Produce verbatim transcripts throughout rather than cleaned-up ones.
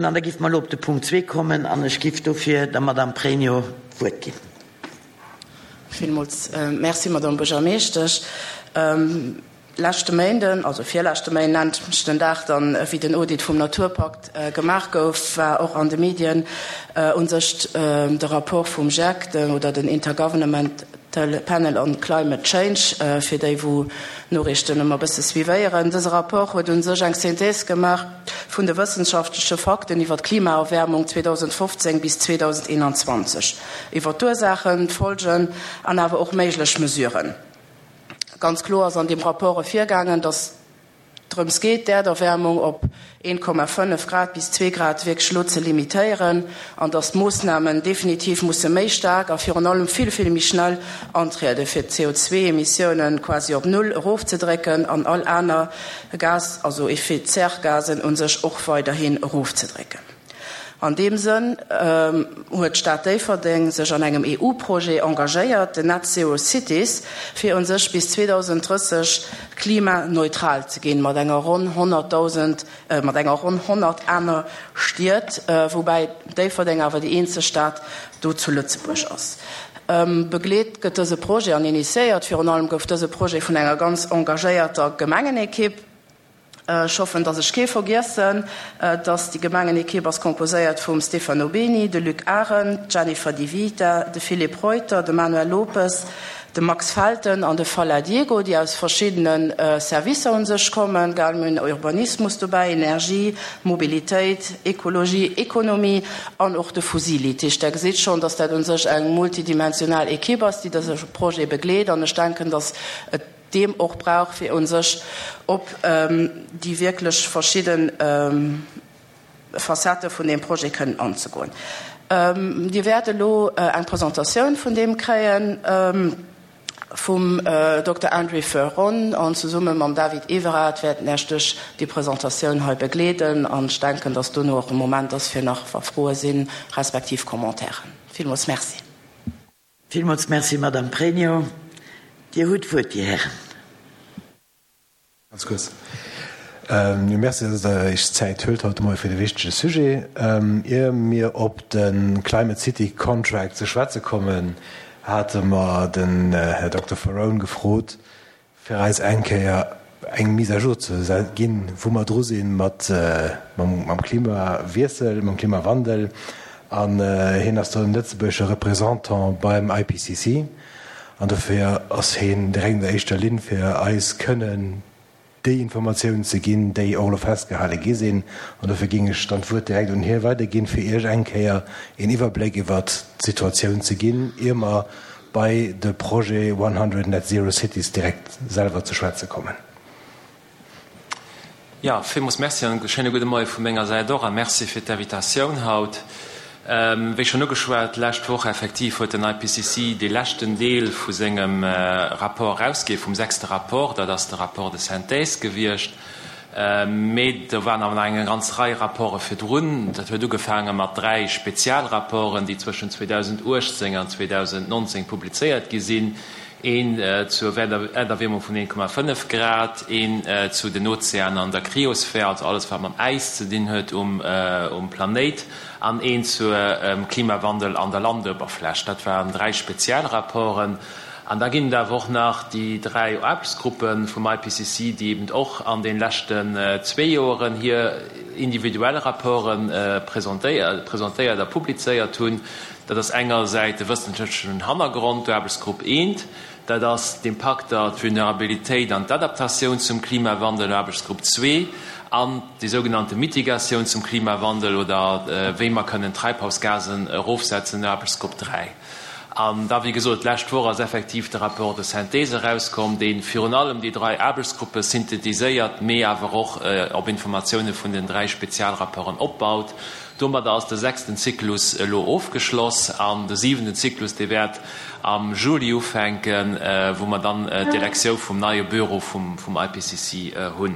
An da giff mer elo op de Punkt zwee kommen an ech giff dofir der Madame Pregno d'Wuert ginn. Villmools Merci, Madame Buergermeeschtesch. Leschte Méinden, also virleschte Méinden, den Dag dann, wéi den Audit vum Naturpakt gemaach gouf, war och an de Medien u sech de Rapport vum GIEC oder den Intergovernmental Panel on Climate Change, fir déi wou Noriichten ëmmer e bësse suivéieren. Dëse Rapport huet u sech eng Synthèse gemaach vun de wëssenschaftleche Fakten iwwer d'Klimaerwäermung zweedausendfofzéng bis zweedausendeenanzwanzeg, iwwer d'Ursaachen, d'Folgen an awer och méiglech Mesuren. Ganz kloer ass an deem Rapport ervirgaangen, datt drëms geet, d'Äerderwäermung op een Komma fënnef Grad bis zwee Grad wierklech elo ze limitéieren an datt d'Moossnamen definitiv musse méi staark a virun allem vill, vill méi schnell antrieden, fir d'C O zwei Emissiounen quasi op Null erofzedrécken an all aner Gas, also Effet-Serre-Gasen u sech och weiderhin erofzedrécken. An deem Sënn huet d'Stad Déifferdeng sech an engem E U-Projet engagéiert, den Net Zero Cities, fir u sech bis zweedausenddrësseg klimaneutral ze ginn, mat enger ronn honnertdausend, mat enger ronn honnert aner Stied, woubäi Déifferdeng awer déi eenzeg Stad do zu Lëtzebuerg ass. Begleet gëtt dëse Projet an initiéiert, virun allem gouf dëse Projet vun enger ganz engagéierter Gemengenekipp. Ech hoffen, dass ech kee vergiessen, dass déi Gemengenekipp ass composéiert vum Stefano Beni, de Luc Arendt, d'Jennifer Di Vita, de Philippe Reuter, de Manuel Lopes, de Max Felten an de Falla Diego, déi aus verschiddene Servicer un sech kommen, gell, mir hunn Urbanismus dobäi, Energie, Mobilitéit, Ekologie, Ekonomie an och de Fusili. Dat heescht, Der gesitt schonn, dass dat un sech eng multidimensional Ekipp ass, déi dëse Projet begleet, an ech denken, dass et deem och brauch, fir un sech op déi wierklech verschidden Facettë vun deem Projet kënnen anzegoen. Dir wäert elo eng Presentatioun vun deem kréien vum Dokter André Ferron an zesumme mam David Everard wäerten Iech duerch déi Presentatioun hei begleeden an ech denken, dass dono och e Moment ass, fir nach wa Froe sinn, respektiv Commentairen. Villmools Merci. Villmools Merci, Madame Pregno. Dir hutt d'Wuert, Dir Hären. Ganz kuerz. Jo, merci, dass Der Iech d'Zäit huelt haut de Moie fir de wichtege Sujet. Ier mir op de Climate City Contract ze schwätze kommen, hate mer den Här Dokter Ferrone gefrot, fir eis eng Kéier eng Mise à jour ze ginn, wou mer dru si mat mam Klimawiessel, mam Klimawandel. An hien ass do den lëtzebuergesche Représentant beim I P C C. An dofir ass hien direkt an der éischter Linn, fir eis kënnen déi Informatiounen ze ginn, déi och elo festgehale gi sinn. An dofir géing ech dann d'Wuert direkt un hie weiderginn, fir Iech eng Kéier een Iwwerbléck iwwert d'Situatioun ze ginn, ier mer bei de Projet one hundred Net Zero Cities direkt selwer ze schwätze kommen. Ja, villmools Merci an e schéine gudde Moie vu menger Säit och a Merci fir d'Invitatioun haut. Wéi schonn ugeschwat, d'lescht Woch effektiv huet den I P C C dee leschten Deel vu sengem Rapport erausginn, vum sechste Rapport, dat ass de Rapport de synthèse gewiescht. Mee do waren awer nach eng ganz Rei Rapporte virdrun. Dat huet ugefaange mat dräi Spezialrapporten, déi zwëschen zweedausenduechtzéng an zweedausendnonzéng publizéiert gi sinn. Een zur Äerderwiermung vun een Komma fënnef Grad, een zu den Ozeanen an der Kryosphär, also alles wat mam Äis ze dinn huet um Planéit, an een zur Klimawandel an der Landuewerfläch. Dat waren dräi Spezialrapporten. An da ginn et awer och nach déi dräi Aarbechtsgruppe vum I P C C, déi eben och an den leschten zwee Joeren hir individuell Rapporte presentéiert a publizéiert hunn. Dat ass engersäits de wëssenschaftlechen Hannergrond, d'Aarbechtsgrupp eent, dat ass d'Impakter, d'Vulnerabilitéit an d'Adaptatioun zum Klimawandel, Aarbechtsgrupp zwee, an déi sougenannte Mitigatioun zum Klimawandel oder wéi mer kënnen Treibhausgasen erofsetzen, Aarbechtsgrupp dräi. An da, wéi gesot, d'lescht Woch ass effektiv de Rapport de synthèse erauskomm, dee virun allem déi dräi Aarbechtsgruppe synthetiséiert, mee awer och op Informatioune vun den dräi Spezialrapporten opbaut. Domadder ass de sechsten Zyklus elo ofgeschloss an de siwenten Zyklus, dee wäert am Juli ufänken, wou mer dann d'Elektioun vum neie Büro vum I P C C hunn.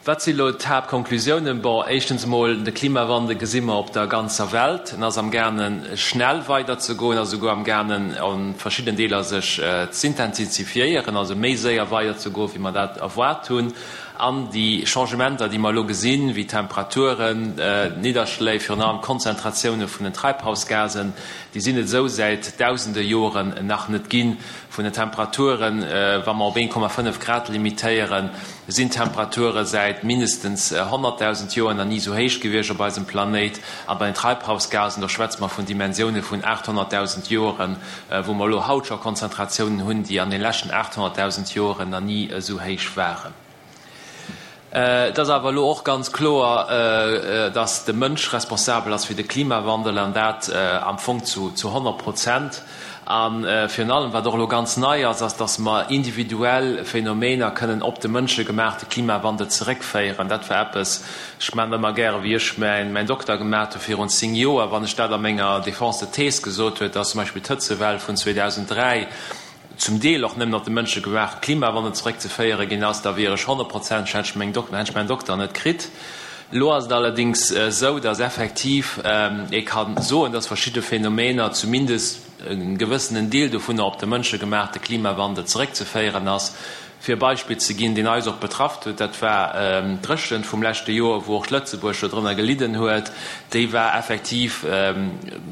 Wat sinn elo d'Haaptkonklusiounen? Bon, éischtens emol, de Klimawandel gesi mer op der ganzer Welt. En ass am gaangen, schnell weiderzegoen, ass esouguer am gaangen, a verschiddenen Deeler sech z'intensifiéieren, also méi séier weiderzegoen, wéi mer dat erwaart hunn. An déi Changementer, déi mer elo gesinn, wéi d'Temperaturen, d'Nidderschléi, virun allem d'Konzentratioune vun den Treibhausgasen, déi sinn et esou säit dausende Joren nach net ginn. Vun den Temperaturen, wa mer op een Komma fënnef Grad limitéieren, sinn d'Temperature säit mindestens honnertdausend Joer nach ni esou héich gewiescht op eisem Planéit. A bei den Treibhausgasen, do schwätze mer vun Dimensioune vun aathonnertdausend Joren, wou mer elo haut scho Konzentratiounen hunn, déi an de leschten aathonnertdausend Joren nach ni esou héich waren. Et ass awer elo och ganz kloer, dass de Mënsch responsabel ass fir de Klimawandel, an dat am Fong zu honnert Prozent. A virun allem, wat och elo ganz nei ass, ass, dass mer individuell Phänomener kënnen op de mënschegemaachte Klimawandel zeréckféieren. Dat war eppes, ech maachen ëmmer gäre wéi ech mäin Dokter gemaat hu virun zéng Joer, wann ech dat a menger Défense de thèse gesot huet, dass zum Beispill d'Hëtzewell vun zweedausenddräi zum Deel och nëmmen op de mënschegemaachte Klimawandel zeréckzeféiere ginn ass, da wier ech honnertprozenteg, hätt ech meng Dok-, hätt ech mäin Dokter net kritt. Elo ass et allerdéngs esou, dass effektiv ee ka soen, dass verschidde Phänomener, zumindest e gewëssenen Deel dovunner, op de mënschegemaachte Klimawandel zeréckzeféieren ass. Fir e Beispill ze ginn, deen eis och betrafft huet, dat war d'Dréchent vum leschte Joer, wou och Lëtzebuerg dodrënner gelidden huet. Déi war effektiv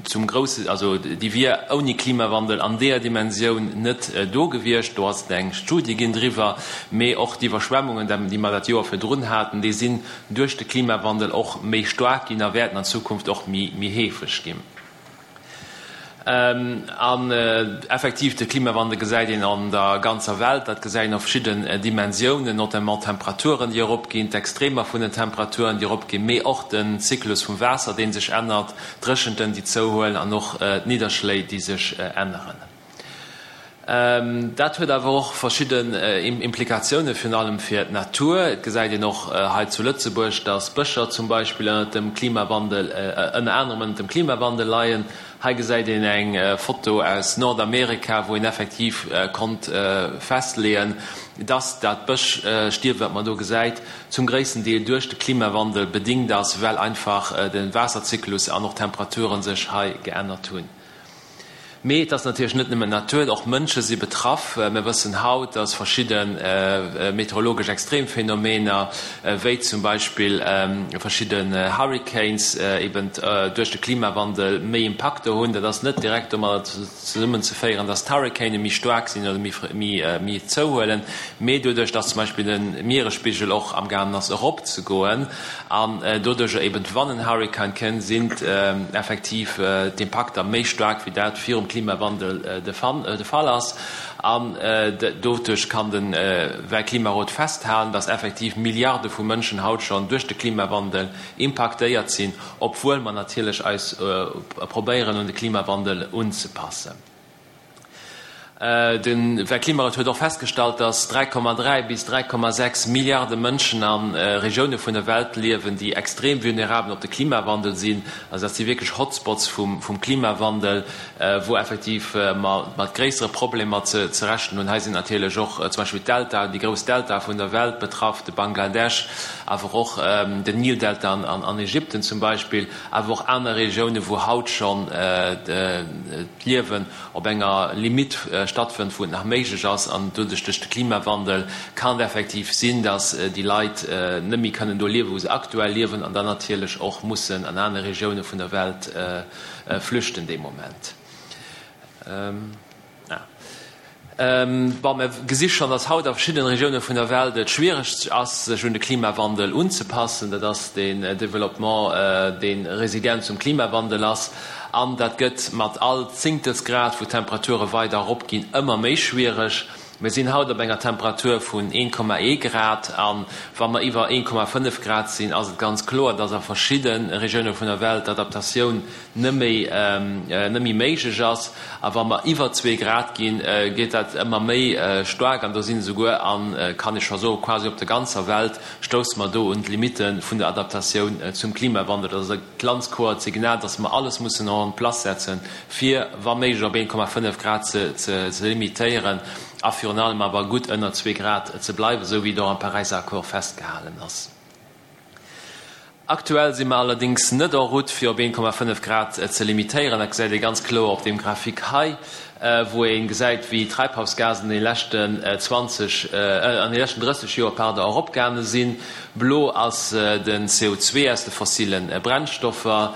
zum grousse, also déi wier ouni Klimawandel an deeër Dimensioun net do gewiescht. Do ass et eng Studie ginn driwwer. Mee och d'Iwwerschwemmungen, déi mer dat Joer virdrun haten, déi sinn duerch de Klimawandel och méi staark ginn a wäerten an Zukunft och méi heefeg ginn. An effektiv, de Klimawandel gesäit een an der ganzer Welt. Dat gesäit een a verschidden Dimensiounen, notamment d'Temperaturen, déi eropginn, d'Extremer vun den Temperaturen, déi eropginn, mee och den Zyklus vum Waasser, dee sech ännert, d'Dréchenten, déi zouhuelen an och d'Nidderschléi, déi sech änneren. Dat huet awer och verschidden Implikatiounen, virun allem fir d'Natur. Et gesäit een och hei zu Lëtzebuerg, dass Bëscher zum Beispill ënnert dem Klimawandel, ënner anerem ënnert dem Klimawandel leien. Hei gesäit een eng Foto aus Nordamerika, wou een effektiv konnt festleeën, dass dat Bëschstierwen, wat mer do gesäit, zum gréissten Deel duerch de Klimawandel bedingt ass, well einfach de Waasserzyklus an och d'Temperaturen sech hei geännert hunn. Mee et ass natierlech net nëmmen d'Natur, och Mënsche si betraff. Mir wëssen haut, dass verschidde meteorologesch Extremphänomener, wéi zum Beispill verschidden Hurricanes, eben duerch de Klimawandel méi Impakter hunn. Dat ass net direkt domadder zesummenzeféieren, dass d'Hurricane méi staark sinn oder méi zouhuelen, mee doduerch, dass zum Beispill de Mieresspigel och amgaangen ass eropzegoen an doduercher eben, wann en Hurrikan kënnt, sinn effektiv d'Impakter méi staark, wéi dat virum Klimawandel de Fall ass. An doduerch kann de Weltklimarot festhalen, dass effektiv Milliarde vu Mënschen haut schonn duerch de Klimawandel impaktéiert sinn, obwuel mer natierlech eis probéieren, un de Klimawandel unzepassen. De Weltklimarot huet och festgestallt, dass dräi Komma dräi bis dräi Komma sechs Milliarde Mënschen a Regioune vun der Welt liewen, déi extrem vulnerabel op de Klimawandel sinn. Also dat si wierklech Hotspots vum Klimawandel, wou effektiv mer mat gréissere Problemer ze rechnen hunn. Hei sinn natierlech och zum Beispill d'Deltaen, déi grouss Deltae vun der Welt betraff, de Bangladesch, awer och den Nildelta an Ägypten zum Beispill, awer och aner Regioune wou haut schonn d'Liewen op enger Limitt stattfënnt, wou et nach méiglech ass, an doduerch duerch de Klimawandel kann et effektiv sinn, datt déi Leit net méi kënnen do liewen, wou se aktuell liewen, an dann natierlech och mussen an aner Regioune vun der Welt flüchten dee Moment. Bon, mir gesi schonn, datt haut a verschiddene Regioune vun der Welt et schwiereg ass, sech un de Klimawandel unzepassen. Dat ass deen Développement, dee resilient zum Klimawandel ass. An dat gëtt mat all Zéngtelsgrad, wou d'Temperature weider eropginn, ëmmer méi schwiereg. Mir sinn haut op enger Temperatur vun een Komma ee Grad a wa mer iwwer een Komma fënnef Grad sinn, ass et ganz kloer, dass a verschidde Regioune vun der Welt d'Adaptatioun net méi net méi méiglech ass. A wa mer iwwer zwee Grad ginn, gétt dat ëmmer méi staark an do sinn esouguer, a kann ee scho soen, quasi op der ganzer Welt stousse mer do un d'Limitte vun der Adaptatioun zum Klimawandel. Dat ass e ganz kloert Signal, dass mer alles mussen en place setzen, fir wa méiglech op een Komma fënnef Grad ze ze limitéieren a virun allem awer gutt ënner zwee Grad ze bleiwen, esou wéi et och am Paräisser Accord festgehalen ass. Aktuell si mer allerdéngs net en route, fir op een Komma fënnef Grad ze limitéieren. Dat gesäit ee ganz kloer op deem Graphique hei. wou ee gesäit, wéi d'Treibhausgasen an de leschten zwanzeg, an de leschten drësseg Joer, pardon, eropgaange sinn. Blo ass den C O zwee aus de fossile Brennstoffer,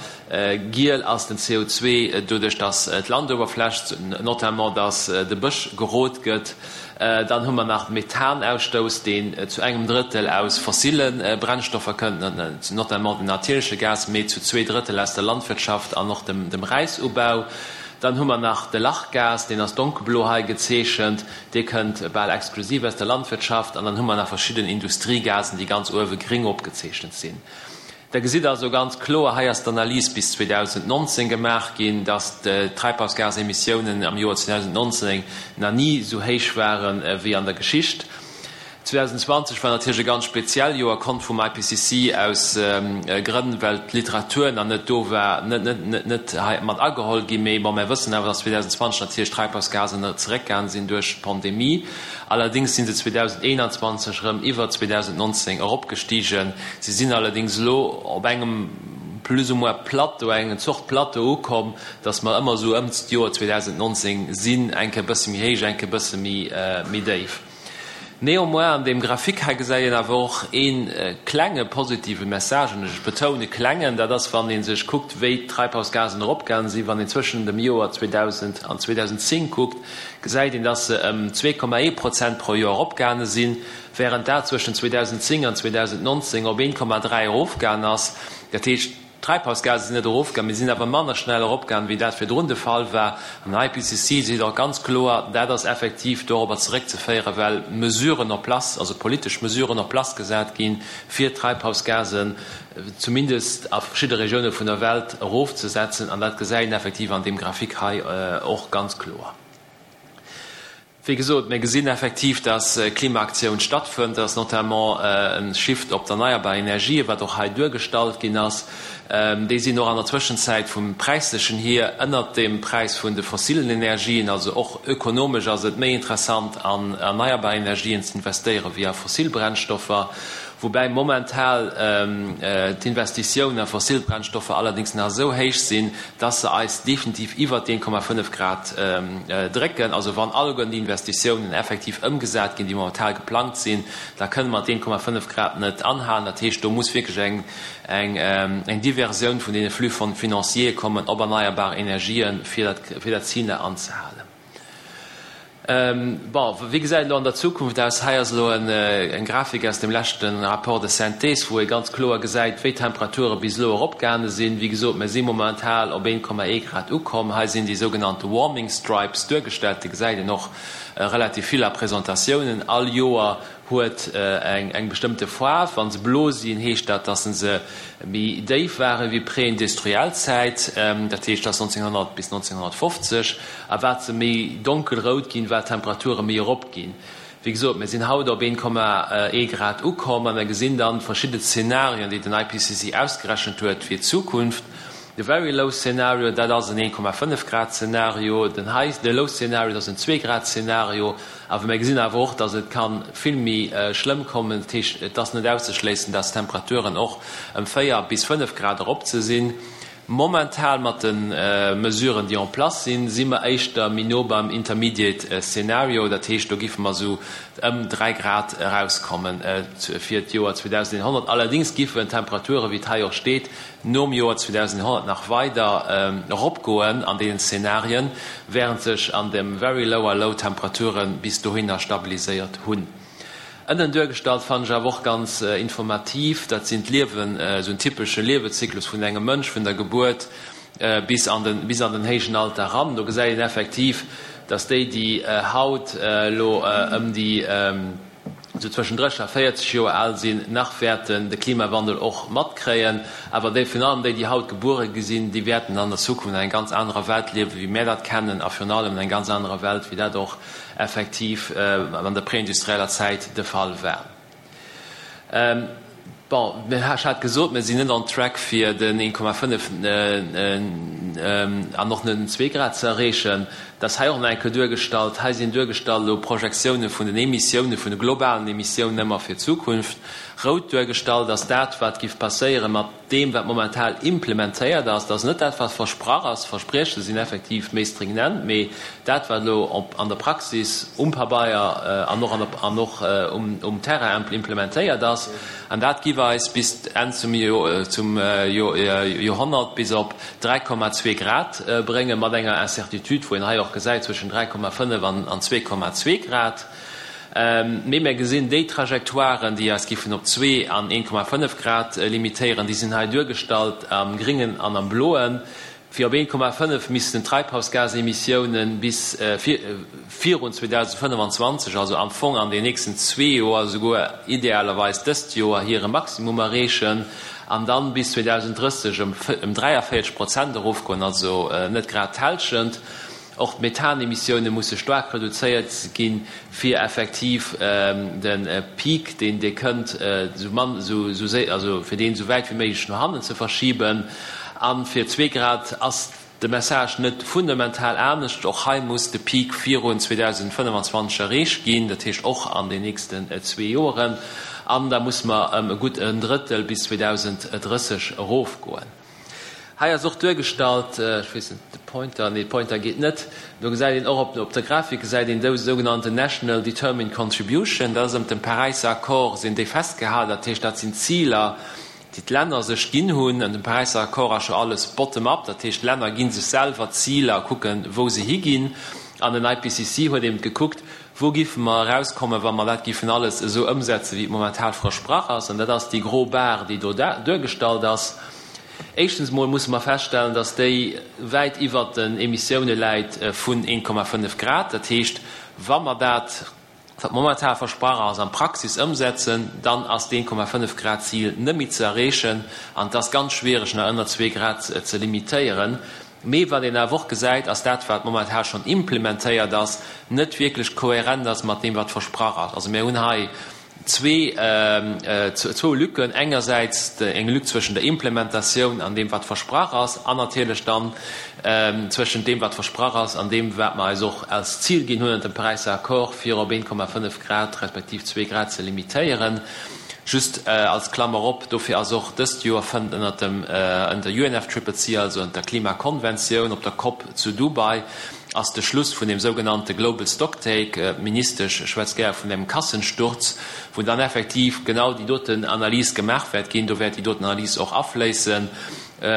giel ass den C O zwee doduerch, dass d'Landoberfläch, notamment dass de Bësch gerot gëtt. Dann hu mer nach Methanausstouss, deen zu engem Drëttel aus fossile Brennstoffer kënnt, notamment den natierleche Gas, mee zu zwee Drëttel aus der Landwirtschaft an och dem Räisubau. Dann hu mer nach de Lachgas, deen ass donkelblo hei gezeechent, dee kënnt bal exklusiv aus der Landwirtschaft. An dann hu mer nach verschidden Industriegasen, déi ganz uewe gring opgezeechent sinn. Der gesitt also ganz kloer, hei ass d'Analys bis zweedausendnonzéng gemaach ginn, dass d'Treibhausgasemissiounen am Joer zweedausendnonzéng nach ni esou héich ware wéi an der Geschicht. zweedausendenzwanzeg war natierlech e ganz speziell Joer, konnt vum I P C C aus Grënn, well d'Literatur nach net do war, net, net, net hei mat ageholl ginn. Mee bon, mär wëssen awer, dass zweedausendenzwanzeg natierlech d'Treibhausgasen zeréckgaangen sinn duerch d'Pandemie. Allerdéngs si se zweedausendeenanzwanzeg erëm iwwer zweedausendnonzéng eropgestigen. Si sinn allerdéngs elo op engem plus ou moins Plateau, eng Zort Plateau ukomm, dass mer ëmmer esou ëm d'Joer zweedausendnonzéng sinn, eng Kéier e bësse méi héich, eng Kéier e bësse méi, méi déif. Néanmoins, an deem Graphique hei gesäit een awer och ee klenge positive Message, an ech betoune klengen, dat ass, wann ee sech kuckt, wéi d'Treibhausgasen eropgaange sinn, wann een zwëschen dem Joer zweedausend an zweedausendezéng kuckt, gesäit een, dass se ëm zwee Komma ee Prozent pro Joer eropgaange sinn, während dat zwëschen zweedausendezéng an zweedausendnonzéng op een Komma dräi erofgaangen ass. Dat heescht, d'Treibhausgase sinn net erofgaangen, mee sinn awer manner schnell eropgaangen, wéi dat virdrun de Fall war. An den I P C C seet och ganz kloer, dat ass effektiv dorobber zeréckzeféieren, well Mesuren en place, also politesch Mesuren en place gesat ginn, fir d'Treibhausgasen zumindest a verschidde Regioune vun der Welt erofzesetzen. An dat gesäit een effektiv an deem Graphique hei och ganz kloer. Wéi gesot, mir gesinn effektiv, dass Klimaaktioun stattfënnt, dass notamment e Shift op d'erneierbar Energien, wat och hei duergestallt ginn ass, déi sinn och an der Zwëschenzäit vum Präislechen hier ënnert dem Präis vun de fossilen Energien. Also och ökonomesch ass et méi interessant, an erneierbar Energien ze investéieren, wéi a fossil Brennstoffer, woubäi momental d'Investitiounen a fossil Brennstoffer allerdéngs nach esou héich sinn, dass se eis definitiv iwwert d'een Komma fënnef Grad drécken. Also wann alleguerten déi Investitiounen effektiv ëmgesat ginn, déi momental geplangt sinn, da kënne mer d'een Komma fënnef Grad net anhalen. Dat heescht, do muss wierklech eng eng eng Diversioun vun deene Flux financiers kommen op erneierbar Energien, fir dat fir dat Zil anzehalen. Bon, wéi gesäit et elo an der Zukunft aus? Hei ass elo eng Grafik aus dem leschte Rapport de synthèse, wou ee ganz kloer gesäit, wéi d'Temperature bis elo eropgaange sinn. Wéi gesot, mir si momental op een Komma ee Grad ukomm. Hei sinn déi sougenannte Warming Stripes duergestellt. Déi gesäit een och relativ vill a Presentatiounen. All Joer huet eng bestëmmte Faarf. Wa se blo sinn, heescht dat, dass se méi déif waren wéi preindustriell Zäit, dat heescht, dass nonzénghonnert bis nonzénghonnertfofzeg. A wat se méi donkelrout ginn, wat d'Temperature méi erop ginn. Wéi gesot, mir sinn haut op een Komma ee Grad ukomm a mir gesinn dann verschidde Szenarien, déi den I P C C ausgerechent huet fir d'Zukunft. De Very Low Szenario, dat ass en een Komma fënnef Grad Szenario, den High, de Low Szenario, dat ass en zwee Grad Szenario. Awer mir gesinn awer och, dass et ka vill méi schlëmm kommen. Dat heescht, et ass net auszeschléissen, dass d'Temperaturen och ëm véier bis fënnef Grad erop ze sinn. Momental mat de Mesuren, déi en place sinn, si mer éischter méi no beim Intermediate Szenario. Dat heescht, do giffe mer esou ëm dräi Grad erauskommen fir d'Joer zweedausendeenhonnert. Allerdéngs giffen d'Temperature, wéi et hei och steet, nom Joer zweedausendeenhonnert nach weider eropgoen an deenen Szenarien, während sech an dem Very Low a Low d'Temperature bis dohinner stabiliséiert hunn. Ënnen duergestallt fannen ech awer och ganz informativ, dat sinn d'Liewen, esou en typesche Liewezyklus vun engem Mënsch vun der Gebuert bis an den, bis an den héijen Alter eran. Do gesäit een effektiv, dass déi, déi haut elo ëm déi esou zwëschen dréisseg a véierzeg Joer al sinn, nach wäerten de Klimawandel och matkréien. Awer déi, virun allem déi, déi haut gebuere gi sinn, déi wäerten an der Zukunft an enger ganz anerer Welt liewen, wéi mär dat kennen, a virun allem an enger ganz anerer Welt, wéi dat och effektiv an der preindustrieller Zäit de Fall war. Bon, ech hat gesot, mir sinn net on track fir den een Komma fënnef an och net den zwee Grad ze erreechen. Dat ass hei och nach eng Kéier duergestallt. Hei sinn duergestallt elo Projektioune vun den Emissiounen, vun de globalen Emissiounen ëmmer fir d'Zukunft. Rout duergestallt ass dat, wat giff passéiere mat deem, wat momental implementéiert ass. Dat ass net dat, wat versprach ass. Versprieche sinn effektiv méi stringent, mee dat, wat elo an der Praxis um Pabeier an och an och um Terrain implementéiert ass, an dat giff eis bis Enn zum Joerhonnert bis op dräi Komma zwee Grad bréngen, mat enger Incertitude, wou een hei och gesäit, zwëschen dräi Komma fënnef an zwee Komma zwee Grad. Mee mir gesinn, déi Trajectoiren, déi eis giffen op zwee an een Komma fënnef Grad limitéieren, déi sinn hei duergestallt am Gringen an am Bloen. Fir op een Komma fënnef missten d'Treibhausgasemissiounen bis virun zweedausendfënnefenzwanzeg, also am Fong an den nächsten zwee Joer, esouguer idealerweis dëst Joer, hire Maximum erreechen an dann bis zweedausendrësseg ëm dräiavéierzeg Prozent erofgoen, also net grad d'Hälschent. Och d'Methanemissioune musse staark reduzéiert ginn, fir effektiv de Peak, deen dee kënnt, esou mann, esou séi, also fir deen esou wäit wéi méiglech no hannen ze verschiben. A fir zwee Grad ass de Message net fundamental anescht. Och hei muss de Peak virun zweedausendfënnefenzwanzeg erreecht ginn, dat heescht och an den nächsten zwee Joren. An da musse mer ëm e gutt en Drëttel bis zweedausendrësseg erofgoen. Hei ass och duergestallt, ech weess net, de Pointer, nee, de Pointer geet net, do gesäit een och op, op der Grafik gesäit een dou sougenannten National Determined Contribution, dat ass ëmt dem Paräisser Accord sinn déi festgehalen, dat heescht, dat sinn Ziler, déi d'Länner sech ginn hunn. An dem Paräisser Accord ass jo alles bottom-up, dat heescht, d'Länner gi sech selwer Ziler a kucken, wou se higinn. An den I P C C huet eben gekuckt, wou giffe mer erauskommen, wa mer dat giffen alles esou ëmsetzen, wéi et momentan versprach ass. An dat ass déi gro Bar, déi do duergestallt ass. Éischtens emol musse mer feststellen, dass déi wäit iwwert den Emissioune läit vun een Komma fënnef Grad. Dat heescht, wa mer dat, wat momentan versprach ass, an d'Praxis ëmsetzen, dann ass d'een Komma fënnef Grad Zil net méi ze erreechen an et ass ganz schwiereg, nach ënner zwee Grad ze limitéieren. Mee wat een awer och gesäit, ass dat, wat momentan schonn implementéiert ass, net wierklech kohärent ass mat deem, wat versprach ass. Also mir hunn hei zwee zwou Lücken, engersäits eng Lück zwëschen der Implementatioun an deem, wat versprach ass, an natierlech dann zwëschent deem, wat versprach ass, an deem, wat mer eis och als Zil ginn hunn ënnert dem Paräisser Accord, fir op een Komma fënnef Grad respektiv zwee Grad ze limitéieren. Just als Klammer op, dofir ass och dëst Joer fënnt ënnert dem ënner der U N F C C C, also ënnert der Klimakonventioun, op der COP zu Dubai, ass de Schluss vun dem sougenannte Global Stocktake, d'Ministesch schwätzt gär vun engem Kassensturz, wou dann effektiv genau déi doten Analys gemaach wäert ginn, do wäert déi doten Analys och afléissen,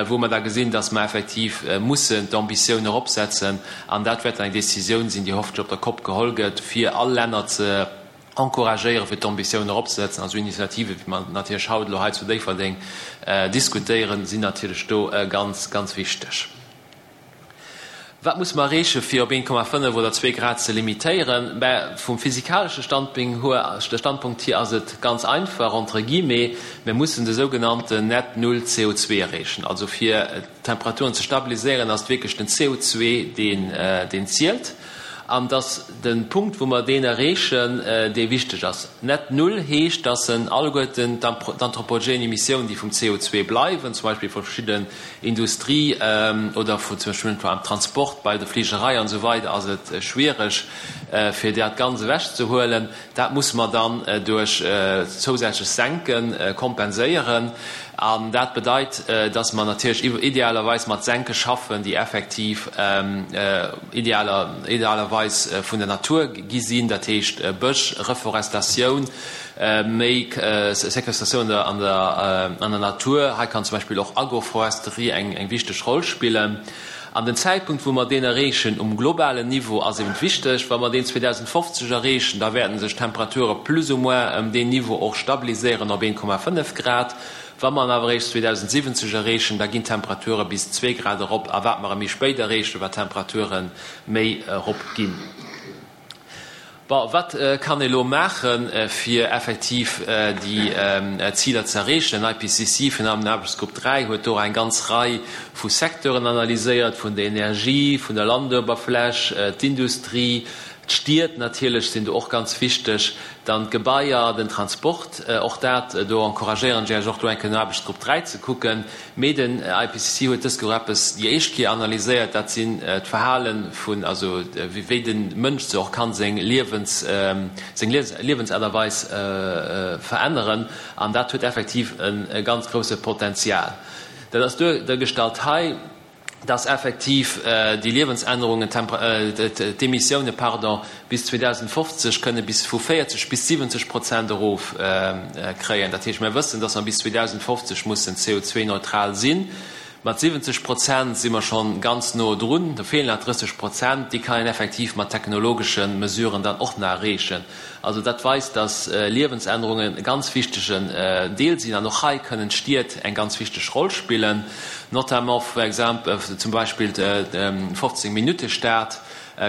wou mer da gesinn, dass mer effektiv mussen d'Ambitioun eropsetzen. An dat wäert dann eng Décisioun sinn, déi hoffentlech op der COP geholl gëtt, fir all Länner ze encouragéieren, fir d'Ambitioun eropzesetzen. Also Initiative wéi mer natierlech haut elo hei zu Déifferdeng diskutéieren, sinn natierlech do ganz, ganz wichteg. Wat muss mer erreechen, fir op een Komma fënnef oder zwee Grad ze limitéieren? Mä vum physikalesche Standpunkt hier ass et ganz einfach, entre guillemets, Mir mussen de sougenannten Net Null C O zwei erreechen. Also fir d'Temperaturen ze stabiliséieren, ass et wierklech den C O zwei, deen zielt. An et ass de Punkt, wou mer deen erreechen, dee wichteg ass. Net Null heescht, dass en alleguerten d'anthropogène Emissiounen, déi vum C O zwei bleiwen, zum Beispill vu verschidden Industrie oder vu zum Beispill am Transport, bei der Fligerei an esou weider ass et schwiereg, fir dat ganz ewechzehuelen. Dat musse mer dann duerch zousätzlech Senke kompenséieren. An dat bedeit, dass mer natierlech idealerweis mat Senke schaffen, déi effektiv idealerweis vun der Natur gi sinn, dat heescht Bësch, Reforestatioun, méi Sequestratioun an der Natur. Hei kann zum Beispill och Agroforesterie eng wichteg Roll spillen. An den Zäitpunkt, wou mer deen erreechen um globalen Niveau, ass eben wichteg. Wa mer deen zweedausendfofzeg erreechen, da wäerten sech d'Temperature plus ou moins ëm deen Niveau och stabiliséieren op een Komma fënnef Grad. Wa mer en awer eréischt zweedausendsiwwenzeg erreechen, da ginn d'Temperature bis zwee Grad erop. A wat mer e méi spéit erreechen, wat d'Temperature méi erop ginn. Bon, wat kann ee lo maachen, fir effektiv déi Ziler ze erreechen? Den I P C C vun am Aarbechtsgrupp dräi huet do eng ganz Rei vu Secteuren analyséiert, vun der Energie, vun der Landuewerfläch, d'Industrie, D'Stied natierlech sinn do och ganz wichteg. Dann d'Gebaier, den Transport, och dat, do encouragéieren ech Iech och do eng Kéier no Aarbechtsgrupp dräi ze kucken. Mee den I P C C huet dës Joer eppes déi éischt Kéier analyséiert, dat sinn d'Verhale vun, also wéi de Mënsch sech och kann seng Liewens, seng Liewensaart a Weis veränneren. An dat huet effektiv e ganz grousse Potenzial. Dat ass duergestallt hei, dass effektiv déi Liewensännerungen d'Emissioune, pardon, bis zweedausendfofzeg kënne bis vu véierzeg bis siwwenzeg Prozent erof kréien. Dat heescht, mir wëssen, dass mer bis zweedausendfofzeg mussen C O zwei neutral sinn. Mat siwwenzeg Prozent si mer scho ganz no drun, do feelen nach drësseg Prozent, déi kann een effektiv mat technologesche Mesuren dann och nach erreechen. Also dat weist, dass Liewensännerungen e ganz wichtegen Deel sinn an och hei kënnen d'Stied eng ganz wichteg Roll spillen, notamment for example, zum Beispill d'fofzéng Minutte Stad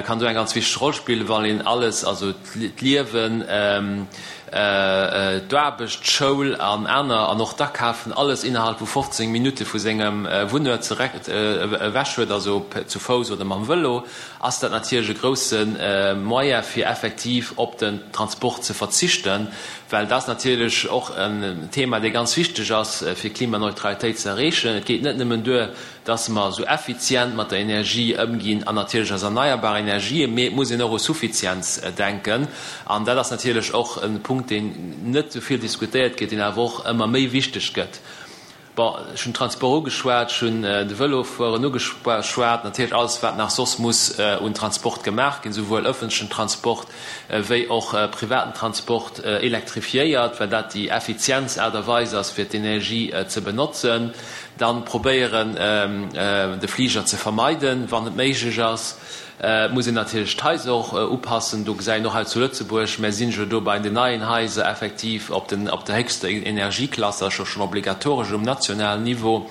kann do eng ganz wichteg Roll spillen, wann een alles, also d'Liewen, d'Aarbecht, d'Schoul an aner an och d'Akafen, alles innerhalb vu fofzéng Minutte vu sengem Wunnuert zereck ewech huet, also zu Fouss oder mam Vëlo, ass dat natierlech e grousse Moyen fir effektiv op den Transport ze verzichten, well dat ass natierlech och en Thema, dee ganz wichteg ass fir Klimaneutralitéit ze erreechen. Et geet net nëmmen duer, dass mer esou effizient mat der Energie ëmginn an natierlech eis erneierbar Energien, mee et muss een och u Suffizienz denken. An dat ass natierlech och e Punkt, deen net esou vill diskutéiert gëtt, deen awer och ëmmer méi wichteg gëtt. Bon, ech hunn Transport ugeschwat, ech hunn de Vëlofueren ugeschwat, natierlech alles, wat nach soss muss un Transport gemaach ginn, souwuel ëffentlechen Transport wéi och privaten Transport elektrifiéiert, well dat déi effizientst Aart a Weis ass, fir d'Energie ze benotzen. Dann probéieren, de Fliger ze vermeiden, wann et méiglech ass. Et muss een natierlech d'Haiser och upassen. Do gesäit een och hei zu Lëtzebuerg, mär sinn jo do bei den neien Haiser effektiv op den, op der héchster Energieklass, dat ass jo schonn obligatoresch um nationalen Niveau.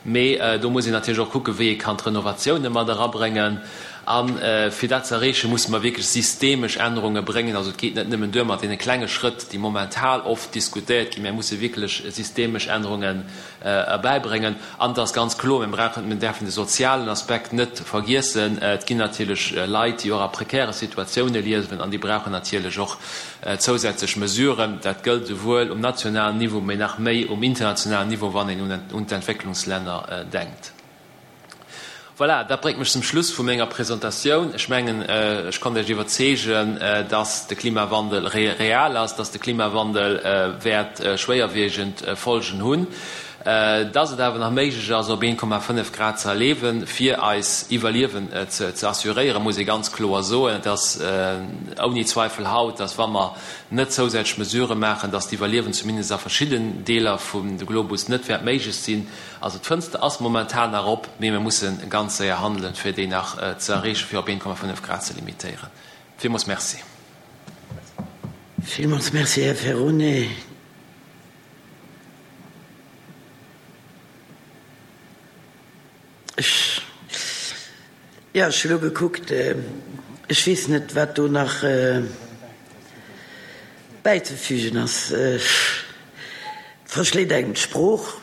Mee do muss een natierlech och kucken, wéi ee kann d'Renovatioune mat erabréngen. A fir dat ze erreechen, musse mer wierklech systemesch Ännerunge bréngen. Also et geet net nëmmen duer mat deene klenge Schrëtt, déi momental oft diskutéiert ginn. Mär musse wierklech systemesch Ännerungen erbäibréngen. An et ass ganz kloer, mir brauchen, mir däerfen de sozialen Aspekt net vergiessen. Et ginn natierlech Leit, déi och a prekäre Situatioune liewen an déi brauchen natierlech och zousätzlech Mesuren. Dat gëllt esouwuel um nationalen Niveau, mee nach méi um internationalen Niveau, wann een un d'Entwécklungslänner denkt. Voilà, dat bréngt mech zum Schluss vu menger Presentatioun. Ech mengen, ech konnt Iech iwwerzeegen, dass de Klimawandel real ass, dass de Klimawandel wäert schwéierwiegend Folgen hunn, dass et awer nach méiglech ass, op een Komma fënnef Grad ze erleewen, fir eis Iwwerliewen ze assuréieren, muss ee ganz kloer soen. Et ass ouni Zweifel haut, dass, wa mer net zousätzlech Mesurë maachen, dass d'Iwwerliewen zumindest a verschidden Deeler vum Globus net wäert méiglech sinn. Also d'Fënster ass momentan nach op, mee mir musse ganz séier handelen, fir déi nach ze erreechen, fir op een Komma fënnef Grad ze limitéieren. Villmools Merci. Villmools Merci, Här Ferrone. Ech, jo, ech hu lo gekuckt, ech weess net, wat do nach bäizefügen ass. Et verschléit engem d'Sprooch.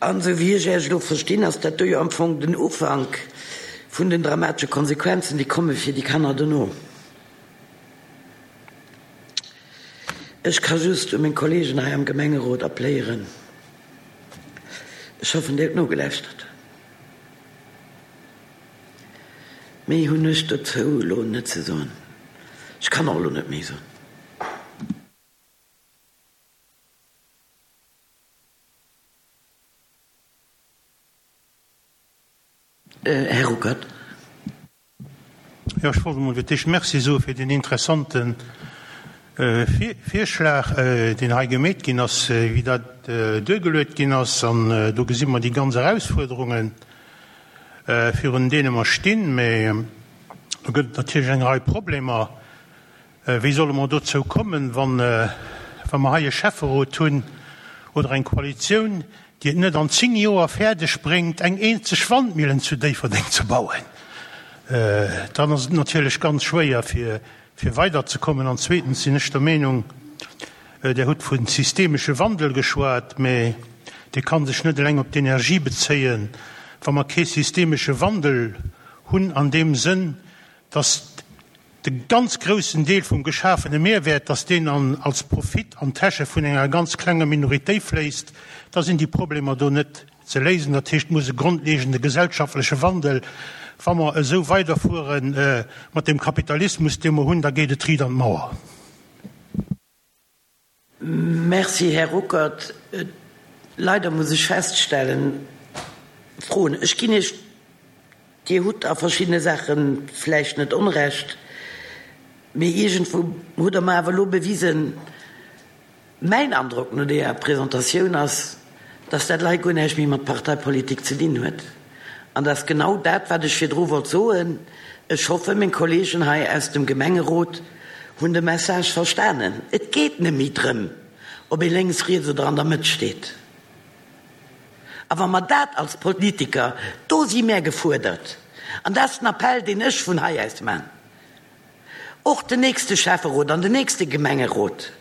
An esou wéi ech Iech elo verstinn, ass dat do jo am Fong den Ufank vun den dramatesche Konsequenzen, déi komme fir déi Kanner dono. Ech ka just u meng Kollegen hei am Gemengerot appléieren, Ech hoffen, Dir hutt nogelauschtert. Méi hunn ech dozou elo net ze soen. Ech kann och elo net méi soen. Här Ruckert. Jo, ech wollt emol fir d'éischt Merci soe fir deen interessante Virschlag, deen hei gemeet ginn ass, wéi dat duergeluet ginn ass. An do gesi mer déi ganz Erausfuerderungen, virun deene mer stinn. Mä do gëtt et natierlech eng Rei Problemer. Wéi solle mer dozou kommen, wa mer hei e Schäfferot hunn oder eng Koalitioun, déi et net an zéng Joer fäerdeg bréngt, eng eenzeg Wandmillen zu Déifferdeng ze bauen? Dann ass et natierlech ganz schwéier, fir fir weiderzekommen. An zweetens sinn ech der Meenung, Der hutt vu systemesche Wandel geschwat, mä dee ka sech net eleng op d'Energie bezéien. Wa mer kee systemesche Wandel hunn an deem Sënn, dass de ganz groussen Deel vum geschafene Mehrwäert, dass deen an, als Profit an d'Täsche vun enger ganz klenger Minoritéit fléisst, da sinn déi Problemer do net ze léisen. Dat heescht, et muss e grondlegende gesellschaftleche Wandel, wa mer esou weiderfuere mat deem Kapitalismus, dee mer hunn, da geet et riit an d'Mauer. Merci, Här Ruckert. Leider muss ech feststellen, Froen, ech ginn Iech, Dir hutt a verschiddene Saache vläicht net Onrecht, mee iergendwou hutt Der mer awer elo bewisen, mäin Androck no deeër Presentatioun ass, dass dat lei guer näischt méi mat Parteipolitik ze dinn huet. An dat ass genau dat, wat ech virdru wollt soen. Ech hoffen, meng Kollegen hei aus dem Gemengerot hunn de Message verstanen. Et geet net méi drëm, ob ee lénks, riets oder an der Mëtt steet. A wa mer dat als Politiker, do si mär gefuerdert, an dat ass den Appell, deen ech vun hei aus man, och den nächste Schäfferot an den nächste Gemengerot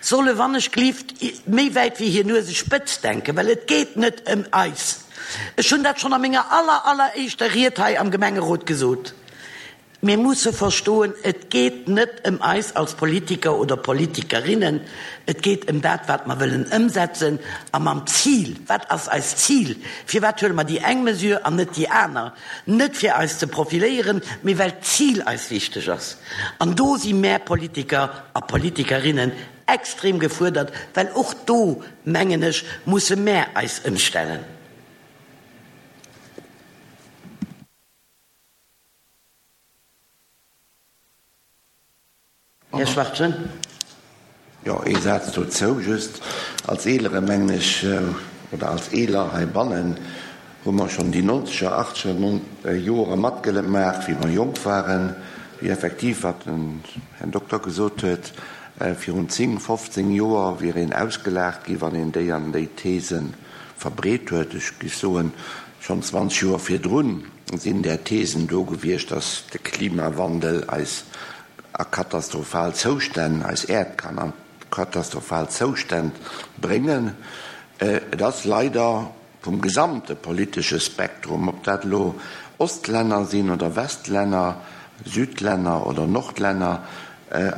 solle wann ech glift méi wäit wéi hir Nuesespëtz denken, well et geet net ëm eis. Ech hunn dat schonn a menger aller, alleréischter Ried hei am Gemengerot gesot. Mir musse verstoen, et geet net ëm eis als Politiker oder Politikerinnen, et geet ëm dat, wat mer wëllen ëmsetzen a mam Zil. Wat ass eist Zil? Firwat huele mer déi eng Mesure an net déi aner? Net fir eis ze profiléieren, mee well d'Zil eis wichteg ass. An do si mär Politiker a Politikerinnen extrem gefuerdert, well och do, mengen ech, musse mär eis ëmstellen. Här Schwachtgen. Jo, ee Saz dozou just. Als Eelere, mengen ech, oder als Eeler heibannen, hu mer schonn déi nonzeger, achtzeger Joere matgemaach, wéi mer jonk waren, wéi effektiv, wat den Här Dokter gesot huet, virun zéng, fofzéng Joer wier een ausgelaacht gi wann een déi an déi These verbreet huet. Ech géif soen, schonn zwanzeg Joer virdrun sinn där Thesen do gewiescht, dass de Klimawandel eis a katastrophal Zoustänn, eis Äerd kann a katastrophal Zoustänn bréngen. Et ass leider vum gesamte politesche Spektrum, ob dat elo Ostlänner sinn oder Westlänner, Südlänner oder Nordlänner,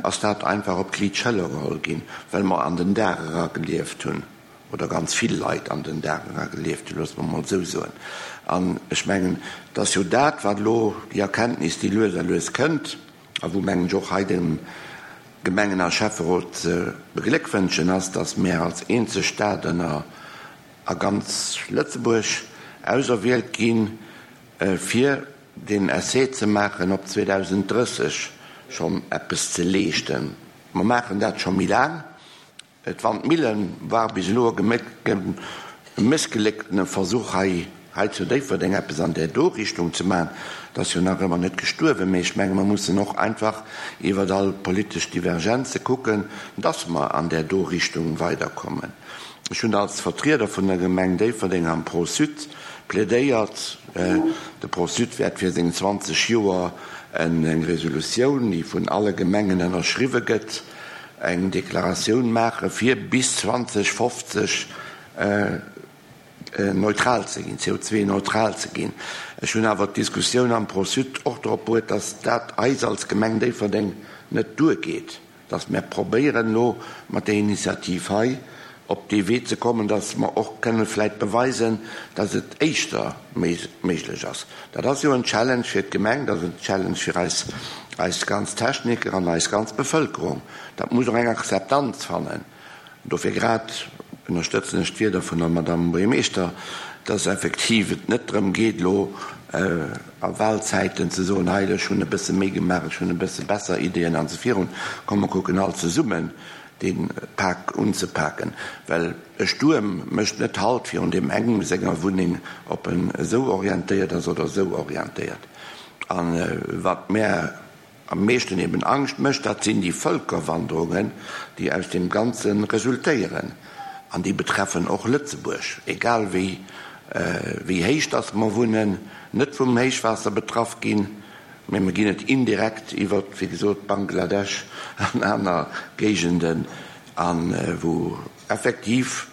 ass dat einfach op d'liit Schëller geholl ginn, well mer an den Dag era gelieft hunn, oder ganz vill Leit an den Dag era gelieft hunn, loosse mer emol esou soen. An ech mengen, et ass jo dat, wat elo déi Erkenntnis, déi lues a lues kënnt, a wou, mengen ech, och hei de Gemengen a Schäfferot ze begléckwënschen ass, dass mär als eenzeg Stad ënner a ganz Lëtzebuerg auserwielt ginn, fir deen Essai ze maachen, op zweedausenddrësseg schonn eppes ze leeschten. Mer maachen dat scho méi laang. D'Wandmille war bis elo e mëssgelécktene Versuch, hei hei zu Déifferdeng eppes an där do Richtung ze maachen. Et ass jo nach ëmmer net gestuerwen, mee ech menge mer mussen och einfach iwwert all politesch Divergenze kucken, dass mer an där do Richtung weiderkommen. Ech hunn als Vertrieder vun der Gemeng Déifferdeng am Pro-Sud plädéiert. De Pro-Sud wäert fir seng zwanzeg Joer eng Resolutioun, déi vun alle Gemengen ënnerschriwwe gëtt, eng Deklaratioun maache fir bis zweedausendfofzeg neutral ze ginn, C O zwei neutral ze ginn. Ech hunn awer d'Diskussioun am Pro-Sud och drop bruet, dass dat eis als Gemeng Déifferdeng net duergeet, dass mir probéieren elo mat där Initiativ hei op dee Wee ze kommen, dass mer och kënne vläicht beweisen, dass et éischter méiglech ass. Dat ass jo en Challenge fir d'Gemeng, dat ass en Challenge fir eis, eis ganz Techniker an eis ganz Bevëlkerung. Dat muss och eng Akzeptanz fannen. Dofir grad ënnerstëtzen ech d'Wierder vun der Madame Buergermeeschter, dass effektiv et net drëm geet, elo a Wahlzäiten ze soen, hei, ech hunn e bësse méi gemaach, ech hunn e bësse besser Ideeën an esou virun. Komm, mer kucken all zesummen, dee Pak unzepaken, well e Stuerm mécht net Halt virun deem engem senger Wunneng, ob en esou orientéiert ass oder esou orientéiert. A wat mär am meeschten eben Angscht mécht, dat sinn déi Vëlkerwanderungen, déi aus deem Ganze resultéieren. An déi betreffen och Lëtzebuerg, egal wéi wéi héich dass mer wunnen, net vum Héichwaasser betraff ginn, mä mer ginn et indirekt iwwer, wéi gesot, Bangladesch an aner Géigenden, a wou effektiv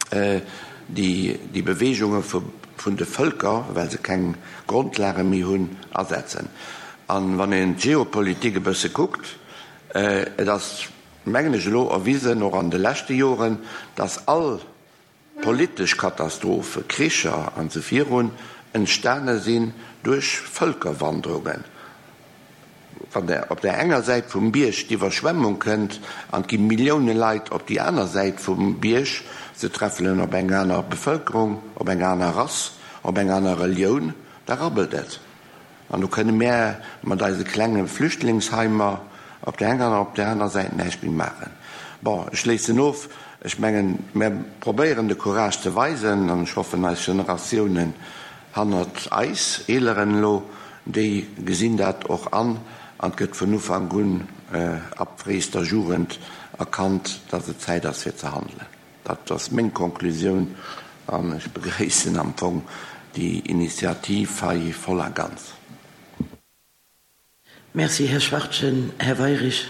déi déi Beweegunge vun de Vëlker, well se keng Grondlage méi hunn, asetzen. An wann een d'Geopolitik e bësse kuckt, et ass, mengen ech, elo erwisen, och an de leschte Joren, dass all politesch Katastrophen, Kricher an esou virun, entstane sinn duerch Vëlkerwanderungen. Wann der op der enger Säit vum Bierg d'Iwwerschwemmung kënnt an et gi Millioune Leit op déi aner Säit vum Bierg, se treffelen op eng aner Bevëlkerung, op eng aner Rass, op eng aner Relioun, da rabbelt et. An do kënne mär mat eise klenge Flüchtlingsheimer op där enger an op där aner Säit näischt méi maachen. Bon, ech schléissen of. Ech mengen, mär probéieren de Courage ze weisen an ech hoffen, eis Generatiounen hannert eis, Eeleren elo, déi gesinn dat och an an et gëtt vun Ufank un, ab fréister Jugend, erkannt, dass et Zäit ass fir ze handelen. Dat ass meng Konklusioun an ech begréissen am Fong déi Initiativ hei voll a ganz. Merci, Här Schwachtgen. Här Weirich.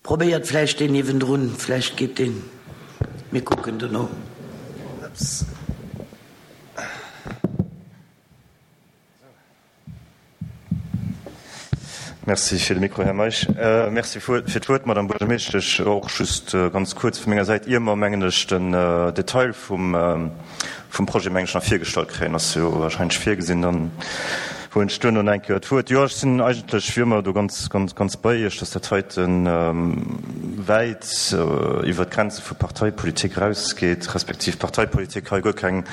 Probéiert vläicht deen niewendrun, vläicht geet deen. Mir kucken dono. Merci fir de Mikro, Här Meisch. Merci fir d'Wuert, Madame Buergermeeschtesch. Och just ganz kuerz vu menger Säit, ier mer, mengen ech, den Detail vum Projet, mengen ech, nach virgestallt kréien, ass jo wahrscheinlech virgesinn, dann huelen ech duerno nach eng Kéier d'Wuert. Jo, ech sinn eigentlech wéi ëmmer do ganz, ganz, ganz bei Iech, dass dat heite wäit iwwert d'Grenze vu Parteipolitik erausgeet, respektiv Parteipolitik hei guer keng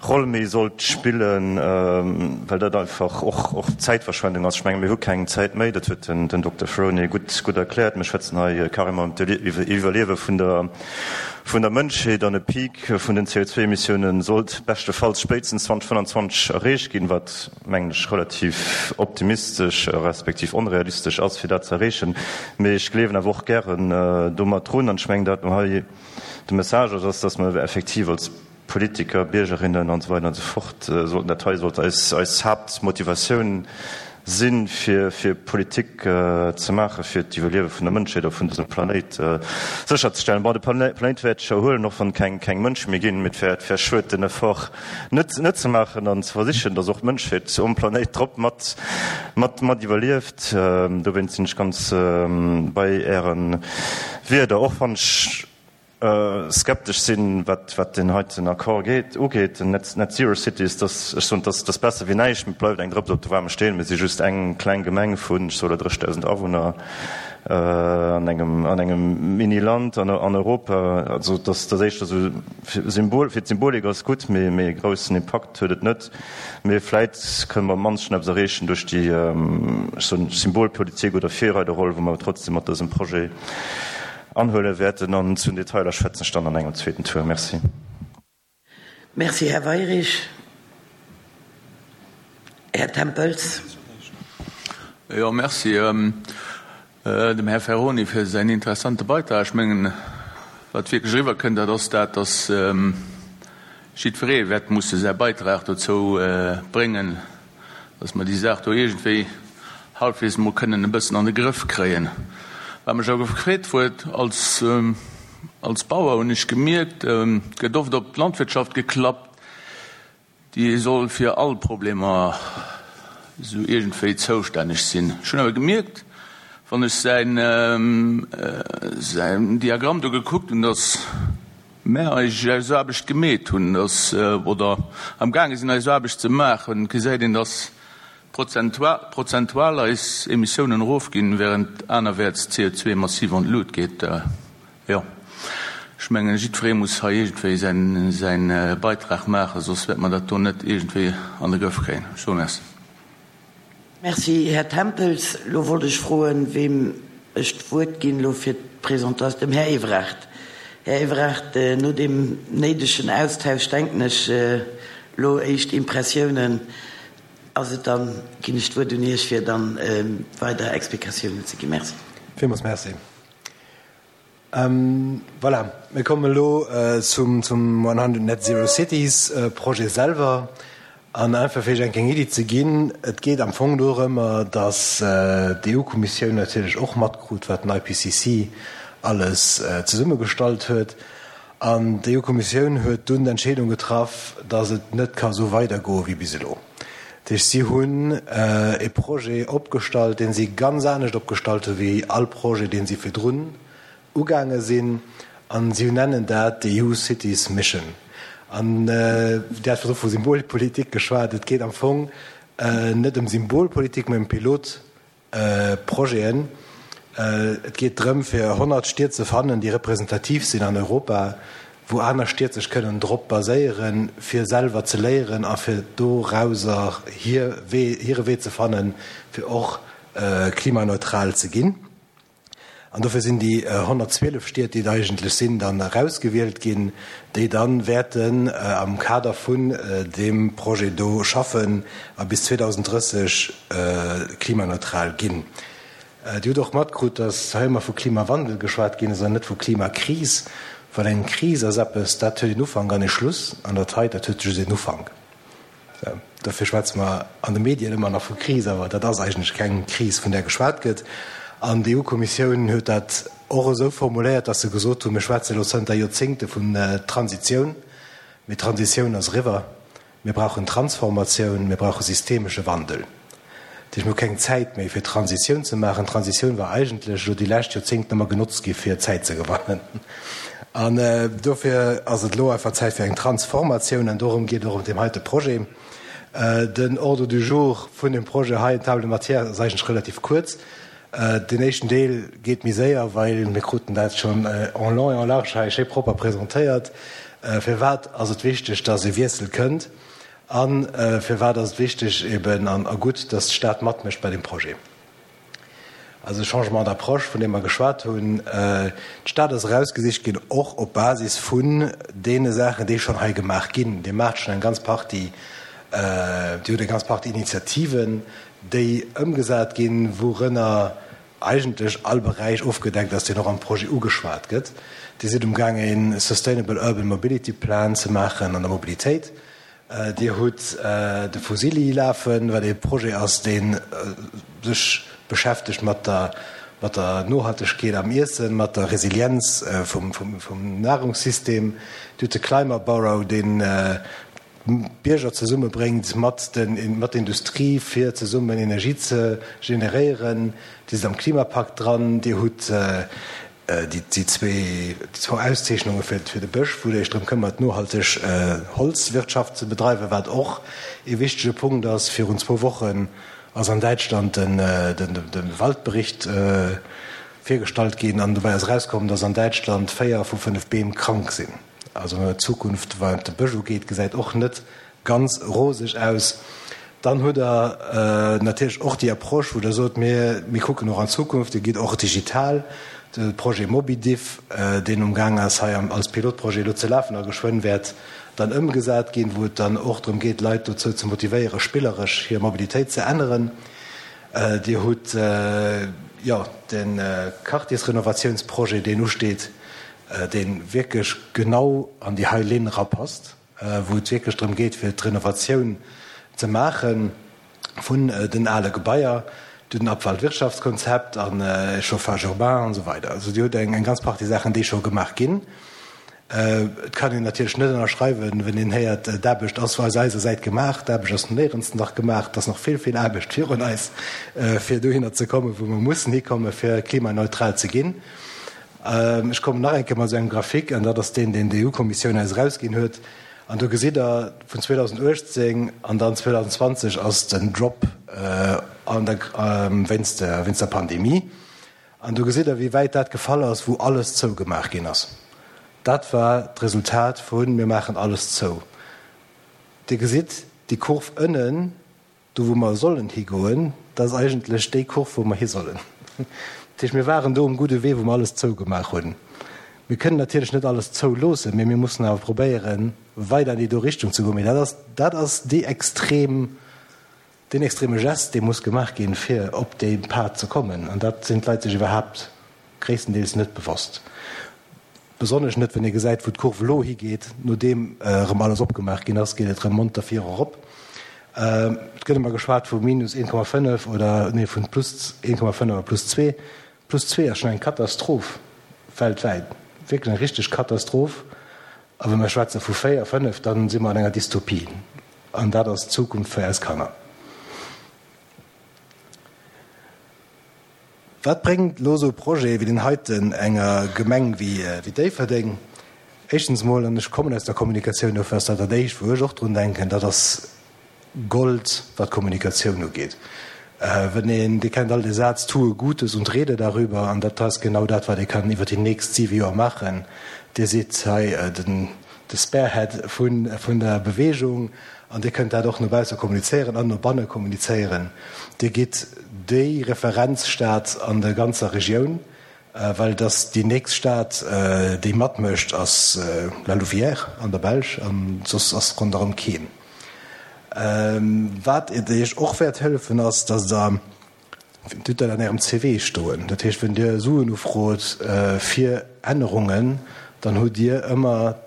Roll méi sollt spillen, well dat einfach och och Zäitverschwendung ass. Ech menge mir hu keng Zäit méi, dat huet den Dokter Ferroni gutt gutt erkläert. Mir schwätzen hei carrément ëm d'Iwwerliewe vun der vun der Mënschheet an e Peak vun den C O zwei Emissiounen sollt beschtefalls spéitstens zweitausendfënnfanzwanzeg erreecht ginn, wat mengen ech relativ optimistesch respektiv onrealistesch ass fir dat ze erreechen. Mee ech gleewen awer och gären domat drun an ech mengen dat hei de Message ass, dass mer effektiv als Politiker, Biergerinnen an esou weider an esou fort sollten, dat hei sollt eis eis Haaptmotivatioun sinn, fir fir Politik ze maachen, fir d'Iwwerliewe vun der Mënschheet a vun dësem Planéit sécherzestellen. Bon, de Planéit wäert sech erhuelen, och wann keng keng Mënsche méi ginn, mee et wär et wär schued, den Effort net net ze maachen an ze versichen, dass och d'Mënschheet um Planéit drop mat mat mat iwwerlieft. Dowéinst sinn ech ganz bei Äre Wierder, och wann ech skeptesch sinn, wat wat deen heiten Accord geet, ugeet, den Net Net Zero Cities, dass, ech soen, dass dass besser wéi näischt, mee et bleift eng Drëps op de waarme Steen. Mir si just eng kleng Gemeng vun, ech soe elo, dréchtausend Awunner an engem an engem Mini-Land an an Europa. Also dass dass éischter esou fir Symbol, fir d'Symbolik ass gutt, mee mee e groussen Impakt huet et net. Mee vläit kënne mer am mannsten eppes erreechen duerch déi, ech soen, Symbolpolitik oder Virreiderroll, wou mer trotzdem mat dësem Projet anhuele wäerten. An zu den Detailer schwätzen ech dann an engem zweeten Tour. Merci. Merci, Här Weirich. Här Tempels. Jo, merci dem Här Ferroni fir säin interessante Beitrag. Ech mengen, wat wierklech eriwwerkënnt, dat ass dat, dass jiddweree wäert musse säi Beitrag dozou bréngen, dass mer déi Saach do iergendwéi halbwegs emol kënnen e bëssen an de Grëff kréien. Wat mech awer gefreet huet, als, als Bauer hunn ech gemierkt, et gëtt oft op d'Landwirtschaft geklappt, déi soll fir all Problemer esou iergendwéi zoustänneg sinn. Ech hunn awer gemierkt, wann ech säin, säin Diagramm do gekuckt hunn, dass mär eis eis Aarbecht gemeet hunn, dass, oder amgaange sinn eis Aarbecht ze maachen, gesäit een, dass prozentual eis Emissiounen erofginn, während anerwäerts d'C O zwei massiv an d'Lut geet. Jo, ech mengen, jiddweree muss hei iergendwéi säin, säin Beitrag maachen, soss wäerte mer dat do net iergendwéi an de Grëff kréien. Ech soe Merci. Merci, Här Tempels. Elo wollt ech froen, weem ech d'Wuert ginn elo fir d'Presentatioun. Dem Här Evrard. Här Evrard, no deem néidegen Austausch, denken ech, elo éischt Impressiounen. Ass et dann, ginn ech d'Wuert un Iech, fir dann weider Explikatiounen ze ginn. Merci. Villmools Merci. Voilà, mir kommen elo zum one hundred Net Zero Cities Projet selwer. An einfach fir Iech eng kleng Iddi ze ginn, Et geet am Fong dorëmmer, datt d'E U-Kommissioun natierlech och matkrut, wat den I P C C alles zesummegestallt huet. An d'EU-Kommissioun huet dunn d'Entscheedung getraff, datt et net ka sou weidergoe wéi bis elo. Dat heescht, si hunn e Projet opgestallt, dee si ganz anescht opgestallt hu wéi all Projet, dee si virdrun ugaange sinn. A si nennen dat d'EU Cities Mission. An Dir hat virdru vu Symbolpolitik geschwat. Et geet am Fong net ëm Symbolpolitik, mä ëm Pilotprojeten. Et geet drëm, fir honnert Stied ze fannen, déi representativ sinn an Europa, wou aner Stied sech kënnen drop baséieren, fir selwer ze léieren a fir dorauser hir Wee, hire Wee ze fannen, fir och klimaneutral ze ginn. An dofir sinn déi honnertzwielef Stied, déi et eigentlech sinn, dann erausgewielt ginn, déi dann wäerten am Kader vun deem Projet do schaffen a bis zweedausenddrësseg klimaneutral ginn. Dir hutt och matkrut, datt hei ëmmer vu Klimawandel geschwat ginn ass an net vu Klimakris, well eng Kris ass eppes, dat huet een Ufank an ee Schluss, an dat hei, dat huet just een Ufank. Dofir schwätze mer an de Medien ëmmer nach vu Kris, awer dat ass eigentlech keng Kris, vun där geschwat gëtt. An d'EU-Kommissioun huet dat och esou formuléiert, datt se gesot hunn, Mir schwätze elo zënter Joerzéngte vun Transitioun, mee d'Transitioun ass eriwwer. Mir brauchen Transformatioun, mir brauche systemesche Wandel. Dat heescht, mir hu keng Zäit méi, fir Transitioun ze maachen. D'Transitioun war eigentlech elo déi lescht Joerzéngten ëmmer genotzt gi fir Zäit ze gewannen. An dofir ass et elo einfach Zäit fir eng Transformatioun. An dorëm geet et och an deem heite Projet. Den Ordre du jour vun dem Projet hei, Table de matières, ass eigentlech relativ kuerz. Deen éischten Deel geet méi séier, well mir kruten dat schonn en long et en large hei schéi propper presentéiert. Firwat ass et wichteg, dass e Wiessel kënnt? A firwat ass et wichteg eben an a gutt, dass d'Stad matmécht bei deem Projet? Also e Changement d'approche, vun deem mer geschwat hunn. D'Stad ass erausgesicht ginn, och op Basis vun deene Saachen, déi schonn hei gemaach ginn. Dir maacht schonn eng ganz Partie, Dir hutt eng ganz Partie Initiativen, déi ëmgesat ginn, wourënner eigentlech all Beräich ofgedeckt ass, deen och am Projet ugeschwat gëtt. Dir sidd umgaang e Sustainable Urban Mobility Plan ze maachen an der Mobilitéit. Dir hutt de Fusilli lafen, wat ee Projet ass, dee sech beschäftegt mat der mat der Nohaltegkeet am Iessen, mat der Resilienz vum vum Nahrungssystem. Dir hutt de Climate Borough, deen d'Bierger zesummebréngt mat den mat der Industrie, fir zesummen Energie ze generéieren. Dir sidd am Klimapakt dran. Dir hutt déi zwee déi zwou Auszeechnunge fir fir de Bësch, wou Der Iech drëm këmmert, nohalteg Holzwirtschaft ze bedreiwen, wat och ee wichtege Punkt ass. Virun zwou Wochen ass an Däitschland den de Waldbericht virgestallt ginn an dobäi ass erauskomm, dass an Däitschland véier vu fënnef Beem krank sinn. Also d'Zukunft, wat de Bësch ugeet, gesäit och net ganz roseg aus. Dann hutt Der natierlech och déi Approche, wou Der sot, mir, mir kucken och an d'Zukunft, Dir gitt och digital. De Projet MobiDiff, deen umgaang ass hei als Pilotprojet elo ze lafen a geschwënn wäert dann ëmgesat ginn, wou et dann och drëm geet, Leit dozou ze motivéieren, spilleresch hir Mobilitéit ze änneren. Dir hutt, jo, de Quartiersrenovatiounsprojet, deen usteet, dee wierklech genau an déi hei Linn erapasst, wou et wierklech drëm geet, fir d'Renovatioun ze maache vun den ale Gebaier, den Abfallwirtschaftskonzept an Chauffage urbain an esou weider. Also Dir hutt eng ganz Partie Saachen, déi scho gemaach ginn. Et kann een natierlech net ënnerschreiwen, wenn een héiert, d'Aarbecht ass aus eiser Säit gemaach. D'Aarbecht ass néierens nach gemaach. Et ass nach vill, vill Aarbecht virun eis, fir dohinner ze kommen, wou mer mussen hikommen, fir klimaneutral ze ginn. Ech kommen nach eng Kéier mat esou engem Graphique, an dat ass deen, deen d'EU-Kommissioun eis erausginn huet. An do gesitt Der, vun zweedausenduechtzéng an dann zweedausendzwanzeg ass den Drop an der, wéinst der, wéinst der Pandemie. An do gesitt Der, wéi wäit dat gefall ass, wou alles zougemaach ginn ass. Dat war d'Resultat vu mir maachen alles zou. Dir gesitt déi Kurv ënnen, do wou mer sollen higoen, dat ass eigentlech déi Kurv, wou mer hi sollen. Dat heescht, mir waren do um gudde Wee, wou mer alles zougemaach hunn. Mir kënnen natierlech net alles zouloossen, mee mir mussen awer probéieren, weider an déi do Richtung ze goen. Mee dat ass, dat ass déi extrem, deen extreme Gest, dee muss gemaach ginn, fir op dee Pad ze kommen. An dat sinn d'Leit sech iwwerhaapt gréisstendeels net bewosst. Besonnesch net, wann ee gesäit, wou d'Kurv elo higeet, nodeem erëm alles opgemaach ginn ass, geet et erëm monter vir erop. Et gëtt ëmmer geschwat vu minus een Komma fënnef oder, nee, vun plus een Komma fënnef a plus zwee. Plus zwee ass schonn eng Katastroph weltwäit, wierklech eng richteg Katastroph. A wa mir schwätze vu véier, fënnef, da si mer an enger Dystopie. An dat ass d'Zukunft fir eis Kanner. Wat bréngt elo esou e Projet wéi deen heiten enger Gemeng wéi Déifferdeng? Éischtens emol, an ech kommen aus der Kommunikatioun, dofir ass dat dat Éischt, wou ech och drun denken, dat ass Gold, wat d'Kommunikatioun ugeet. Wenn een, Dir kennt all dee Saz, Tue Gutes und rede darüber, an dat ass genau dat, wat ee kann iwwer déi nächst siwe Joer maachen. Dir sidd hei den, de Spearhead vun, vun der Bewegung an Dir kënnt dat och no bausse kommunizéieren an no banne kommunizéieren. Dir gitt déi Referenzstad an der ganzer Regioun, well dass déi nächst Stad, déi matmécht, ass La Louvière an der Belsch an soss ass ronderëm keen. Wat Iech och wäert hëllefen, ass, dass Der, Dir hutt dat an Ärem C V stoen, dat heescht, wenn Dir Suen ufrot fir Ännerungen, dann hutt Dir ëmmer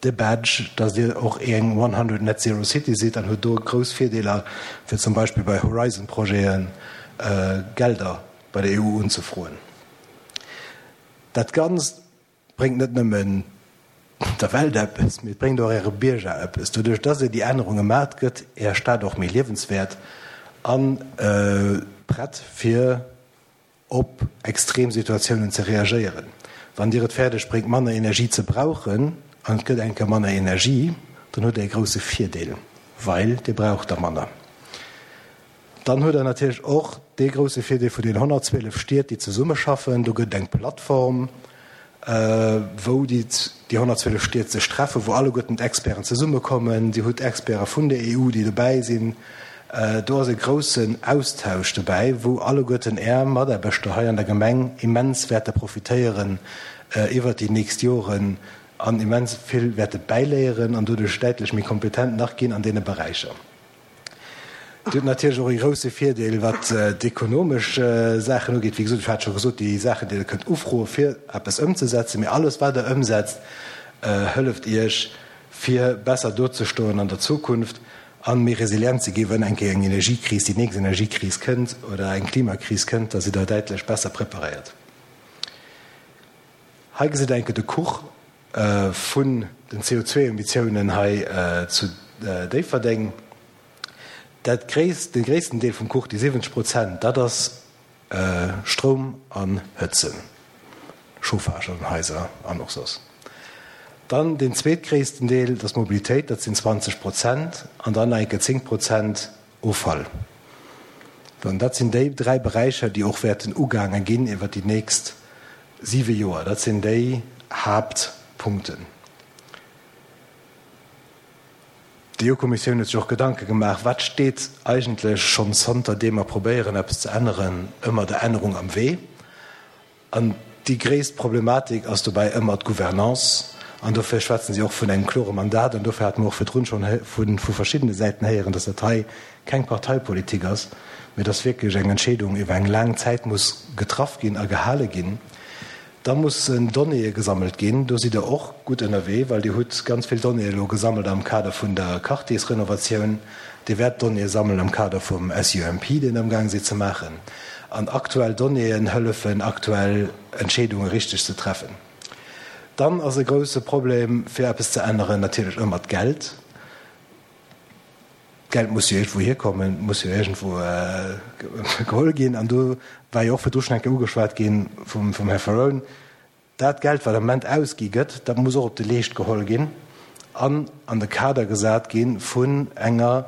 de Badge, dass Dir och eng one hundred Net Zero City sidd an hutt do grouss Virdeeler, fir zum Beispill bei Horizon-Projete Gelder bei der E U unzefroen. Dat Ganzt bréngt net nëmmen der Welt eppes, mee et bréngt och Äre Bierger eppes. Doduerch, dass Dir déi Ännerunge maacht, gëtt Är Stad och méi liewenswäert a prett, fir op extrem Situatiounen ze reagéieren. Wann Dir et fäerdeg bréngt, manner Energie ze brauchen, an et gëtt eng Kéier manner Energie, dann hutt Der e grousse Virdeel, well Dir braucht der manner. Dann hutt Der natierlech och dee grousse Virdeel vun den honnertzwielef Stied, déi zesummeschaffen. Do gëtt et eng Plattform, wou déi honnertzwielef Stied sech treffen, wou alleguerten d'Experten zesummekommen. Dir hutt Experte vun der E U, déi dobäi sinn. Do ass e groussen Austausch dobäi, wou alleguerten Är Mataarbechter hei an der Gemeng immens wäerte profitéieren iwwert déi nächst Joren an immens vill wäerte bäiléieren an doduerch däitlech méi kompetent nach ginn an deene Beräicher. Dir hutt natierlech och e grousse Virdeel, wat d'ekonomesch Saachen ugeet. Wéi gesot, ech hat scho gesot, déi Saachen, déi Der kënnt ufroe fir eppes ëmzesetzen, mee alles, wat Der ëmsetzt, hëlleft Iech, fir besser dozestoen an der Zukunft an méi resilient ze ginn, wann eng Kéier eng Energiekris, déi nächst Energiekris kënnt oder eng Klimakris kënnt, da sidd Der däitlech besser preparéiert. Hei gesitt Der eng Kéier de Kuch vun den C O zwei Emissiounen hei zu Déifferdeng. Dat gréisst, de gréissten Deel vum Kuch, déi siwwenzeg Prozent, dat ass Stroum an Hëtzen, Chauffage an den Haiser an och soss. Dann den zweetgréissten Deel, dat ass Mobilitéit, dat sinn zwanzeg Prozent, an dann nach eng Kéier zéng Prozent Offall. Dann dat sinn déi dräi Beräicher, déi och wäerten ugaange ginn iwwer déi nächst siwe Joer. Dat sinn déi Haaptpunkten. D'E U-Kommissioun huet sech och Gedanke gemaach, wat steet eigentlech schonn zanter deem mer probéieren, eppes ze änneren, ëmmer der Ännerung am Wee. An déi gréisst Problematik ass dobäi ëmmer d'Gouvernance. An dofir schwätzen si och vun engem klore Mandat. An dofir hate mer och virdrun schonn vu verschiddene Säiten héieren, dass dat hei keng Parteipolitik ass, mee dass wierklech eng Entscheedung iwwer eng laang Zäit muss getraff ginn a gehale ginn. Da mussen Donnéeë gesammelt ginn. Do sidd Der och gutt ënnerwee, well Dir hutt ganz vill Donnéeë elo gesammelt am Kader vun der Quartiersrenovatioun. Dir wäert Donnéeë sammelen am Kader vum S U M P, deen Der amgaang sidd ze maachen. An aktuell Donnéeën hëllefen, aktuell Entscheedunge richteg ze treffen. Dann ass e grousse Problem, fir eppes ze änneren, natierlech ëmmer d'Geld. D'Geld muss jo iergendwou hierkommen, muss jo iergendwou geholl ginn. An do war jo och virdru schonn eng Kéier ugeschwat ginn vum, vum Här Ferrone, dat Geld, wat am Moment ausgi gëtt, dat muss och op de Leescht geholl ginn an an de Kader gesat ginn vun enger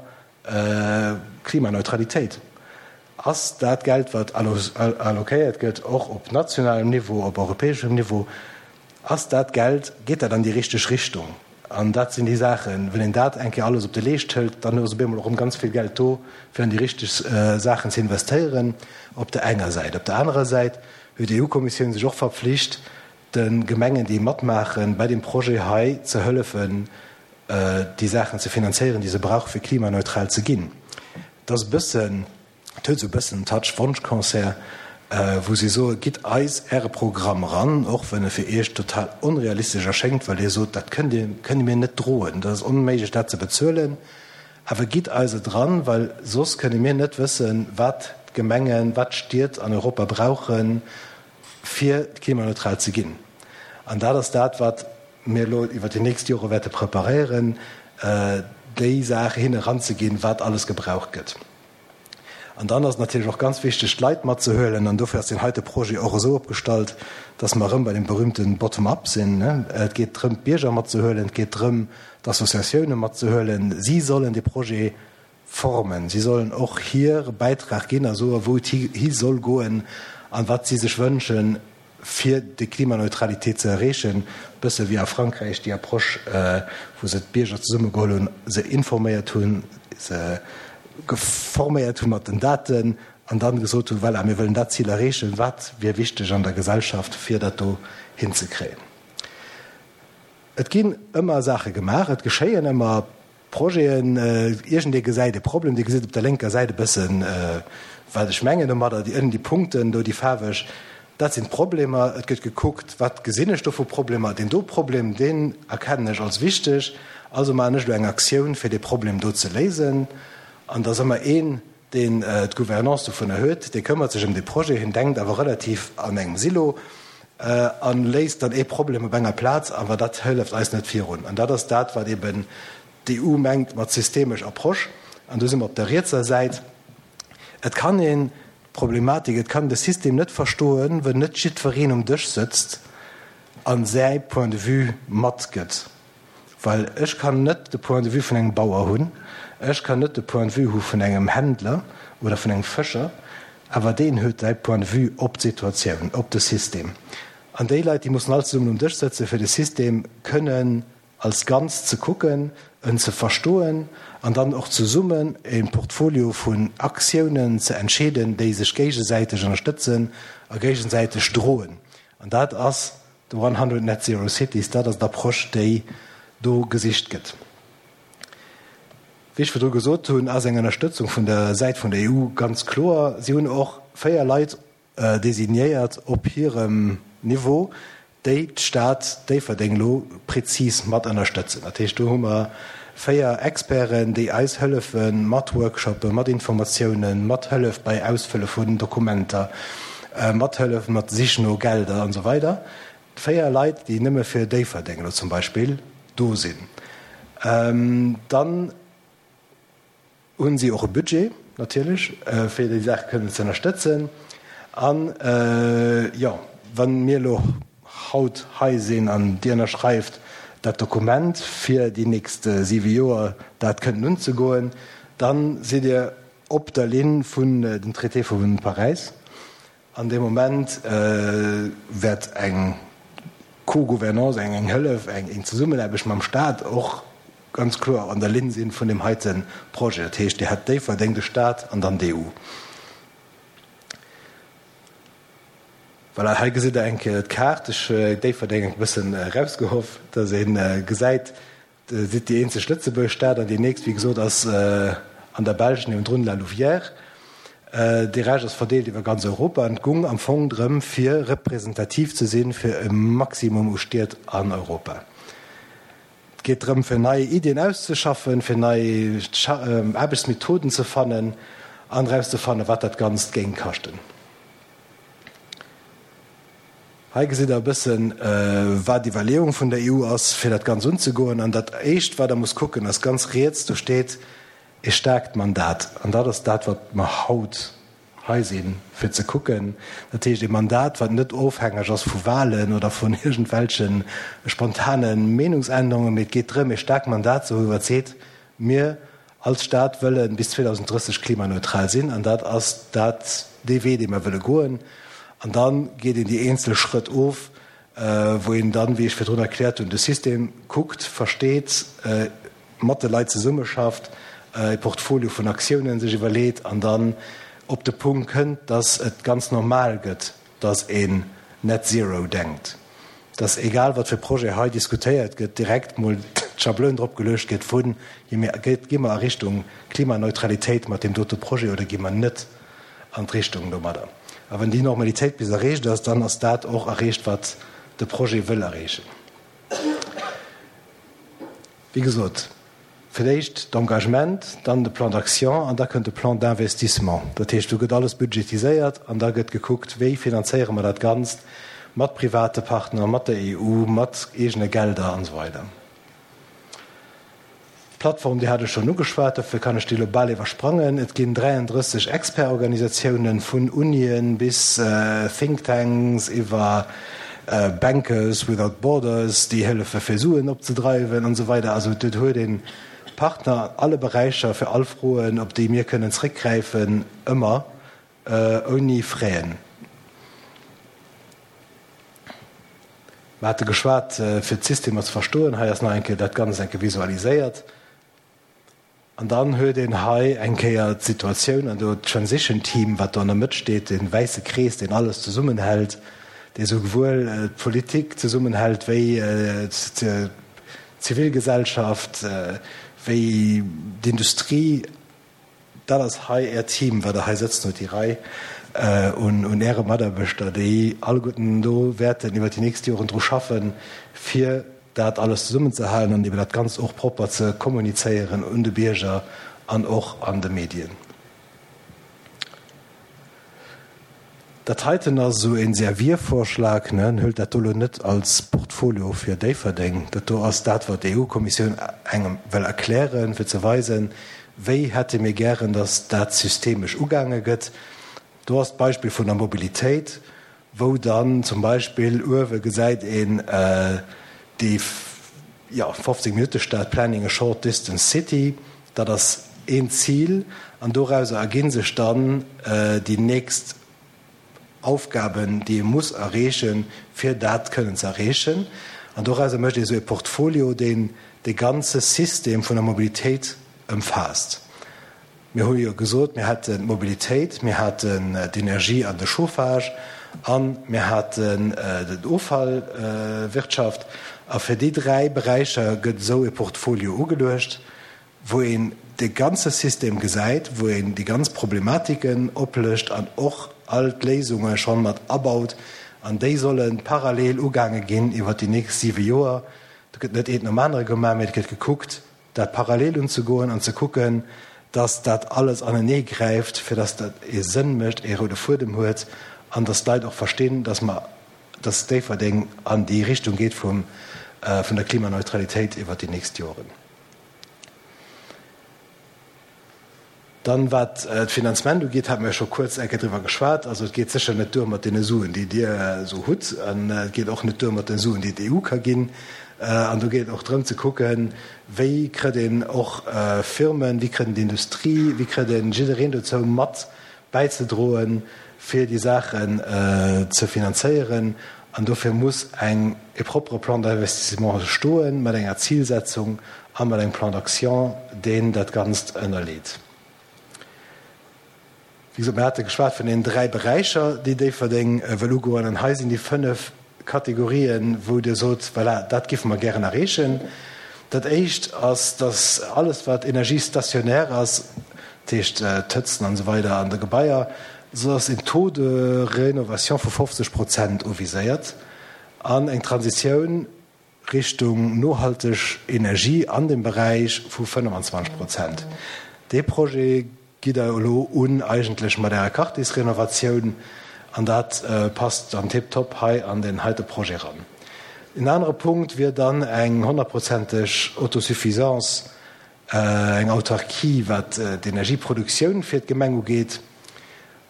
Klimaneutralitéit. Ass dat Geld, wat allokéiert gëtt, och op nationalem Niveau, op europäeschem Niveau, ass dat Geld, geet dat an déi richteg Richtung? An dat sinn déi Saachen, wann een dat eng Kéier alles op de Leescht hëlt, dann ass op eemol och erëm ganz vill Geld do, fir an déi richteg Saachen ze investéieren, op der enger Säit. Op der anerer Säit huet d'E U-Kommissioun sech och verpflicht, de Gemengen, déi matmaachen, bei dem Projet hei ze hëllefen, déi Saachen ze finanzéieren, déi se brauchen, fir klimaneutral ze ginn. Dat ass e bëssen, et huet esou e bëssen en Touch Wonschconcert, wou si soen, gitt eis Äre Programm eran, och wenn e fir Iech total onrealistesch erschéngt, well Dir sot, dat kënnt Dir, kënne mir net droen, dat ass onméiglech, dat ze bezuelen, awer gitt eis et eran, well soss kënne mir net wëssen, wat d'Gemengen, wat d'Stied an Europa brauchen, fir klimaneutral ze ginn. An dat ass dat, wat mir elo iwwert déi nächst Jore wäerte preparéieren, déi Saach hinne eranzeginn, wat alles gebraucht gëtt. An dann ass et natierlech och ganz wichteg, d'Leit matzehuelen. An dofir ass deen heite Projet och esou opgestallt, dass mer erëm bei deem berühmte Bottom-up sinn. Et geet drëm, d'Bierger matzehuelen, et geet drëm, d'Associatioune matzehuelen. Si sollen dee Projet formen, si sollen och hire Bäitrag ginn a soen, wou et hi soll goen an wat si sech wënschen, fir déi Klimaneutralitéit ze erreechen, e bësse wéi a Frankräich déi Approche, wou se d'Bierger zesummegeholl hunn, se informéiert hunn, se geforméiert hu mat den Daten an dann gesot hunn, voilà, mir wëllen dat Zil erreechen, wat wier wichteg an der Gesellschaft, fir dat do hinzekréien. Et ginn ëmmer Saache gemaach, et geschéien ëmmer Projeten, iergendee gesäit e Problem, Dir gesitt op der lénker Säit e bëssen, wat ech mengen domadder, déi ënnen déi Punkten do, déi faarweg, dat sinn d'Problemer. Et gëtt gekuckt, wat gesinn ech do vu Problemer, deen do Problem, deen erkennen ech als wichteg, also maachen ech elo eng Aktioun, fir dee Problem do ze léisen. An et ass ëmmer een, deen d'Gouvernance dovunner huet, dee këmmert sech ëm dee Projet, hien denkt awer relativ an engem Silo a léist dann ee Problem op enger Plaz, awer dat hëlleft eis net virun. An dat ass dat, wat eben D'EU mengt mat systemesch Approche, an do si mer op der rietser Säit, et kann een d'Problematik, et kann de System net verstoen, wënn net jiddwereen um Dësch sëtzt a säi Point de vue matgëtt. Well ech kann net de Point de vue vun engem Bauer hunn, ech kann net de Point de vue hu vun engem Händler oder vun engem Fëscher, awer deen huet säi Point de vue op d'Situatioun, op de System. An déi Leit, déi mussen all zesummen um Dësch sëtzen, fir de System kënnen als Ganzt ze kucken, en ze verstoen an dann och zesummen e Portfolio vun Aktiounen ze entscheeden, déi sech géigesäiteg ënnerstëtzen a géigesäiteg droen. An dat ass de One Hundred Net Zero Cities, dat ass d'Approche, déi do gesicht gëtt. Wéi ech virdru gesot hunn, ass eng Ënnerstëtzung vun der Säit vun der E U ganz kloer. Si hunn och véier Leit designéiert op hirem Niveau, déi d'Stad Déifferdeng elo prezis mat ënnerstëtzen. Dat heescht, do hu mer véier Experten, déi eis hëllefe mat Workshoppen, mat Informatiounen, mat Hëllef bei Ausfëlle vun Dokumenter, mat Hëllef mat Sich no Gelder an esou weider. Véier Leit, déi nëmme fir Déifferdeng elo zum Beispill do sinn. Dann hunn si och e Budget natierlech, fir déi Saach kënnen ze ënnerstëtzen. An, jo, wa mir elo haut hei sinn an Dir ënnerschreift dat Dokument, fir déi nächst siwe Joer dat kënnen unzegoen, da sidd Dir op der Linn vun den Traité vu Paräis. An dee Moment wäert eng Co-Gouvernance, eng Hëllef, eng Zesummenaarbecht mam Stat och ganz kloer an der Linn sinn vun deem heite Projet. Dat heescht, Dir hätt Déifferdeng, de Stat an dann d'E U. Voilà, hei gesitt Der eng Kéier d'Kaart. Ech hu Déifferdeng e bëssen erausgehoff, dass ee gesäit, Dir sidd déi eenzeg Lëtzebuerg Stad an déi nächst, wéi gesot, ass an der Belsch niewendrun, La Louvière. Dee Rescht ass verdeelt iwwer ganz Europa an et gung am Fong drëm, fir representativ ze sinn fir e Maximum u Stied an Europa. Et geet drëm, fir nei Iddien auszeschaffen, fir nei Aarbechtsmethoden ze fannen an erauszefannen, wat dat Ganzt géing kaschten. Hei gesitt Der e bëssen, wat d'Iwwerleeung vun der E U ass, fir dat Ganzt unzegoen. An dat Éischt, wat Der musst kucken, ass ganz riets, do steet e staarkt Mandat. An dat ass dat, wat mer haut hei sinn, fir ze kucken. Dat heescht, e Mandat, wat net ofhängeg ass vu Wahlen oder vun iergendwelche spontane Meenungsännerungen, mee et geet drëm, e staarkt Mandat ze hu wat seet, Mir als Stad wëlle bis zweedausendrësseg klimaneutral sinn, an dat ass dat dee Wee, dee mer wëlle goen. An da geet een déi eenzel Schrëtt of, wou een dann, wéi ech virdrun erkläert hunn, de System kuckt, versteet, mat de Leit zesummeschafft, e Portfolio vun Aktiounen sech iwwerleet an dann op de Punkt kënnt, dass et ganz normal gëtt, dass een Net Zero denkt, dass egal wat fir Projet hei diskutéiert gëtt, direkt mol d'Schabloun drop geluecht gëtt vun, gi mer a Richtung Klimaneutralitéit mat deem dote Projet oder gi mer net an d'Richtung domadder. A wann déi Normalitéit bis erreecht ass, dann ass dat och erreecht, wat de Projet wëll erreechen. Wéi gesot, fir d'éischt d'Engagement, dann de Plan d'action an da kënnt de Plan d'investissement. Dat heescht, do gëtt alles budgetiséiert an da gëtt gekuckt, wéi finanzéiere mer dat Ganzt mat private Partner, mat der E U, mat eegene Gelder an esou weider. D'Plattform, déi hat ech schonn ugeschwat, dofir kann ech déi elo bal iwwersprangen. Et ginn dräiandrësseg Expertorganisatiounen, vun Unien bis Think Tanks iwwer Bankers without Borders, déi hëllefe fir Suen opzedreiwen an esou weider. Also et huet ee Partner an alle Beräicher fir all Froen, op déi mir kënnen zréckgräifen, ëmmer ouni Fräen. Mer hate geschwat, fir d'Systemer ze verstoen. Hei ass nach eng Kéier dat Ganzt eng Kéier visualiséiert. An dann huet een hei eng Kéier d'Situatioun an do d'Transition Team, wat do an der Mëtt steet, dee wäisse Krees, deen alles zesummenhält, dee souwuel d'Politik zesummenhält wéi d'Zivilgesellschaft, wéi d'Industrie. Dat ass hei Äert Team, wat Der hei sëtzen hutt, déi Rei un Äre Mataarbechter, déi alleguerten do wäerten iwwert déi nächst Joren dru schaffen, fir dat alles zesummenzehalen an eben dat Ganzt och propper ze kommunizéieren un de Bierger an och an de Medien. Dat heiten ass esou e Serviervorschlag, ne? Huelt dat do elo net als Portfolio fir Déifferdeng. Dat do ass dat, wat d'E U-Kommissioun engem wëll erklären, fir ze weisen, wéi hätte mir gären, datt dat systemesch ugaange gëtt. Do ass d'Beispill vun der Mobilitéit, wou dann zum Beispill uewe gesäit een déi, jo, fofzéng-Minutte-Stad, Planning a short distance city, dat ass een Zil an dorauser erginn sech dann déi nächst Aufgaben, déi ee muss erreechen, fir dat kënnen ze erreechen. An dorauser mécht ee sou e Portfolio, deen de ganze System vun der Mobilitéit ëmfaasst. Mir hu jo gesot, mir hätten d'Mobilitéit, mir haten d'Energie an de Chauffage a mir haten d'Offallwirtschaft. A fir déi dräi Beräicher gëtt esou e Portfolio ugeluecht, wou een de ganze System gesäit, wou een déi ganz Problematiken oplëscht an och all d'Léisunge schonn mat abaut. An déi solle parallel ugaange ginn iwwert déi nächst siwe Joer. Do gëtt net eent nom anere gemaach, mä et gëtt gekuckt, dat parallel unzegoen an ze kucken, dass dat alles anenee gräift, fir dass dat ee Sënn mécht, ee roude Fuedem huet an dass d'Leit och verstinn, dass mer, dass Déifferdeng an déi Richtung geet vum, vun der Klimaneutralitéit iwwert déi nächst Joren. Dann, wat d'Finanzement ugeet, hate mer jo scho kuerz eng Kéier driwwer geschwat. Also et geet sécher net duer mat deene Suen, déi Dir esou hutt, an et geet och net duer mat de Suen, déi d'E U ka ginn. An do geet et och drëm ze kucken, wéi kritt een och Firmen, wéi kritt een d'Industrie, wéi kritt een jiddereen dozou mat bäizedroen, fir déi Saachen ze finanzéieren. An dofir muss eng e propere Plan d'investissement stoen, mat enger Zilsetzung a mat engem Plan d'action, deen dat Ganzt ënnerleet. Wéi gesot, mir hate geschwat vun deenen dräi Beräicher, déi Déifferdeng wëll ugoen. An hei sinn déi fënnef Kategorien, wou Dir sot, voilà, dat géife mer gären erreechen. Dat Éischt ass, dass alles, wat Energie stationnaire ass, dat heescht d'Hëtzen an esou weider an de Gebaier, esou ass en Taux de rénovation vu fofzeg Prozent uviséiert an eng Transitioun Richtung nohalteg Energie an dem Beräich vu fënnefenzwanzeg Prozent. Dee Projet gitt Der elo un eigentlech mat Ärer Quartiersrenovatioun an dat passt dann tiptop hei an deen heite Projet eran. En anere Punkt wier dann eng honnertprozenteg Autosuffisance, eng Autarkie wat d'Energieproduktioun fir d'Gemeng ugeet.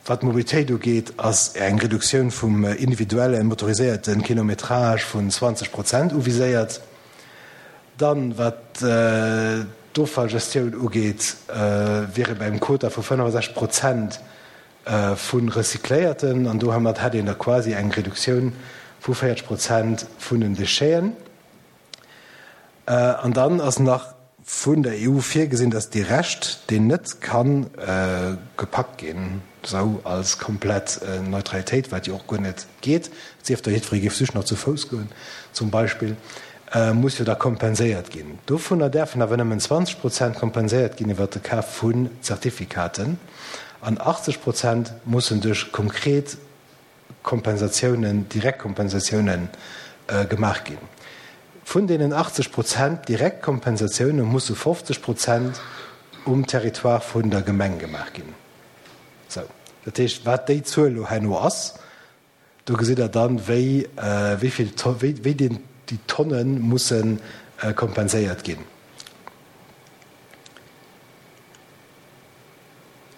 Wat d'Mobilitéit ugeet, ass eng Reduktioun vum individuelle motoriséierte Kilometrage vun zwanzeg Prozent uviséiert. Dann, wat d'Offallgestioun ugeet, wier ee bei engem Quota vu fënnefasechzeg Prozent vu Recycléierten an domat hätt een da quasi eng Reduktioun vu véierzeg Prozent vun den Décheten. An dann ass nach vun der E U virgesinn, datt dee Rescht, deen net ka gepackt ginn, esou als komplett Neutralitéit, wat jo och guer net geet, et sief da jiddweree géif just nach zu Fouss goen zum Beispill, muss jo da kompenséiert ginn. Dovunner däerfen awer nëmmen zwanzeg Prozent kompenséiert ginn iwwert de Kaf vun Zertifikaten an achtzeg Prozent mussen duerch konkret Kompensatiounen, Direktkompensatiounen gemaach ginn. Vun deenen achtzeg Prozent Direktkompensatioune musse fofzeg Prozent um Territoire vun der Gemeng gemaach ginn. Sou, dat heescht, wat déi Zuel elo herno ass, Do gesitt Der dann, wéi, wéi vill, wéi, wéi déi Tonne musse kompenséiert ginn.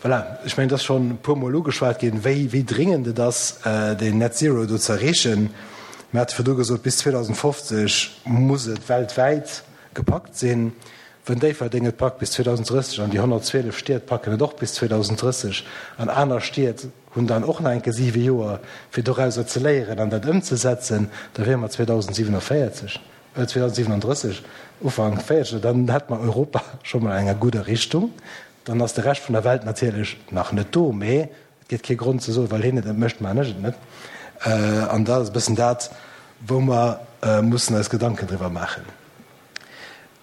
Voilà, ech mengen, et ass schonn e puermol ugeschwat ginn, wéi, wéi dringend et ass, deen Net Zero do ze erreechen. Mir hate virdru gesot, bis zweedausendfofzeg muss et weltwäit gepackt sinn. Wënn Déifferdeng et packt bis zweedausendrësseg an déi honnertzwielef Stied packen et och bis zweedausendrësseg an aner Stied hunn dann och nach eng Kéier siwe Joer, fir dorauser ze léieren an dat ëmzesetzen, da wiere mer zweedausendsiewenundvéierzeg, zweedausendsiewenunddrësseg, Ufank véierzeg, dann hätte mer Europa scho mol an enger gudder Richtung. Dann ass de Rescht vun der Welt natierlech nach net do, mee et gétt kee Grond ze soen, well hien et net mécht, maachen ech et net. An dat ass e bëssen dat, wou mer mussen eis Gedanken driwwer maachen.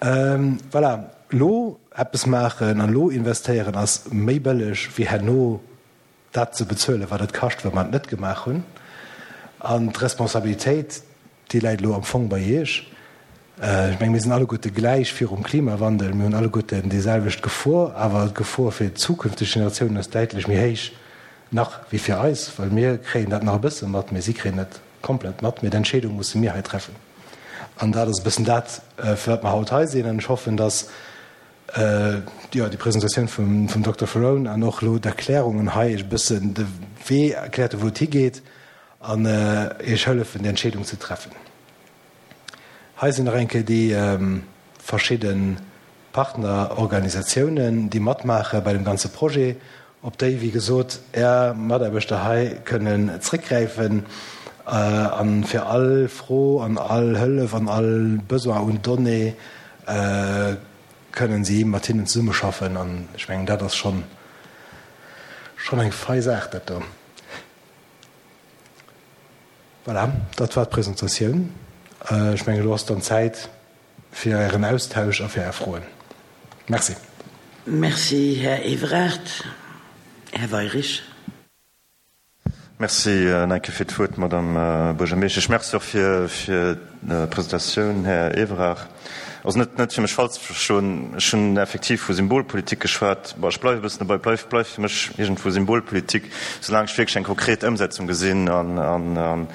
Voilà, elo eppes maachen an elo investéieren ass méi bëlleg wéi herno dat ze bezuelen, wat et kascht, wa mer et net gemaach hunn. An d'Responsabilitéit, déi läit elo am Fong bei Iech. Ech menge mir sinn alleguerte gläich virum Klimawandel, mir hunn alleguerten déi selwecht Gefor, awer d'Gefor fir zukünfteg Generatiounen ass däitlech méi héich nach wéi fir eis, well mir kréien dat nach e bësse mat, mee si kréien et komplett mat. Mee d'Entscheedung musse mir hei treffen. An dat ass e bëssen dat, fir wat mer haut hei sinn. An ech hoffen, dass, jo, déi Presentatioun vum, vum Dokter Ferrone an och elo d'Erklärungen hei Iech e bëssen de Wee erkläert hu wou et higeet an Iech hëllefen, déi Entscheedung ze treffen. Hei sinn nach eng Kéier déi verschidde Partnerorganisatiounen, déi matmaache bei dem ganze Projet, op déi, wéi gesot, Är Mataarbechter hei kënnen zréckgräifen a fir all Fro an all Hëllef an all Besoin un Données kënnen si mat hinnen zesummeschaffen. An ech mengen, dat ass schonn schonn eng fei Saach, dat do. Voilà, dat war d'Presentatioun. Ech mengen, elo ass dann Zäit fir Ären Austausch a fir Är Froen. Merci. Merci, Här Evrard. Här Weyrich. Merci nach eng Kéier fir d'Wuert, Madame Buergermeeschtesch. Merci och fir d'Presentatioun, Här Evrard. Also net, net fir mech falsch ze verstoen, ech hunn effektiv vu Symbolpolitik geschwat. Bon, ech bleiwe e bëssen dobäi, et bleift, bleift fir mech iergendwou Symbolpolitik, soulaang ech wierklech eng konkret Ëmsetzung gesinn. An, an, an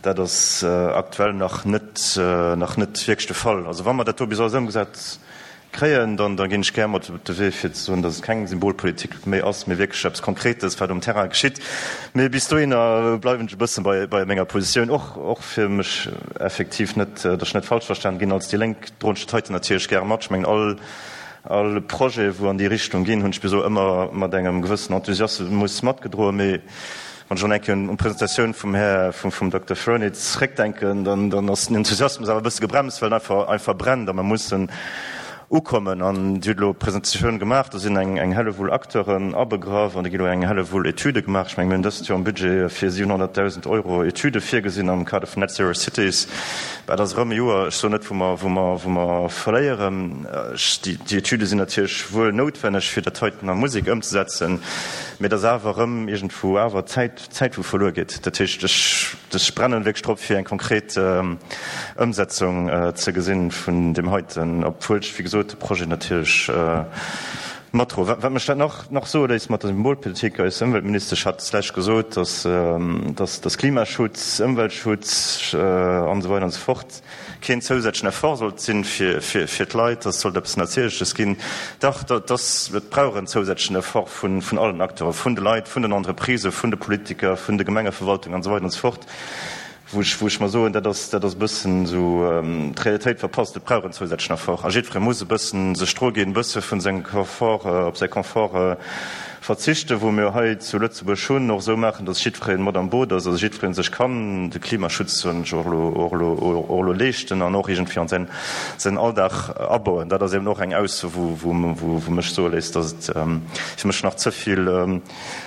dat ass aktuell nach net, nach net wierklech de Fall. Also wa mer dat do bis alles ëmgesat kréien, dann da ginn ech gär mat op de Wee fir ze soen, datt et keng Symbolpolitik méi ass, mee wierklech eppes Konkretes, wat um Terrain geschitt. Mee bis dohinner bleiwen ech e bësse bei bei menger Positioun, och och fir mech effektiv net, datt ech net falsch verstan ginn. Als déi Lénk droen ech dat heiten natierlech gäre mat. Ech mengen, all all Projet, wou an déi Richtung ginn, hunn ech bis elo ëmmer mat engem gewëssen Enthusiasmus matgedroen. Mee wann ech och eng Kéier un d'Presentatioun vum Här, vum Dokter Ferroni zréckdenken, dann, dann ass den Enthusiasmus awer e bësse gebremst, well en einfach, einfach brennt a mer mussen ukommen. An Dir hutt elo Presentatioun gemaach, do sinn eng, eng Hellewull Acteuren abegraff an do gi elo eng Hellewull Etüde gemaach. Ech mengen, mir hunn dëst Joer am Budget fir siwenhonnertdausend Euro Etüde virgesinn am Kader vun Net Zero Cities. Dat ass erëm e Joer, ech soen net, wou mer, wou mer, wou mer verléieren. Ech, déi, déi Etüde sinn natierlech wuel noutwenneg, fir dat heiten a Musek ëmzesetzen, mee et ass awer erëm iergendwou awer Zäit, Zäit, wou verluer geet. Dat heescht, ech, ech brennen wierklech drop, fir eng konkret Ëmsetzung ze gesinn vun deem heiten, obwuel ech, wéi gesot, de Projet natierlech matdroen. Wat mech dat nach, nach soe léisst mat der Symbolpolitik, eis Ëmweltministesch hat d'lescht gesot, dass, dass, dass Klimaschutz, Ëmweltschutz an esou weider an esou fort keen zousätzlechen Effort sollt sinn fir, fir, fir d'Leit, dass sollt eppes Natierleches ginn. Dach, dat ass, et brauch en zousätzlechen Effort vun, vun allen Acteuren, vun de Leit, vun den Entreprisen, vun de Politiker, vun de Gemengeverwaltungen an esou weider an esou fort. Wou ech, wou ech mer soen, dat ass, dat ass e bëssen esou d'Realitéit verpasst. Et brauch en zousätzlechen Effort a jiddweree muss e bëssen sech dru ginn, e bësse vun sengem Confort, op säi Confort verzichten, wou mir hei zu Lëtzebuerg hunn, och esou maachen, dass jiddweree mat am Boot ass, also jiddweree sech kann de Klimaschutz, soen ech och elo, och elo, och elo leeschten an och iergendwéi an säin, säin Alldag abauen. Dat ass eben och eng Ausso, wou, wou, wou mech soe léisst, dass et fir mech nach ze vill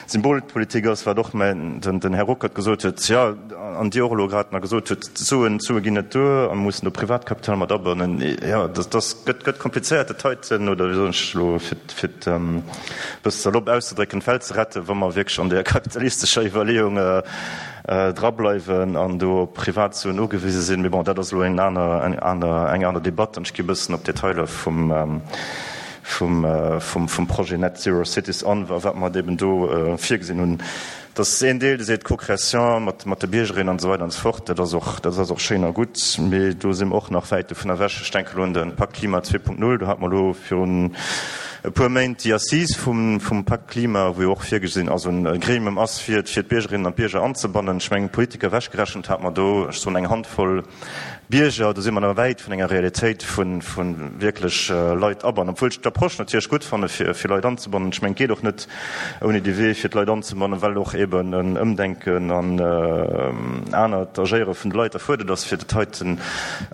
Symbolpolitik ass, wat och mäin, den Här Ruckert gesot huet, jo, an Dir och elo grad nach gesot hutt, d'Suen, d'Sue ginn net duer a mir mussen do Privatkapital mat abannen. Jo, dat ass, gëtt, gëtt komplizéiert, dat heiten, oder wéi soen ech elo, fir, fir et e bësse salopp auszedrécken, d'Welt ze retten, wa mer wierklech an där kapitalistescher Iwwerleeung drableiwen an do op Privatsuen ugewise sinn. Mee bon, dat ass elo eng aner, eng aner, eng aner Debatt an ech gi e bëssen op d'Detailer vum, vum, vum, vum Projet Net Zero Cities an a wat mer eben do virgesinn hunn. Dat ass een Deel, dee seet Co-création mat, mat de Biergerinnen an esou weider an esou fort. Dat ass och, dat ass och schéin a gutt, mee do si mer och nach wäit dovun ewech. Ech denke elo un de Pakt Klima zwee Punkt null, do hate mer elo virun e puer Méint déi Assise vum, vum Pakt Klima, wou jo och virgesinn ass, e Gremium ass, fir, fir d'Biergerinnen an d'Bierger anzebannen. Ech mengen, Politiker ewechgerechent hate mer do, ech soen, eng Handvoll Bierger. Do si mer nach wäit vun enger Realitéit vu, vu wierklech Leit abannen, obwuel ech d'Approche natierlech gutt fanne fir, fir Leit anzebannen. Ech mengen, et geet och net ouni dee Wee, fir d'Leit anzebannen, well och eben en Ëmdenken an anert Agéiere vun de Leit erfuerdert ass, fir dat heiten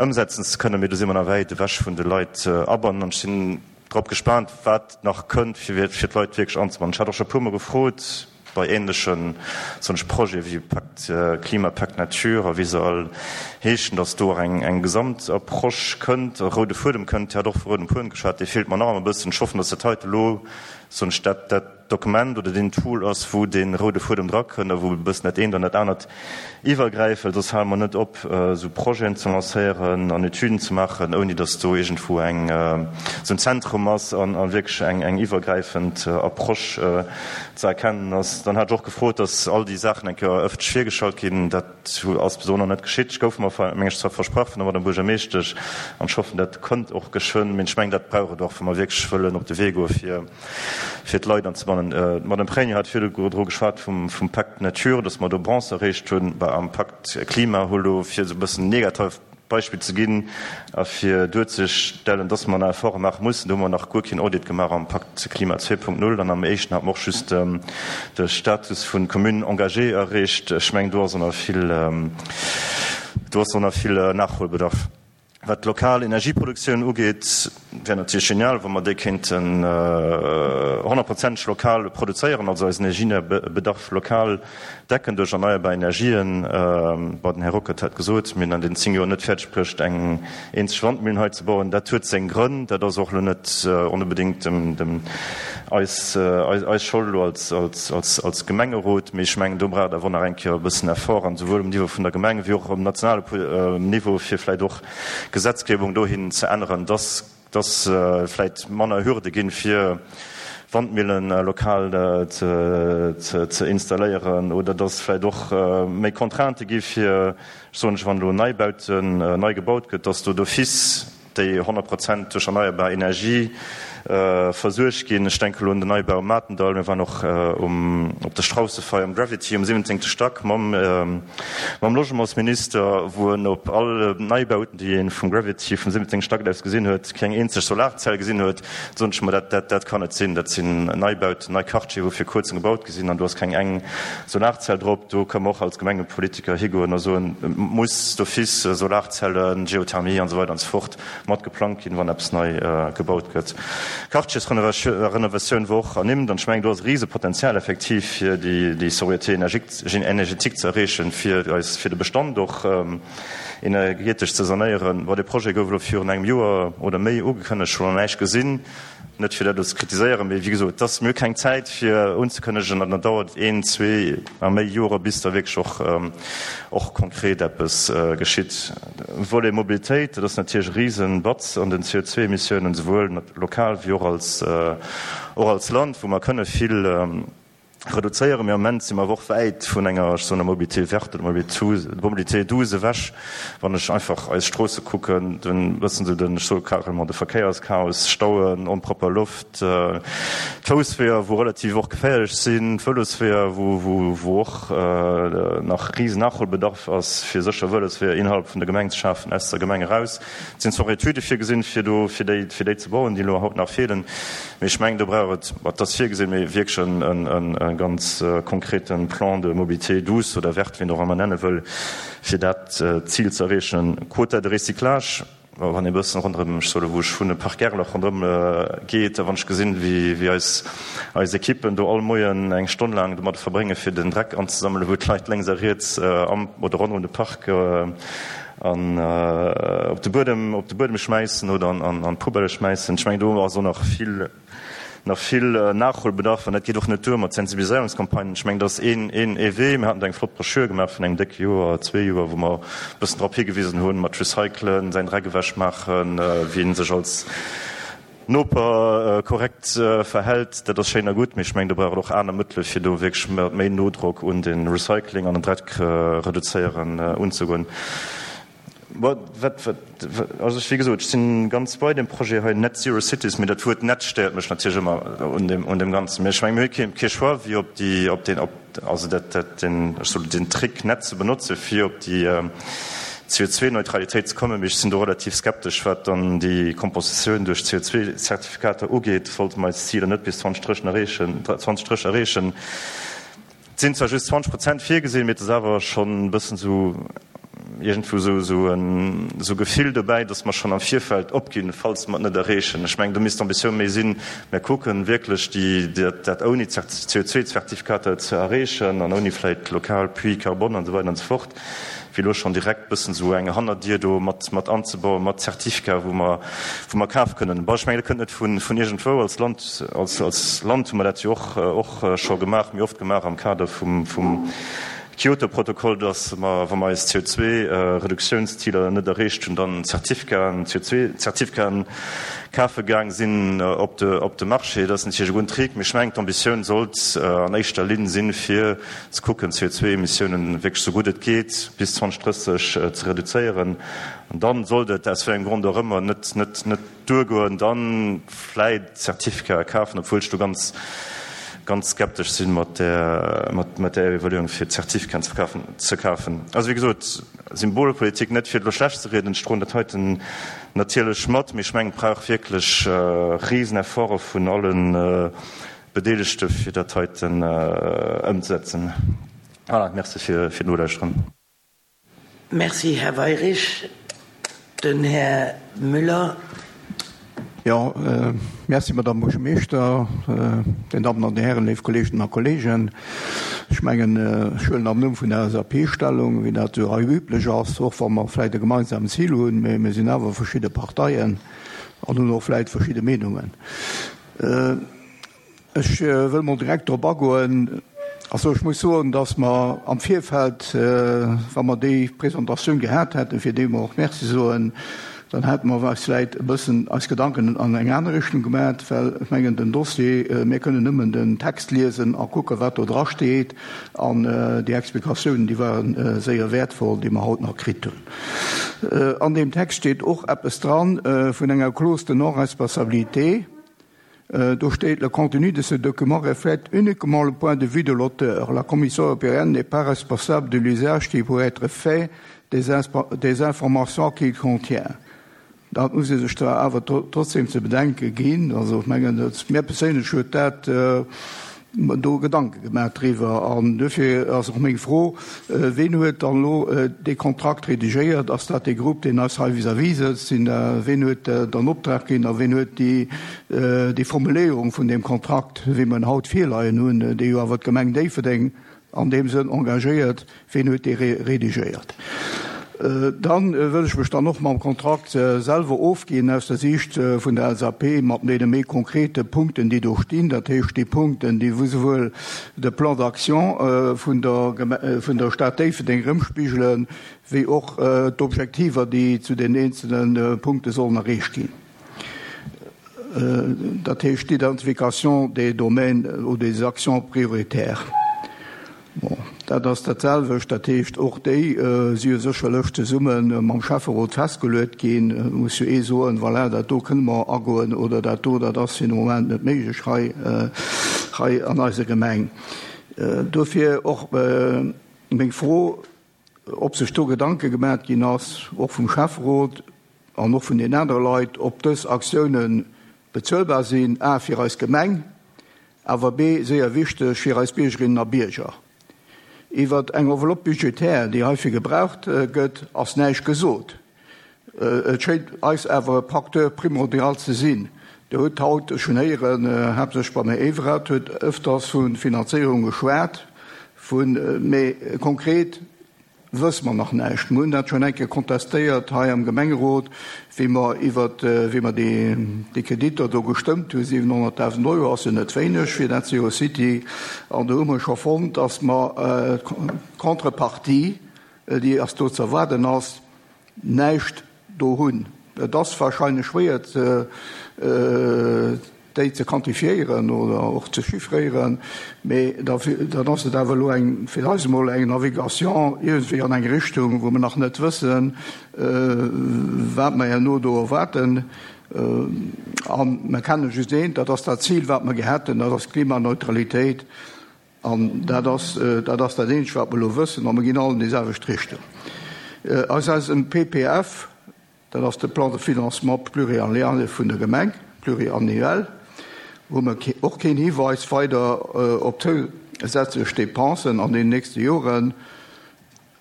ëmsetzen ze kënnen. Mee do si mer nach wäit ewech vun de Leit abannen. An ech sinn drop gespaant, wat nach kënnt, fir fir d'Leit wierklech anzebannen. Ech hat och scho e puermol gefrot bei ähnlechen, soen ech, Projete wéi Pakt Klima, Pakt Nature a wéi se all heeschen, datt do och eng eng Gesamtapproche kënnt, e roude Fuedem kënnt. Dir hat och vu roudem Fuedem geschwat, dee feelt mer nach ëmmer e bëssen. Ech hoffen, datt dat heite elo, soen ech, dat dat Dokument oder deen Tool ass, wou dee roude Fuedem drakënnt a wou e bëssen dat eent an dat anert iwwergräift, well soss hale mer net op, esou Projeten ze lancéieren an Etüden ze maachen, ouni datt do iergendwou eng esou en Zentrum ass an a wierklech eng eng iwwergräifend Approche ze erkennen ass. Dann hat ech och gefrot, datt all déi Saachen eng Kéier ëffentlech virgestallt ginn. Dat ass bis elo nach net geschitt. Ech gouf mer, meng ech, zwar versprach vun der Madame Buergermeeschtesch an ech hoffen, dat kënnt och geschwënn. Mee ech mengen, dat brauch et och, wa mer wierklech wëllen op de Wee goe fir fir d'Leit anzebannen. D'Madame Pregno hat virdru geschwat vum Pacte Nature, dass mer do Bronze erreecht hunn. Bah, am Pacte Klima hu lo, fir esou e bëssen negativ Beispill ze ginn a fir duerzestellen, dass mer nach Efforte maache mussen, do hu mer nach guer keen Audit gemaach am Pacte Klima zwee Punkt null. An am éischten hate mer och just de Status vu Commune engagée erreecht. Ech mengen, do ass och nach vill, do ass och nach vill Nachholbedarf. Wat d'lokal Energieproduktioun ugeet, wär natierlech genial, wa mer déi kéinten honnertprozenteg lokal produzéieren, also eisen Energiebedarf lokal decken duerch erneierbar Energien. Bon, den Här Ruckert hat gesot, mir hunn an den zéng Joer net fäerdeg bruecht, eng eenzeg Wandmillen hei ze bauen. Dat huet seng Grënn. Dat ass och elo net onbedéngt dem eis eis Schold elo als als als Gemengerot. Mee ech mengen, do brauch et awer nach eng Kéier e bëssen Effort, an esouwuel um Niveau vun der Gemeng wéi och um nationale Niveau, fir vläicht och Gesetzgebung dohin ze änneren, dass dass vläicht manner Hürde ginn, fir Wandmillen lokal ze ze installéieren, oder dass vläicht och méi Contraintë gi fir, ech soen, wann elo Neibauten nei gebaut gëtt, dass do d'office déi honnert Prozent duerch erneierbar Energie versuergt ginn. Ech denke elo un den Neibau um Matendall. Mir waren och um, op der Straussefeier um Gravity um siwwenzéngte Stack mam, mam Logementsminister, wou en op all Neibauten, déi ee vum Gravity vum siwwenzéngte Stack aus gesinn huet, keng eenzeg Solarzell gesinn huet. Da soen ech mer, dat, dat, dat kann net sinn. Dat sinn Neibauten, nei Quartiere, wou vir kuerzem gebaut gi sinn, an do ass keng eng Solarzell drop. Do kënnen mer och als Gemengepolitiker higoen a soen, et muss d'office Solarzellen, Geothermie an esou weider an esou fort mat geplangt ginn, wann eppes nei gebaut gëtt. Quartiersrenovatioun wor och ernimmt, an ech mengen, do ass e Risepotenzial effektiv, fir déi Sobriété énergétique ze erreechen, fir eis, fir de Bestand och energetesch ze sanéieren. Bon, dee Projet gouf elo virun engem Joer oder méi ugekënnegt, ech hunn nach näischt gesinn. Net fir dat elo ze kritiséieren, mee wéi gesot, et ass, mir hu keng Zäit fir unzekënnegen an dann dauert et een, zwee a méi Jore bis da wierklech och, och konkret eppes geschitt. Volet Mobilitéit, dat ass natierlech e Risenbatz an den C O zwei Emissiounen, souwuel lokal wéi och als, och als Land, wou mer kënne vill reduzéieren. Mee am Moment si mer awer och wäit vun enger, ech soen, Mobilité verte oder Mobilité douce ewech. Wann ech einfach eis Stroosse kucken, den, bëssen esou den, ech soe carrément de Verkéierschaos, Stauen, onpropper Loft, d'Foussweeër, wou relativ och geféierlech sinn, d'Vëlosweeër, wou, wou, wou och nach risen Nachholbedarf ass, fir sécher Vëlosweeër innerhalb vun der Gemeng ze schafen, aus der Gemeng eraus. Et sinn zwar och Etüde virgesinn, fir do, fir déi, fir déi ze bauen, déi elo haut nach feelen. Mee ech mengen, do brauch et, et ass virgesinn, mee wierklech en, en ganz konkrete Plan de mobilité douce oder verte, wéi een och ëmmer nenne wëll, fir dat Zil ze erreechen. Quota de recyclage, wann ee bëssen ronderëm, ech soe elo, wou ech wunnen, Parc Gerlach ronderëm geet, a wann ech gesinn, wéi, wéi eis, eis Ekippen do all Moien eng Stonn laang domadder verbréngen, fir den Dreck anzesammelen, wou d'Leit lénks a riets am oder ronderëm de Park an op de Buedem, op de Buedem schmäissen oder an, an d'Poubelle schmäissen. Ech mengen, do ass och nach vill, nach vill Nachholbedarf. An dat geet och net duer mat Sensibiliséierungscampagnen. Ech mengen, dat ass een, een, ee Wee. Mir haten do eng flott Broschür gemaach vun engem décke Joer, zwee Joer, wou mer e bëssen drop higewisen hunn, mat Recyclen, säin Dreck ewechmaachen, wéi ee sech als Noper korrekt verhält, dat ass schéin a gutt, mee ech mengen, do brauch et och aner Mëttele fir do wierklech mat méi Nodrock un de Recycling an den Dreck reduzéieren unzegoen. Bon, wat, wat, also ech, wéi gesot, ech si ganz bei deem Projet hei, Net Zero Cities, mee dat Wuert net stéiert mech natierlech ëmmer un deem, un deem Ganzen. Mee ech mengen, mir hu kee, kee Choix, wéi op déi, op deen, op, also dat, dat, den, ech soll den Trick net ze benotze fir op déi C O zwei Neutralitéit ze kommen. Mee ech sinn do relativ skeptesch, wat dann déi Kompensatioun duerch C O zwei Zertifikater ugeet. Sollte mer eis Ziler net bis zwanzeg drécheg erreechen, zwanzeg drécheg erreechen. Et sinn zwar just zwanzeg Prozent virgesinn, mee et ass awer schonn e bëssen esou iergendwou esou, esou en, esou Gefill dobäi, datt mer schonn am Virfeld opginn, falls mer et net erreechen. Ech mengen, do misst d'Ambitioun méi sinn, mir kucken wierklech déi, dat, dat ouni C O zwei Zertifikater ze erreechen an ouni vläicht lokal Puits carbone an esou weider an esou fort, wéi elo schonn direkt bëssen esou eng Hannerdier do mat, mat anzebauen, mat Zertifikater, wou mer, wou mer kafe kënnen. Bon, ech mengen, dat kënnt net vun, vun iergendwou. Als Land, als, als Land hu mer dat jo och, och scho gemaach, méi oft gemaach am Kader vum, vum Kyoto-Protokoll, dass mer, wa mer eis C O zwei Reduktiounsziler net erreecht hunn, dann Zertifikaten, C O zwei Zertifikaten kafe gaang sinn op de, op de Marché. Dat ass natierlech e gudden Trick, mee ech mengen, d'Ambitioun sollt an éischter Linn sinn, fir ze kucken, C O zwei Emissiounen wierklech esou gutt et geet bis zwanzeg drësseg ze reduzéieren. An dann sollt et, aus wéi engem Grond och ëmmer, net, net, net duergoen, dann vläit Zertifikater kafen, obwuel ech do ganz, ganz skeptesch sinn mat der, mat, mat der Evaluierung fir Zertifikaten ze verkafen, ze kafen. Also wéi gesot, Symbolpolitik net fir elo schlecht ze rieden, ech droen dat heiten natierlech mat, mee ech mengen, et brauch wierklech Riesenefforte vun allen Bedeelegte fir dat heiten ëmzesetzen. Voilà, merci fir, fir d'Nolauschteren. Merci, Här Weyrich. Den Här Müller. Jo, merci, Madame Buergermeeschter, Dir Dammen an Dir Hären, léif Kolleeginnen a Kolleegen. Ech mengen, ech huelen am Numm vun der L S A P Stellung, wéi dat esou hei üblech ass, och wa mer vläicht e gemeinsamen Zil hunn, mee mir sinn awer verschidde Parteien an hunn och vläicht verschidde Meenungen. Ech wëll mol direkt drop agoen. Also ech muss soen, dass mer am Virfeld, wa mer déi Presentatioun gehat hätten, fir déi mer och Merci soen, dann hätte mer eis vläicht e bëssen eis Gedanken an eng aner Richtung gemaat, well ech mengen, den Dossier, mir kënnen nëmmen den Text liesen a kucken, wat do drasteet, an déi Explikatiounen, déi ware séier wäertvoll, déi mer haut nach kritt hunn. An deem Text steet och eppes dran vun enger Clause de non-responsabilité. Do steet, Le contenu de ce document reflète uniquement le point de vue de l'auteur. La Commission européenne n'est pas responsable de l'usage qui pourrait être fait des, des informations qu'il contient. Dat muss ee sech da awer trotzdem ze bedenke ginn. Also ech mengen, dat mir perséinlech huet dat do Gedanke gemaach driwwer. An dofir ass och meng Fro, ween huet dann elo dee Kontrakt redigéiert? Ass dat dee Grupp, deen eis hei vis-à-vis sëtzt? Sinn, ween huet dann Optrag ginn a ween huet déi, déi Formuléierung vun deem Kontrakt, wéi mer en haut virleien hunn, dee jo awer d'Gemeng Déifferdeng an deem Sënn engagéiert, ween huet dee redigéiert? Dann wëll ech mech dann och mam Kontrakt selwer ofginn aus der Siicht vun der L S A P mat deene méi konkrete Punkten, déi do stinn. Dat heescht déi Punkten, déi souwuel de Plan d'action vun der, vun der Stad Déifferdeng erëmspigelen, wéi och d'Objektiver, déi zu den eenzelne Punkte sollen erreecht ginn. Dat heescht d'Identification des domaines ou des actions prioritaires. Bon, dat ass dat selwecht, dat heescht och déi si jo sécherlech zesumme mam Schäfferot festgeluet ginn. Et muss jo ee soen, voilà, dat do kënne mer agoen oder dat do, dat ass fir de Moment net méiglech hei, hei an eiser Gemeng. Dofir och meng Fro, ob sech do Gedanke gemaach ginn ass, och vum Schäfferot an och vun den anere Leit, ob dës Aktiounen bezuelbar sinn, a fir eis Gemeng, awer b séier wichteg fir eis Biergerinnen a Bierger. Iwwer eng Enveloppe budgétaire, déi heifir gebraucht gëtt, ass näischt gesot. Et schéint eis awer e Facteur primordial ze sinn. Der huet haut, ech hunn héieren, haaptsächlech beim Här Everard, huet ëfters vu Finanzéierung geschwat, vun, mee konkret wësse mer nach näischt. Mir hunn dat schonn eng Kéier kontestéiert hei am Gemengerot, wéi mer iwwert, wéi mer déi, déi Kreditter do gestëmmt hunn, siwenhonnertdausend Euro ass jo net wéineg fir Net Zero City. An do hu mer scho fonnt, dass mer d'Contrepartie, déi ass do ze erwaarden ass, näischt do hunn. Et ass wahrscheinlech schwéier ze déi ze quantifiéieren oder och ze chiffréieren, mee dann ass et awer elo eng, fir eis emol eng Navigation iergendwéi an eng Richtung, wou mer nach net wëssen, wat mer herno do erwaarden. A mer kenne just eent, dat ass dat Zil, wat mer gehat hunn, dat ass d'Klimaneutralitéit. An dat ass dat ass dat eenzegt, wat mer elo wëssen, a mer ginn all an déi selwecht Richtung. Aus eisem P P F, dat ass de Plan de financement pluriannuel vun der Gemeng, pluriannuel, hu mer och keen Hiweis weider op zousätzlech Dépensen an den nächste Joren.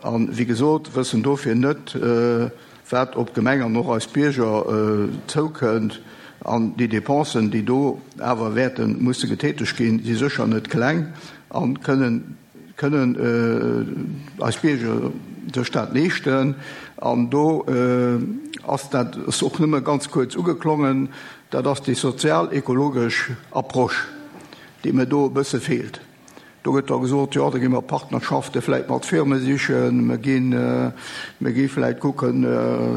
An, wéi gesot, wëssen dofir net, wat op d'Gemeng an och eis Bierger zoukënnt. An déi Dépensen, déi do awer wäerte musse getätegt ginn, si sécher net kleng a kënnen kënnen eis Bierger sech dat leeschten? An do ass dat ass och nëmme ganz kuerz ugeklongen, dat ass déi sozial-ekologesch Approche, déi mir do e bësse feelt. Do gëtt da gesot, jo, da gi mer Partnerschafte vläicht mat Firme sichen, mer ginn, mer gi vläicht kucken,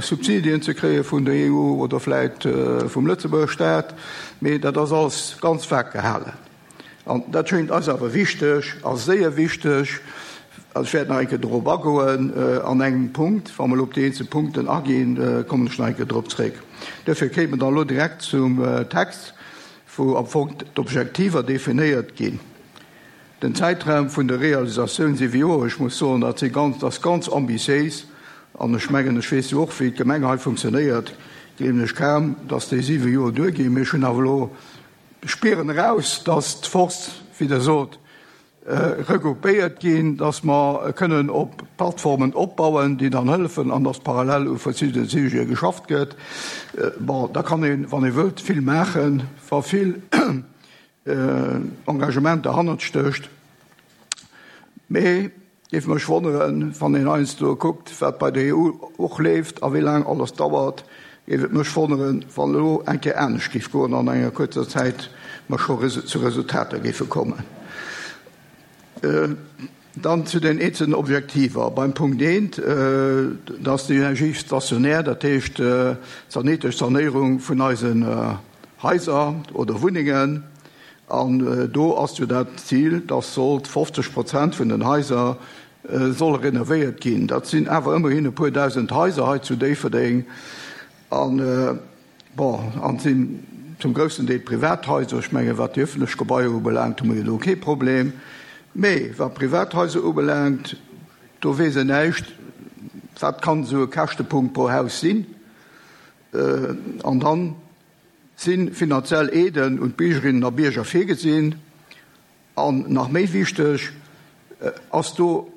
Subsidien ze kréie vun der E U oder vläicht vum Lëtzebuerger Staat, mee dat ass alles ganz vag gehalen. An dat schéngt eis awer wichteg a séier wichteg. Ech wäert nach eng Kéier dorop agoen an engem Punkt. Wa mer elo op déi eenzel Punkten aginn, kommen ech nach eng Kéier drop zréck. Duerfir kéint mer dann elo direkt zum Text, wou am Fong d'Objektiver definéiert ginn. Den Zäitraum vun der Realisatioun, siwe Joer, ech muss soen, dat si ganz, dat ass ganz ambitiéis. An ech mengen, ech weess jo och, wéi d'Gemeng hei funktionéiert, gleewen ech kaum, dass déi siwe Joer duerginn. Mee ech hunn awer elo, spieren eraus, dass d'Force, wéi Der sot, regroupéiert ginn, dass mer kënnen op Plattformen opbauen, déi dann hëllefen, an dass parallel u verschiddene Sujete geschafft gëtt. Bon, da kann een, wann ee wëllt, vill maachen, wa vill Engagement derhannert stécht. Mee géif mech wonneren, wann een heiansdo kuckt, wat bei der E U och leeft a wéi laang alles dauert, géif et mech wonneren, wann elo eng Kéier anescht géif goen an enger kuerzer Zäit mer scho zu Resultater géife kommen. Dann zu den eenzelnen Objektiver. Beim Punkt eent, dat ass déi Energie stationär, dat heescht d'sanetesch Sanéierung vun eisen Haiser oder Wunnengen. An do ass jo dat Zil, dass sollt fofzeg Prozent vun den Haiser solle renovéiert ginn. Dat sinn awer ëmmerhin e puer dausend Haiser hei zu Déifferdeng. An, bon, an sinn zum groussen Deel Privathaiser. Ech mengen, wat déi ëffentlech Gebaier ubelaangt, hu mer jo do kee Problem. Mee wat Privathaiser ubelaangt, do weess een näischt, wat kann esou e Käschtepunkt pro Haus sinn. An dann si finanziell Aiden un d'Biergerinnen a Bierger virgesinn? An nach méi wichteg, ass do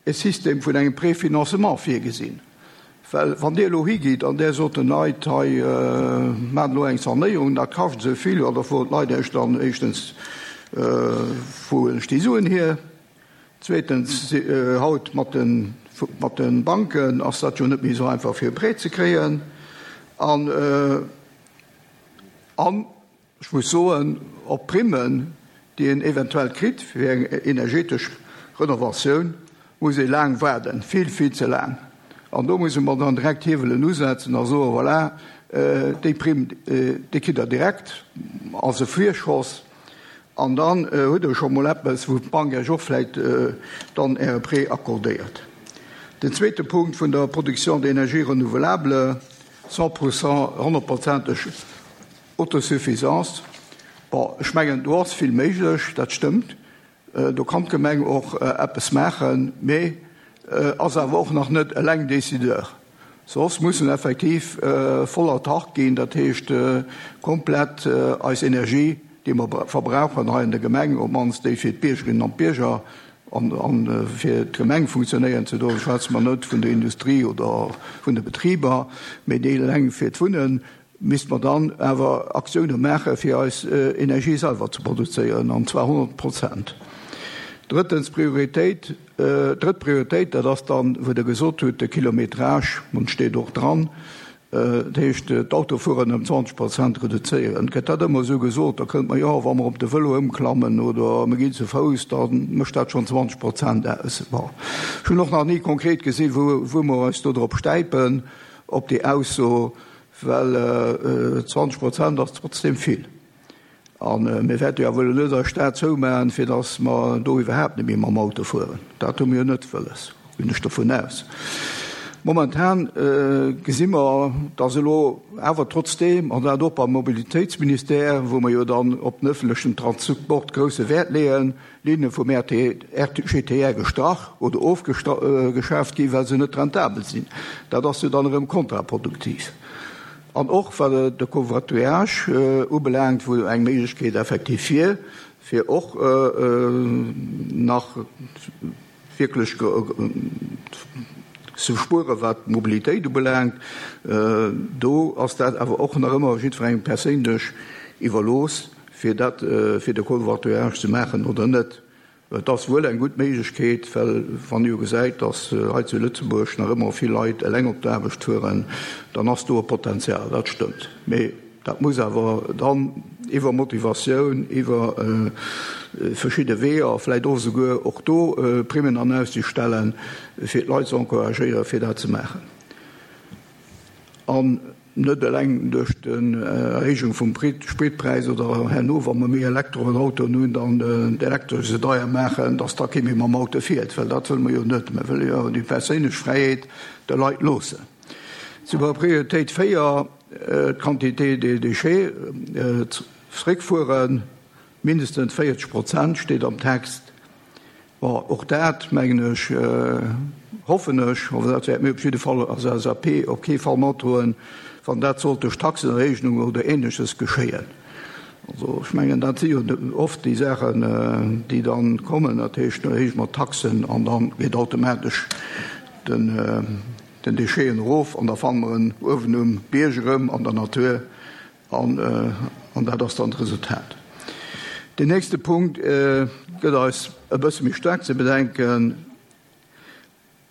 e System vun engem Préfinancement virgesinn? Well wann Dir elo higitt an Der sot den Leit, hei maacht elo eng Sanéierung, dat kascht esou vill, jo, da froen d'Leit Iech dann éischtens, wou huelen ech déi Suen hier? Zweetens, haut mat de mat de Banken ass dat jo net méi esou einfach fir e Prêt ze kréien. An an ech muss soen, op Primmen, déi een eventuell kritt fir eng energetesch Renovatioun, muss ee laang waarden, vill, vill ze laang. An do musse mer dann direkt Hiewelen usetzen a soen, voilà, déi Primm, déi kritt Der direkt als e Virschoss. An dann hutt Der scho mol eppes, wou d'Bank Iech och vläicht dann Äre Prêt accordéiert. Den zweete Punkt vun der Production d'énergie renouvelable, cent pour cent, honnertprozenteg Autosuffisance. Bon, ech mengen, do ass vill méiglech, dat stëmmt. Do kann d'Gemeng och eppes maachen, mee ass awer och nach net eleng Décideur. Soss mussen effektiv voll autark ginn, dat heescht komplett eis Energie, déi mer verbrauchen hei an der Gemeng, op d'mannst déi fir d'Biergerinnen an d'Bierger an fir d'Gemeng funktionéieren ze doen, schwätze mer net vun der Industrie oder vun de Betriber, mee déi eleng fir d'Wunnen, misste mer dann awer Aktioune maache fir eis Energie selwer ze produzéieren, an zwar honnert Prozent. Drëttens Prioritéit, drëtt Prioritéit, dat ass dann, wou Der gesot hutt, de Kilometrage, an steet och dran, dat heescht d'Autofueren ëm zwanzeg Prozent reduzéieren. Gëtt dat ëmmer esou gesot, da kënnt mer, jo, wa mer op de Vëlo ëmklammen oder mer ginn ze Fouss, da mécht dat schonn zwanzeg Prozent aus. Bon, ech hunn och nach ni konkret gesinn, wou, wou mer eis do drop stäipen, op déi Ausso, well zwanzeg Prozent ass trotzdem vill. A mir wäerte jo awer elo net eis Stad zoumaachen, fir datt mer do iwwerhaapt net méi mam Auto fueren. Dat hu mir jo net wëlles, ginn ech dovun aus. Momentan gesi mer, datt elo awer trotzdeem, an dat och beim Mobilitéitsministère, wou mer jo dann op den öffentlechen Transport grousse Wäert leeën, Linne vum R G T R gestrach oder ofgeschaaft ginn, well se net rentabel sinn. Dat ass jo dann erëm kontraproduktiv. An och wat de Covoiturage ubelaangt, wou eng Méiglechkeet effektiv wier, fir och nach wierklech ze spueren, wat d'Mobilitéit ubelaangt, do ass dat awer och nach ëmmer jiddwerengem perséinlech iwwerlooss, fir dat, fir de Covoiturage ze maachen oder net. Et ass wuel eng gutt Méiglechkeet, well wann ee jo gesäit, datt hei zu Lëtzebuerg nach ëmmer vill Leit eleng op d'Aarbecht fueren, dann ass do e Potenzial, dat stëmmt. Mee dat muss awer dann iwwer Motivatioun, iwwer verschidde Weeër, vläicht och esouguer och do Primmen an Aussicht stellen, fir d'Leit ze encouragéieren, fir dat ze maachen. An net eleng duerch d'Erhéijung vum Spritpräis oder herno, wa mer méi Elektroautoen hunn, dann d'Elektresch esou deier maachen, dass da kee méi mam Auto fiert, well dat wëlle mer jo net. Mer wëlle jo déi perséinlech Fräiheet de Leit loossen. Zu der Prioritéit véier, d'Quantité des déchets zréckfueren, mindestens véierzeg Prozent steet am Text. Bon, och dat, mengen ech, hoffen ech, oder dat wäerte mir op jidde Fall als L S A P op kee Fall matdroen, wann dat sollt duerch Taxenerhéijung oder Ähnleches geschéien. Also ech mengen, dat si jo oft déi Saachen, déi dann kommen, dat heescht, da erhéije mer d'Taxen an da geet automatesch den den Décheten erof an da fanne mer en uewen um Bierg erëm an der Natur an an dat ass dann d'Resultat. Deen nächste Punkt gëtt eis e bësse méi staark ze bedenken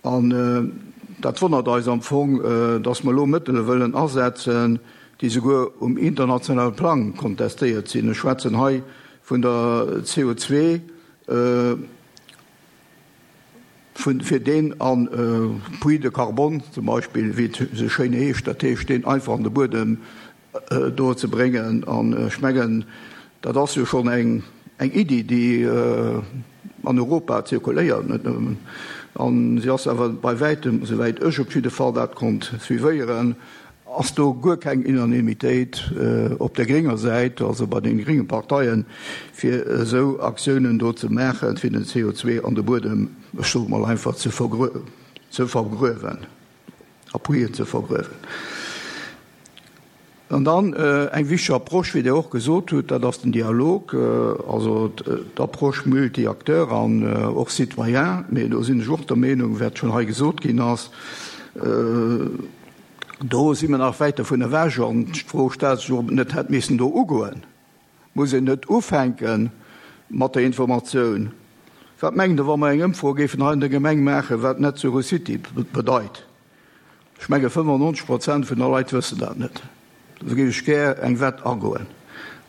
an dat wonnert eis am Fong, dass mer elo Mëttele wëllen asetzen, déi souguer um internationale Plang kontestéiert sinn. Ech schwätzen hei vun der C O zwei, vun fir deen an Puits de carbone zum Beispill, wéi et esou schéin heescht, dat heescht deen einfach an de Buedem do ze bréngen. An ech mengen, dat ass jo schonn eng eng Iddi, déi an Europa zirkuléiert, net nëmmen, an si ass awer bei wäitem, esouwäit ech op jidde Fall dat konnt suivéieren, ass do guer keng Unanimitéit op der grénger Säit, also bei den grénge Parteien, fir esou Aktiounen do ze maachen, fir den C O zwei an de Buedem, ech soe mol einfach, ze vergruewen, a Puiten ze vergruewen. An dann eng wichteg Approche, wéi Dir och gesot hutt, dat ass den Dialog, also d'Approche multi-acteurs an och citoyen. Mee do sinn ech och der Meenung, wat schonn hei gesot ginn ass, do si mer nach wäit dovun ewech. An d'Fro stellt sech, ob et net hätt missen do ugoen. Muss een net ufänke mat der Informatioun? Wat mengt Der, wa mer eng Ëmfro géifen hei an der Gemeng maachen, wat Net Zero City bedeit? Ech menge fënnefannonzeg Prozent vun der Leit wëssen dat net. Do géif ech gär eng Wett agoen.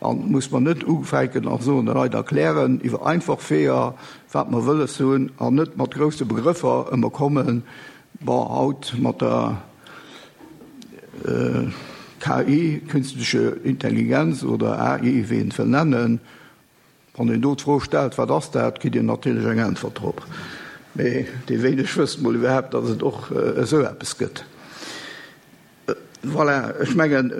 An muss mer net ufänken a soen, de Leit erklären iwwer einfach Weeër, wat mer wëlles hunn, an net mat grousse Begrëffer ëmmer kommen, bon, haut mat der K I, künstliche Intelligenz oder A I, wéi een et wëll nennen. Wann een do d'Fro stellt, wat ass dat, kritt een natierlech eng Äntwert drop. Mee déi wéineg wëssen mol iwwerhaapt, datt et och esou eppes gëtt. Voilà, ech mengen,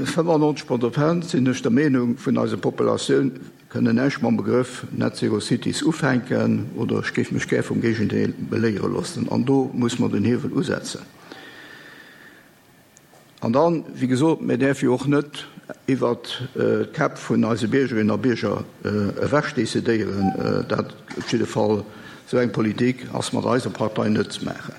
fënnefannonzeg Prozent, sinn ech der Meenung, vun eiser Populatioun kënnen näischt mam Begrëff Net Zero Cities ufänken, oder ech géif mech gär vum Géigendeel beléiere loossen. An do muss mer den Hiewel usetzen. An dann, wéi gesot, mir däerfe jo och net iwwert d'Käpp vun eise Biergerinnen a Bierger ewech decidéieren. Dat op jidde Fall, esou eng Politik ass mat eiser Partei net ze maachen.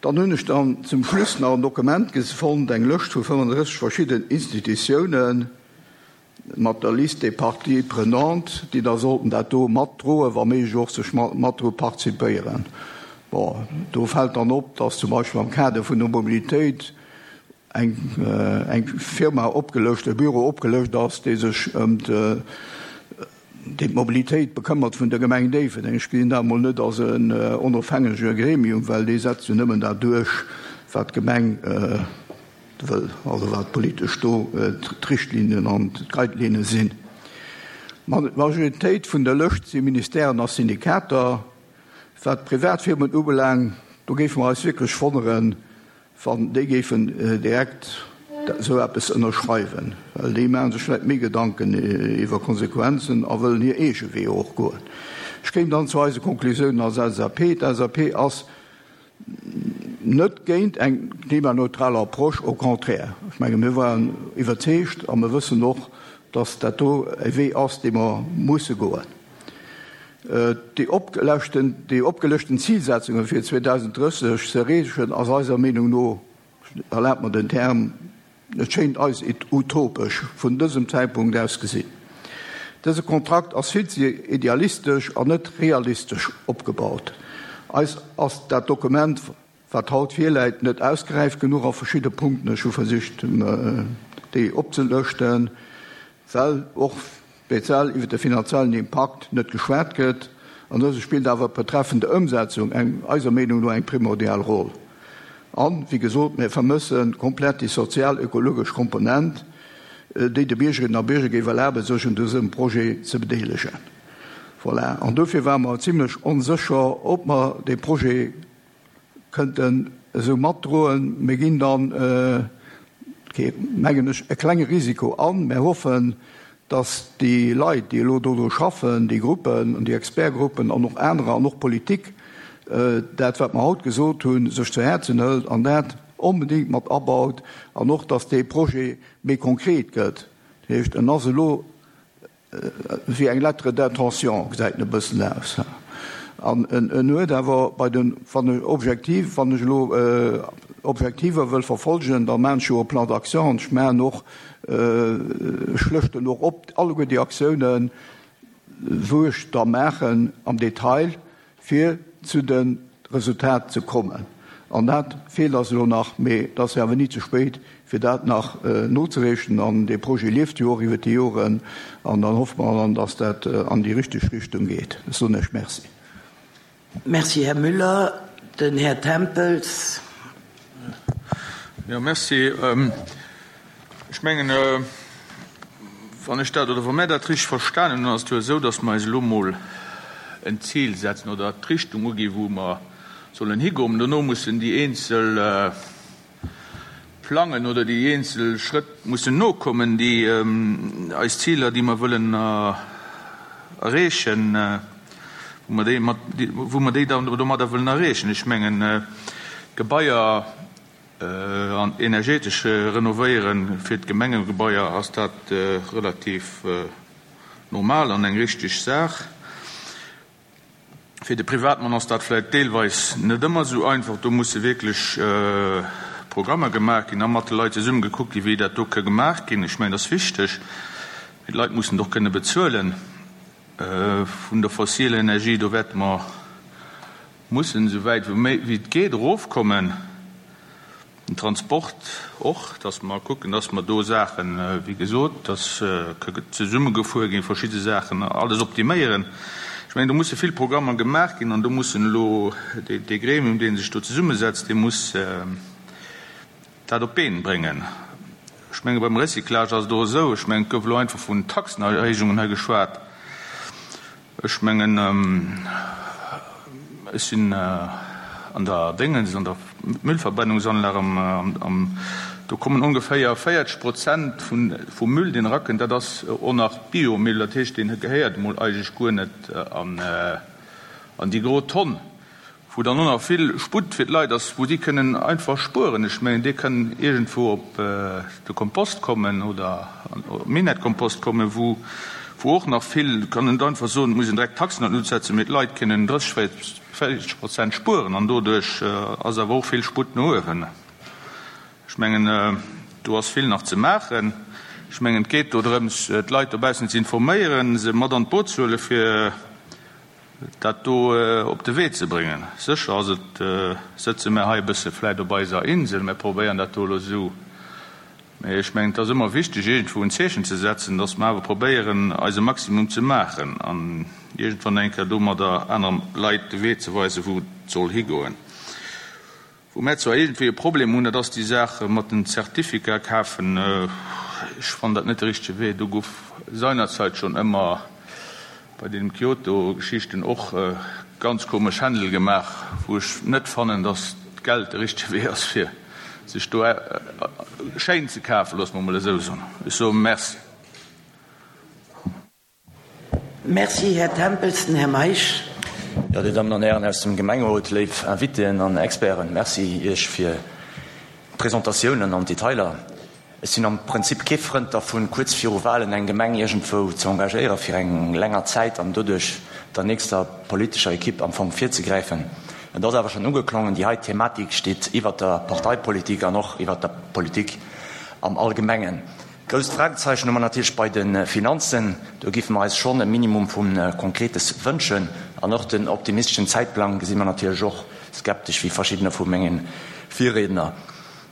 Dann hunn ech dann zum Schluss nach en Dokument fonnt, eng Lëscht vu fënnefandrësseg verschidden Institutiounen mat der Liste des parties prenantes, déi da sollten dat do matdroen, wa méiglech och sech mat dru participéieren. Bon, do fält dann op, dass zum Beispill am Kader vun der Mobilitéit eng eng Firma opgelëscht, e Büro opgelëscht ass, dee sech ëm déi d'Mobilitéit bekëmmert vun der Gemeng Déifferdeng. Ech gesinn dat emol net als en onofhängege Gremium, well dee setzt jo nëmmen dat duerch, wat d'Gemeng wëll, also wat politesch do d'Richtlinien an d'Guidelinne sinn. D'Majoritéit vun der Lëscht si Ministèren a Syndikater. Wat d'Privatfirmen ubelaangt, do géife mer eis wierklech wonneren, wann déi géifen direkt esou eppes ënnerschreiwen, well déi maache sech vläicht méi Gedanken iwwer Konsequenzen a wëllen hir eege Weeër och goen. Ech kéim dann zu eise Konklusiounen als LSAP. D'LSAP ass net géint eng klimaneutral Approche, au contraire. Ech menge mir waren iwwerzeegt a mir wëssen och, dass dat do e Wee ass, dee mer musse goen. Déi opgelëschten, déi opgelëschten Zilsetzunge fir zweedausenddrësseg ze erreechen, ass eiser Meenung no, erlaabt mer den Term, et schéint eis utopesch vun dësem Zäitpunkt aus gesinn. Dëse Kontrakt ass vill ze idealistesch an net realistesch opgebaut. Eis ass dat Dokument, wat haut virläit, net ausgeräift genuch a verschidde Punkten. Ech hu versicht, déi opzelëschten, well och speziell iwwer de finanziellen Impakt net geschwat gëtt. An dëse spillt awer betreffend der Ëmsetzung eng, eiser Meenung no, eng primordial Roll. An, wéi gesot, mir vermësse komplett déi sozial-ökologesch Komponent, déi de Biergerinnen a Bierger géif erlaben, sech un dësem Projet ze bedeelegen. Voilà. An dofir ware mer zimlech onsécher, ob mer dee Projet kënnten esou matdroen. Mir ginn dann, mengen ech, e klenge Risiko an. Mir hoffen, dass déi Leit, déi elo dodru schaffen, déi Gruppen an déi Expertgruppen an och anerer an och d'Politik, dat, wat mer haut gesot hunn, sech zu Häerzen hëlt an dat onbedéngt mat abaut an och, dass dee Projet méi konkret gëtt. Dat heescht, en ass elo wéi eng Lettre d'intention, gesäit en e bëssen aus. An en huet awer bei den, wann ech objektiv, wann ech elo Objektiver wëll verfolgen, da maachen ech jo e Plan d'action an ech maachen och, ech lëschten och op alleguer déi Aktiounen, wou ech da maachen am Detail, fir zu dem Resultat ze kommen. An dat feelt eis elo nach, mee et ass jo awer ni ze spéit, fir dat nach nozereechen. An dee Projet lieft jo och iwwert déi Joren an dann hoffe mer dann, dass dat an déi richteg Richtung geet. Ech soen Iech Merci. Merci, Här Müller. Den Här Tempels. Jo, merci. Ech mengen, wann ech dat oder wa mär dat richteg verstanen hunn, ass et jo esou, dass mer eis elo mol en Zil setzen oder d'Richtung uginn, wou mer sollen higoen. Dono mussen déi eenzel Plangen oder déi eenzel Schrëtt mussen nokommen, déi eis Ziler, déi mer wëllen erreechen, wou mer déi mat, wou mer déi dann domadder wëllen erreechen. Ech mengen, d'Gebaier an energetesch renovéieren, fir d'Gemengegebaier ass dat relativ normal an eng richteg Saach. Fir de Privatmann ass dat vläicht deelweis net ëmmer esou einfach. Do musse wierklech Programmer gemaach ginn a mat de Leit zesumme gekuckt ginn, wéi dat do ka gemaach ginn. Ech mengen, dat ass wichteg, mee d'Leit mussen et och kënne bezuelen. Vun der fossiler Energie, do wäerte mer mussen esou wäit wéi et geet erofkommen. Den Transport och, dass mer kucken, dass mer do Saachen, wéi gesot, dass ka zesummegefuer ginn, verschidde Saachen, alles optiméieren. Ech mengen, do musse vill Programmer gemaach ginn an do mussen elo dee Gremium, dee sech do zesummesetzt, dee muss dat op d'Been bréngen. Ech menge beim Recyclage ass et och esou, ech mengen, et gouf elo einfach vun Taxenerhéijungen hei geschwat. Ech mengen, ech sinn an der Déngens, an der Müllverbrennungsanlag am, do kommen ongeféier véierzeg Prozent vum Müll, deen erakënnt, dat ass och nach Biomüll, dat heescht, deen gehéiert emol eigentlech guer net an déi gro Tonn. Wou dann och nach vill Sputt fir d'Leit ass, wou si kënnen einfach spueren. Ech mengen, dee kënn iergendwou op de Kompost kommen oder op Minett-Kompost kommen, wou och nach vill, kann net einfach soen, et muss een direkt Taxen an d'Lut setzen, mee d'Leit kënnen drësseg, véierzeg Prozent spueren an doduerch ass awer och vill Sputt no uewen. Ech mengen, do ass vill nach ze maachen. Ech mengen, et geet do drëms, d'Leit dobaussen ze informéieren, se mat an d'Boot ze huelen, fir dat do op de Wee ze bréngen. Sécher ass et, sëtze mär hei e bësse vläit op eiser Insel, mär probéieren dat do elo esou, mä ech mengen, et ass ëmmer wichteg, iergendwou en Zeechen ze setzen, datt mer awer probéieren, eise Maximum ze maachen an iergendwann eng Kéier domadder aner Leit de Wee ze weisen, wou et soll higoen. Wou mär zwar iergendwéi e Problem hunn, dat ass déi Saach mat den Zertificat kafen. Ech fannen dat net de richtege Wee. Do gouf seinerzeit schonn ëmmer bei deenen Kyoto-Geschichten och ganz komesch Händel gemaach, wou ech net fannen, datt d'Geld de richtege Wee ass, fir sech do schéin ze kafen, loosse mer emol esou soen. Ech soe Merci. Merci, Här Tempels. Den Här Meisch. Jo, Dir Dammen an Hären aus dem Gemengerot, léif Invitéen an Experten, Merci Iech fir d'Presentatiounen an d'Detailer. Ech sinn am Prinzip kee Frënd dervun, kuerz viru Wahlen eng Gemeng iergendwou ze engagéiere fir eng länger Zäit an doduerch der nächster politescher Equipe am Fong virzegräifen. Et ass awer schonn ugeklongen, déi hei Thematik steet iwwert der Parteipolitik an och iwwert der Politik am Allgemengen. Grousst Fragezeichen hu mer natierlech bei de Finanzen. Do géife mer eis schonn e Minimum vu Konkretes wënschen. An och den optimisteschen Zäitplang gesi mer natierlech och skeptesch, wéi verschiddener vu menge Virriedner.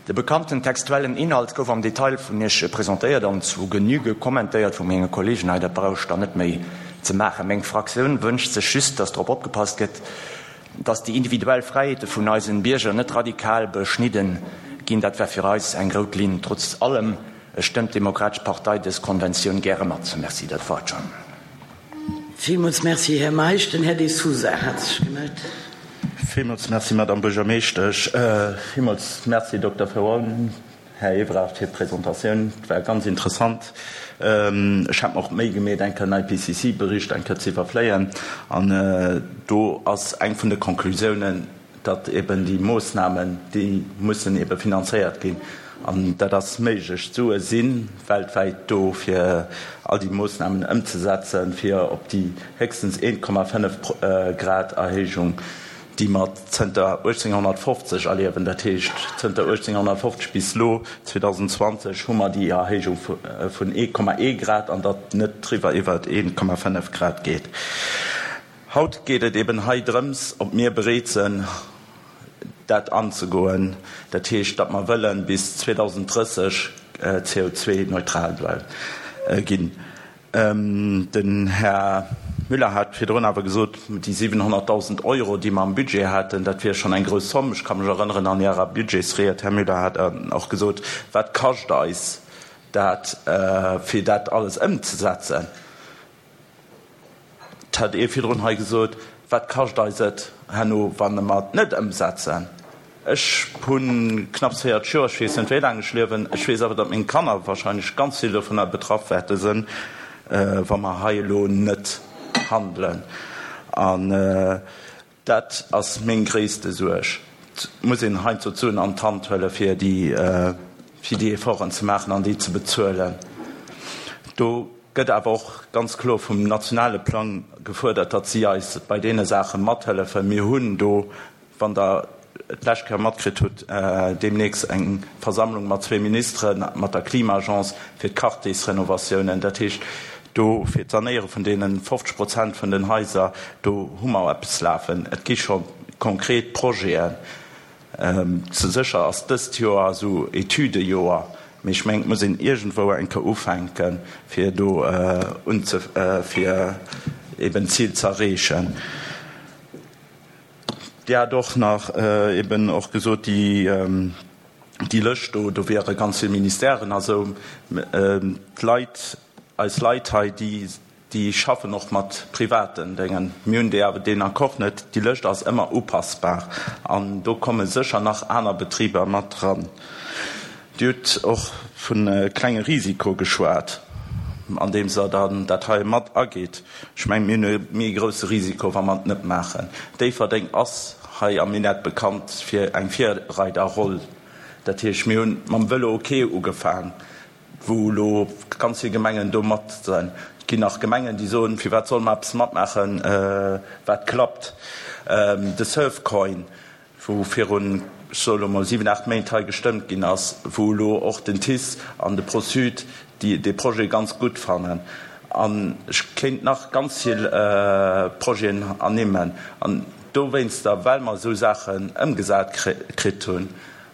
De bekannten textuellen Inhalt gouf am Detail vun Iech presentéiert an zu Genüge kommentéiert vu menge Kollegen hei. Dat brauch ech dann net méi ze maachen. Meng Fraktioun wënscht sech just, dass drop opgepasst gëtt, dass déi individuell Fräiheete vun eisen Bierger net radikal beschnidden ginn. Dat wär fir eis eng rout Linn. Trotz allem stëmmt d'Demokratesch Partei dës Konventioun gäre mat. Merci, dat war et schonn. Villmools Merci, Här Meisch. Den Här De Sousa hat sech gemellt. Villmools Merci, Madame Buergermeeschtesch. Villmools Merci, Dokter Ferron, Här Evrard, fir d'Presentatioun. Et war ganz interessant. Ech hat mer och d'Méi gemeet, eng Kéier den I P C C Bericht eng Kéier ze iwwerfléien. An do ass eng vun de Konklusiounen, datt eben déi Moossnamen, déi mussen ebe finanzéiert ginn. An dat ass méiglech. D'Sue si weltwäit do, fir all déi Moossnamen ëmzesetzen, fir op déi héchstens een Komma fënnef Grad Erhéijung, déi mer zënter uechtzénghonnertfofzeg erliewen, dat heescht zënter uechtzénghonnertfofzeg bis elo zweedausendenzwanzeg hu mer déi Erhéijung vun ee Komma ee Grad, an datt net driwwer iwwer een Komma fënnef Grad geet. Haut geet et eben hei drëms, ob mir bereet sinn, dat anzegoen, dat heescht, datt mer wëllen bis zweedausendrësseg C O zwee neutral ginn. Den Här Müller hat virdrun awer gesot, déi siwenhonnertdausend Euro, déi mer am Budget haten, dat wier schonn eng grouss Zomm. Ech ka mech erënneren, an Ärer Budgetsried, Här Müller, hat Der och gesot, wat kascht eis dat, fir dat alles ëmzesetzen? Et hat ee virdrun hei gesot, wat kascht eis et herno, wa mer et net ëmsetzen? Ech hu knapps véierzeg Joer, ech weess net, wéi laang ech liewen, ech weess awer, datt meng Kanner wahrscheinlech ganz vill dovunner betraff wäerte sinn, wa mer hei elo net handelen. An dat ass meng gréisste Suerg. Et muss een heiansdo d'Suen an d'Hand huele fir déi fir déi Efforten ze maachen an déi ze bezuelen. Do gëtt awer och ganz kloer vum nationale Plang gefuerdert, datt si eis bei deene Saache mathëllefen. Mir hunn do, wann Der et d'lescht Kéier matkritt hutt, deemnächst eng Versammlung mat zwee Ministeren, mat der Klima-Agence fir d'Quartiersrenovatiounen, dat heescht do fir d'Sanéiere vun deene fofzeg Prozent vun den Haiser, do hu mer eppes lafen. Et gi scho konkret Projeten. Sécher ass dëst Joer esou Etüdejoer, mee ech mengen, et muss een iergendwou eng Kéier ufänken, fir do unze fir eben d'Zil ze erreechen. Dir hat och nach eben och gesot, déi déi Lëscht do, do wiere ganz vill Ministèren a sou. D'Leit, eis Leit hei, déi déi schaffen och mat privaten Déngen. Mir hunn déi awer deen Accord net. Déi Lëscht ass ëmmer upassbar an do komme sécher nach aner Betriber mat dran. Dir hutt och vu klenge Risiko geschwat, andeems Der dann dat hei mat ageet. Ech mengen, mir hunn e méi grousse Risiko, wa mer et net maachen. Déifferdeng ass hei am Minett bekannt fir eng Virreiderroll. Dat heescht, mir hunn mam Vëlo OK ugefaang, wou elo ganz vill Gemengen do mat sinn. Et ginn nach Gemengen, déi soen, Firwat solle mer eppes matmaachen, wat klappt? De Surfcoin, wou virun, ech soe lo mol, siwen, aacht Méint hei gestëmmt ginn ass, wou elo och den TICE an de Pro-Sud déi dee Projet ganz gutt fannen. An ech kéint nach ganz vill Projeten ernimmen. An dowéinster, well mer esou Saachen ëmgesat kritt hunn,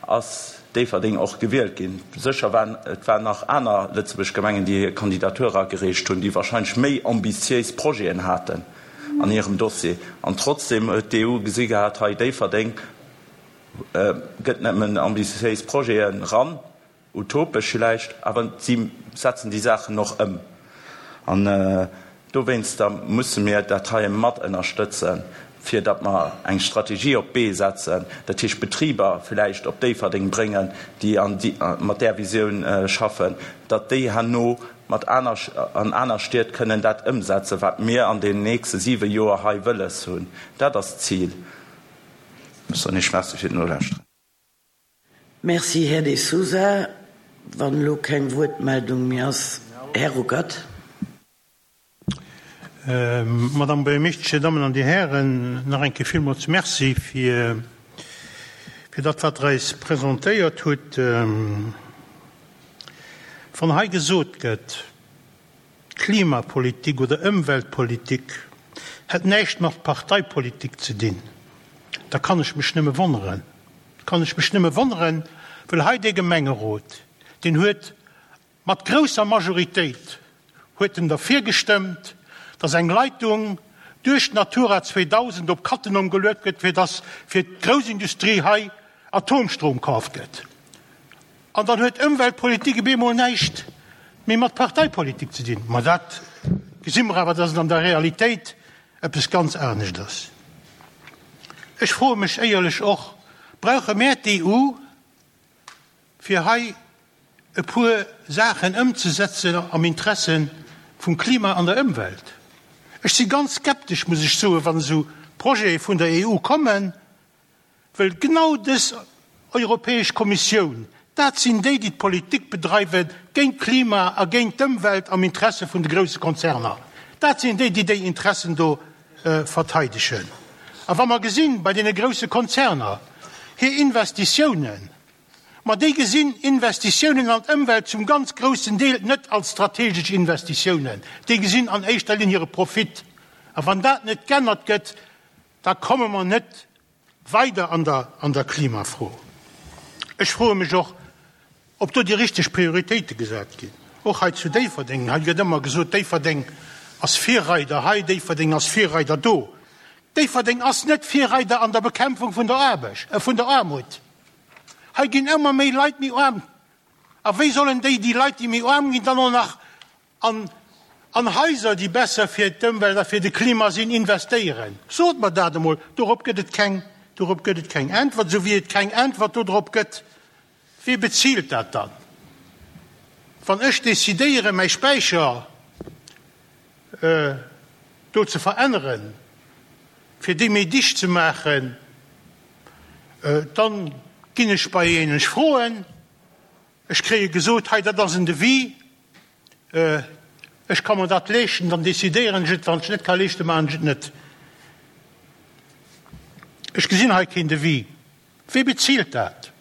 ass Déifferdeng och gewielt ginn. Sécher waren et waren nach aner Lëtzebuerg Gemengen, déi hir Kandidatur agereecht hunn, déi wahrscheinlech méi ambitiéis Projeten haten an hirem Dossier. An trotzdem huet d'E U gesi gehat, hei Déifferdeng gëtt nëmmen ambitiéis Projeten eran, utopesch villäicht, awer si setzen déi Saachen och ëm. An dowéinster musse mir dat hei mat ënnerstëtzen, fir datt mer eng Strategie op d'Bee setzen, dat heescht Betriber villäicht op Déifferdeng bréngen, déi an mat där Visioun schaffen, datt déi herno mat aner an aner Stied kënnen dat ëmsetzen, wat mir an den nächste siwe Joer hei wëlles hunn. Dat ass d'Zil. Ech soen Iech Merci fir d'Nolauschteren. Merci, Här De Sousa. Wann elo keng Wuertmeldung méi ass, Här Ruckert. Madame Buergermeeschtesch, Dir Dammen an Dir Hären, nach eng Kéier villmools Merci fir dat, wat Der eis presentéiert hutt. Wann hei gesot gëtt, Klimapolitik oder Ëmweltpolitik hätt näischt mat Parteipolitik ze dinn, da kann ech mech nëmme wonneren. Da kann ech mech nëmme wonneren, well hei dee Gemengerot, deen huet mat grousser Majoritéit huet en derfir gestëmmt, dass eng Leitung duerch d'Natura zweedausend op Cattenom geluet gëtt, fir dass fir d'Groussindustrie hei Atomstrom kaaft gëtt. An dann huet Ëmweltpolitik op eemol näischt méi mat Parteipolitik ze dinn. Ma dat gesi mer awer, dass et an der Realitéit eppes ganz anescht ass. Ech froe mech éierlech och, Brauche mär d'EU, fir hei e puer Saachen ëmzesetzen am Interesse vum Klima an der Ëmwelt? Ech si ganz skeptesch, muss ech soen, wann esou Projete vun der EU kommen, well genau dës Europäesch Kommissioun, dat sinn déi, déi d'Politik bedreiwe géint d'Klima a géint d'Ëmwelt am Interesse vun de grousse Konzerner. Dat sinn déi, déi déi Interessen do verteidegen. A wa mer gesinn, bei deene grousse Konzerner hir Investitiounen, ma déi gesinn Investitiounen an d'Ëmwelt zum ganz groussen Deel net als strategesch Investitiounen, déi gesinn an éischter Linn hire Profit. A wann dat net g'ännert gëtt, da komme mer net weider an der, an der Klimafro. Ech froe mech och, ob do déi richteg Prioritéite gesat ginn, och hei zu Déifferdeng. Hei gëtt ëmmer gesot, Déifferdeng ass Virreider hei, Déifferdeng ass Virreider do. Déifferdeng ass net Virreider an der Bekämpfung vun der Aarbecht, äh, vun der Aarmut. Hei ginn ëmmer méi Leit méi aarm. A wéi sollen déi, déi Leit, déi méi aarm ginn, dann och nach an, an Haiser, déi besser fir d'Ëmwelt a fir de Klima sinn, investéieren? Sot mer dat emol! Dorop gëtt et keng, dorop gëtt et keng Äntwert, esou wéi et keng Äntwert dodrop gëtt, Wie bezilt dat dann? Wann ech decidéieren, mäi Späicher do ze veränneren, fir dee méi dicht ze maachen, dann ginn ech bei een, ech froen, ech kréie gesot, hei dat ass en Devis, ech ka mer dat leeschten, dann decidéieren ech et, wann ech et net ka leeschten, maachen ech et net. Ech gesinn hei keen Devis. Wie bezilt dat?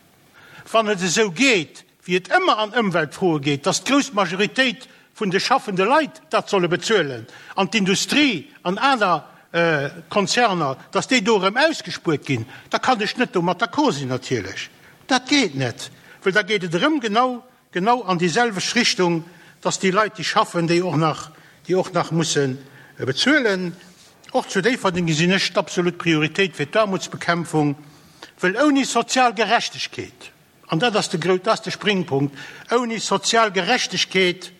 Wann et esou geet, wéi et ëmmer an Ëmweltfroe geet, dass d'grouss Majoritéit vun de schaffende Leit dat solle bezuelen an d'Industrie an aner Konzerner, dass déi do erëm ausgespuert ginn, da kann ech net domat d'accord sinn natierlech. Dat geet net, well da geet et erëm genau, genau an déi selwecht Richtung, dass déi Leit, déi schaffen, déi och nach, déi och nach musse bezuelen. Och zu Déifferdeng gesinn ech d'absolut Prioritéit fir d'Aarmutsbekämpfung, well ouni sozial Gerechtegkeet, an dat ass de grouss, dat ass de Springpunkt, ouni sozial Gerechtegkeet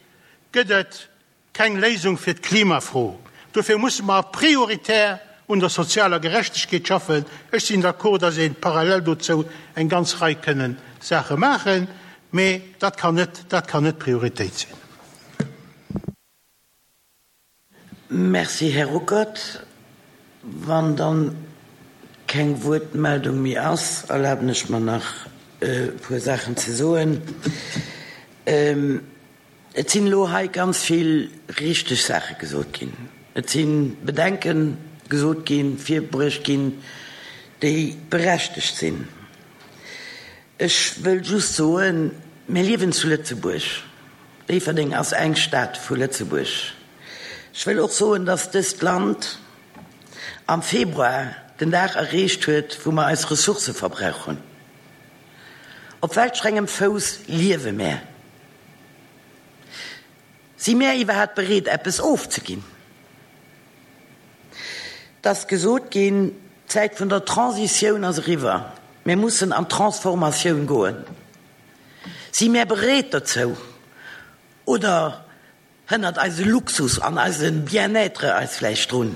gëtt et keng Léisung fir d'Klimafro. Dofir musse mer prioritär un der sozialer Gerechtegkeet schaffen. Ech sinn d'accord, dass ee parallel dozou eng ganz Rei kënnen Saache maachen, mee dat kann net, dat kann net d'Prioritéit sinn. Merci, Här Ruckert. Wann dann keng Wuertmeldung méi ass, erlaben ech mer nach e puer Saachen ze soen. Et sinn elo hei ganz vill richteg Saache gesot ginn. Et si Bedenke gesot ginn, virbruecht ginn, déi berechtegt sinn. Ech wëll just soen, mir liewen zu Lëtzebuerg. Déifferdeng ass eng Stad vu Lëtzebuerg. Ech wëll och soen, dass dëst Land am Februar den Dag erreecht huet, wou mer eis Ressourcë verbrauch hunn. Op welch engem Fouss liewe mär? Si mär iwwerhaapt bereet, eppes ofzeginn? Et ass gesot ginn, d'Zäit vun der Transitioun ass eriwwer. Mir mussen an d'Transformatioun goen. Si mär bereet dozou oder hënnert eise Luxus an eise Bien-être eis vläicht drun?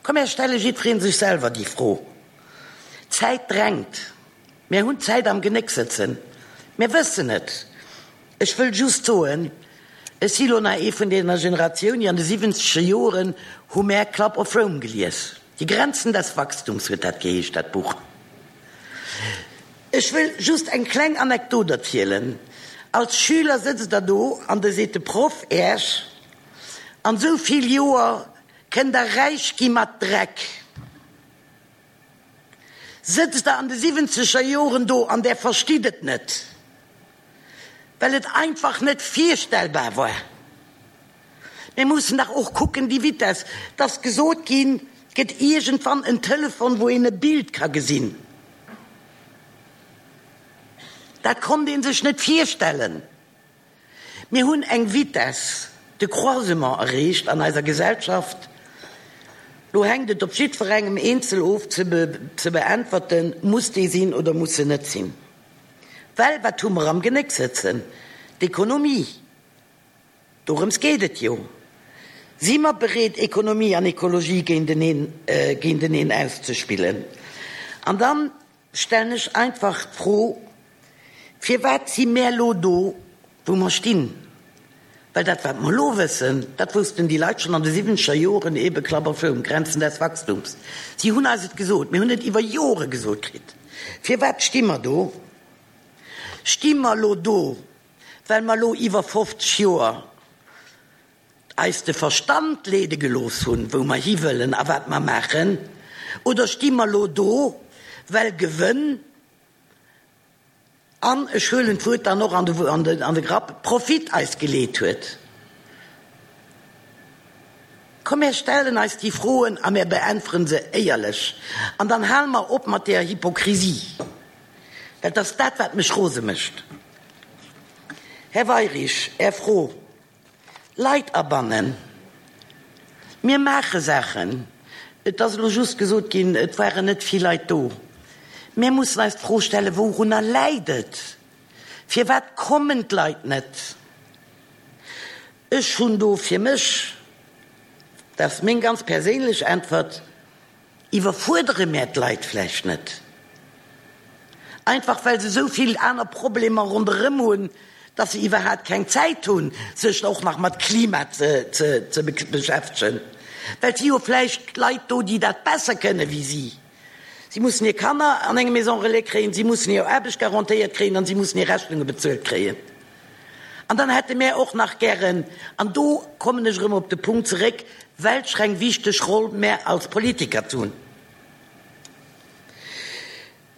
Komm mär stelle jiddweree sech selwer déi Fro. D'Zäit drängt. Mär hunn d'Zäit am Genéck sëtzen. Mär wëssen et. Ech wëll just soen, ech si lo nach ee vun deeër Generatioun, déi an de siwwenzeger Joren hu mär Club of Rome gelies. Die Grenzen des Wachstums huet dat geheescht, dat Buch. Ech wëll just eng kleng Anekdot erzielen. Als Schüler sëtzt Der do an da seet de Proff Äech, An esou vill Joer kënnt Der räich gi mat Dreck. Sëtzt Der an de siwwenzeger Joren do an Der verstitt et net, well et einfach net virstellbar war. Mir mussen dach och kucken, déi Vitess, et ass gesot ginn, et gëtt iergendwann en Telefon, wou een e Bild ka gesinn. Dat konnt ee sech net virstellen. Mir hunn eng Vitesse de croisement erreecht an eiser Gesellschaft. Lo hänkt et op jiddwerengem eenzel of ze beäntwerten, Muss déi sinn oder muss se net sinn? Well wat hu mer am Genéck sëtzen? D'Ekonomie. Dorëms geet et jo. Si mer bereet, Ekonomie an Ekologie géinteneen auszespillen? An dann stellen ech einfach d'Fro, Firwat si mär elo do, wou mer stinn? Well dat, wat mer elo wëssen, dat woussten déi Leit schonn an de siwwenzeger Joren, eebe Club of Rome, Grenzen des Wachstums. Si hunn eis et gesot, mir hunn et iwwer Jore gesot kritt. Firwat sti mer do? Sti mer elo do, well mer elo iwwer fofzeg Joer eis de Verstand leede gelooss hunn, wou mer hiwëllen a wat mer maachen, oder sti mer elo do, well Gewënn, an ech huelen d'Wuert dann och an de Grapp, Profit eis geleet huet? Komm, mär stellen eis déi Froen a mär beäntweren se éierlech. An dann hale mer op mat deeër Hypokrisie, well 't ass dat, wat mech rose mécht. Här Weirich, Är Fro, Leit abannen. Mir maache Saachen. Et ass elo just gesot ginn, et waren net vill Leit do. Mir mussen eis d'Fro stellen, Wourunner läit et? Firwat kommen d'Leit net? Ech hunn do fir mech, dat ass meng ganz perséinlech Äntwert, Iwwerfuerdere mär d'Leit vläicht net einfach, well se esou vill aner Problemer ronderëm hunn, dass se iwwerhaapt keng Zäit hunn, sech och nach mat Klima ze beschäftegen, well et si jo vläicht Leit do, déi dat besser kënne wéi si. Si mussen hir Kanner an eng Maison relais kréien, si mussen hir Aarbecht garantéiert kréien an si mussen hir Rechnunge bezuelt kréien. An dann hätte mär och nach gären, an do kommen ech erëm op de Punkt zeréck, welch eng wichteg Roll mär als Politiker ze hunn.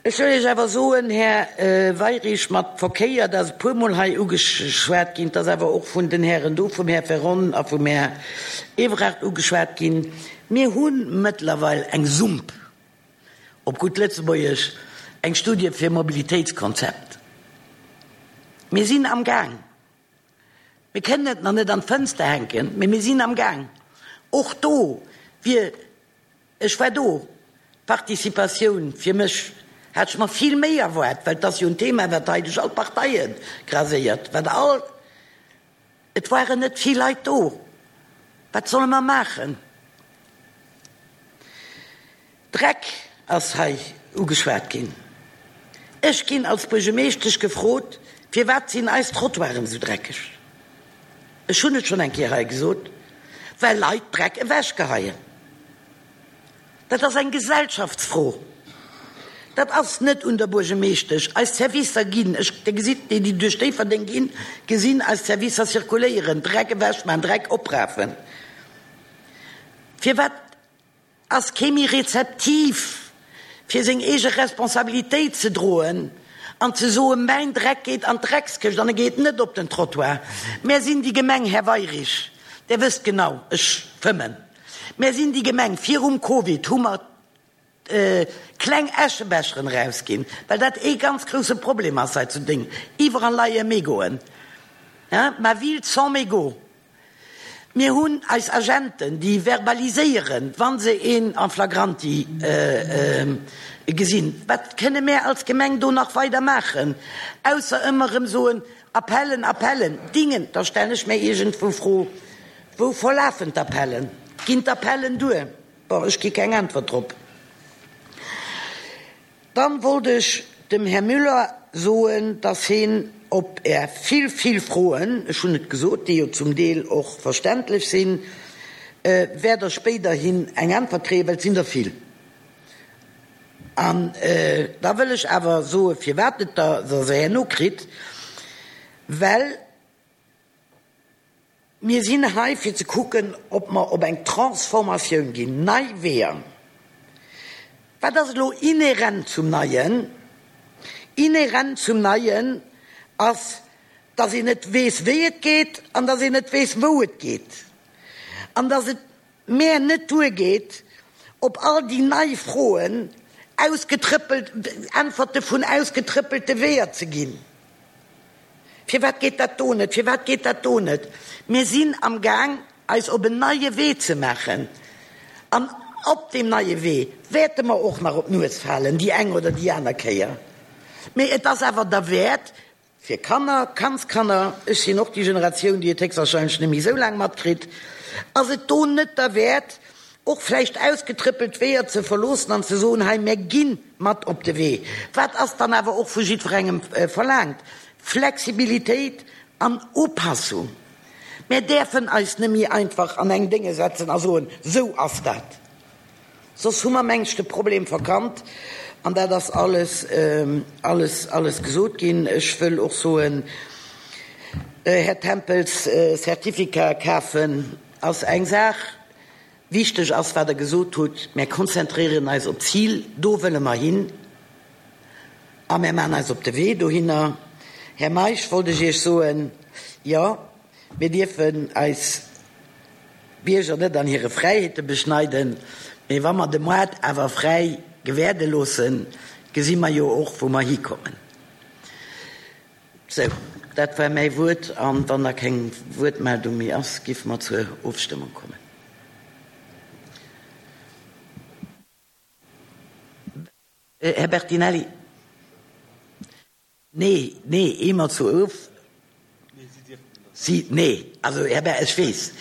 Ech wëll Iech awer soen, Här Weirich, mat Verkéier, dat ass e puermol hei ugeschwat ginn, et ass awer och vun den Hären do, vum Här Ferron a vum Här Evrard ugeschwat ginn, mir hu mëttlerweil eng Sump, op gutt Lëtzebuergesch, eng Studie fir e Mobilitéitskonzept. Mir sinn amgaang. Mir kënnen et nach net an d'Fënster hänken, mee mir sinn amgaang. Och do wier, ech war do, d'Participatioun fir mech hat ech mer vill méi erwaart, well et ass jo en Thema, wat hei duerch all d'Parteie graséiert, wat all, et waren net vill Leit do. Wat solle mer maachen? Dreck ass hei ugeschwat ginn. Ech ginn als Buergemeeschtesch gefrot, Firwat sinn eis Trottoiren esou dreckeg? Ech hunn et schonn eng Kéier hei gesot, Well Leit Dreck ewechgeheien. Dat ass eng Gesellschaftsfro. Dat ass net un der Buergemeeschtesch. Eis Servicer ginn, ech, Dir gesitt, déi, déi duerch Déifferdeng ginn, gesinn eis Servicer zirkuléieren, Dreck ewechmachen, Dreck oprafen. Firwat Ass kee méi rezeptiv, fir seng eege Responsabilitéit ze droen an ze soen, Mäin Dreck geet an d'Dreckskëscht an e geet net op den Trottoir. Mär sinn déi Gemeng, Här Weirich, Der wësst genau, ech fëmmen, mär sinn déi Gemeng, virum Covid hu mer kleng Äschebecheren erausginn, well dat ee ganz grousse Problem ass hei zu Déng, iwwerall leie Mégoen, ma ville sans mégots. Mir hunn eis Agenten, déi verbaliséieren, wa se een en flagranti gesinn. Wat kënne mär als Gemeng do nach weider maachen, ausser ëmmer erëm soen, Appellen, Appellen, Dingen? Da stellen ech mär iergendwou Fro, Wou verlafen d'Appellen? Ginn d'Appellen duer? Bon, ech gi keng Äntwert drop. Dann wollt ech dem Här Müller soen, dass heen op Är vill, vill Froen, ech hunn et gesot, déi jo zum Deel och verständlech sinn, wäert Der spéiderhin eng Äntwert kréien, well et sinn der vill. An da wëll ech awer soen, firwat et Der se herno kritt, well Mir sinn hei fir ze kucken, ob mer op eng Transformatioun ginn, nei Weeër. Wat ass elo inhärent zum Neien? Inhärent zum Neien ass, dass een net weess, wéi et geet an dass een net weess, wou et geet. An dass et mär net duergeet, op all déi nei Froen ausgetrëppelt, Äntwerte vun ausgetrëppelte Weeër ze ginn. Firwat geet dat do net? Firwat geet dat do net? Mir sinn am Gaang, eis op en neie Wee ze maachen. An op deem neie Wee wäerte mer och nach op d'Nues falen, déi eng oder déi aner Kéier. Mee et ass awer derwäert, fir Kanner, Kandskanner, ech sinn och déi Generatioun, déi et héchstwahrscheinlech net méi esou laang matkritt, ass et do net derwäert, och vläicht ausgetrëppelt Weeër ze verloossen an ze soen, hei, mir gi mat op de Wee. Wat ass dann awer och vu jiddwerengem verlaangt? Flexibilitéit an Upassung. Mir däerfen eis net méi einfach an eng Dénge setzen a soen, sou ass dat. Soss hu mer, meng ech, de Problem verkannt. An dat ass alles, alles, alles gesot ginn. Ech wëll och soen, Här Tempels, Certificatë kafen ass eng Saach. Wichteg ass, wat Der gesot hutt, Mär konzentrieren eis op d'Zil, do wëlle mer hin a mär maachen eis op de Wee dohinner. Här Meisch, wollt ech Iech soen, jo, mir dierfen eis Bierger net an hire Fräiheete beschneiden, mee wa mer de Moart awer fräi gewäerde loossen, gesi mer jo och, wou mer hikommen. Sou, dat war mäi Wuert. An wann da keng Wuertmeldung méi ass, géife mer zur Ofstëmmung kommen. Här Bertinelli. Nee, nee, ehe mer zur Of. Si, nee, also Här Ber, ech weess,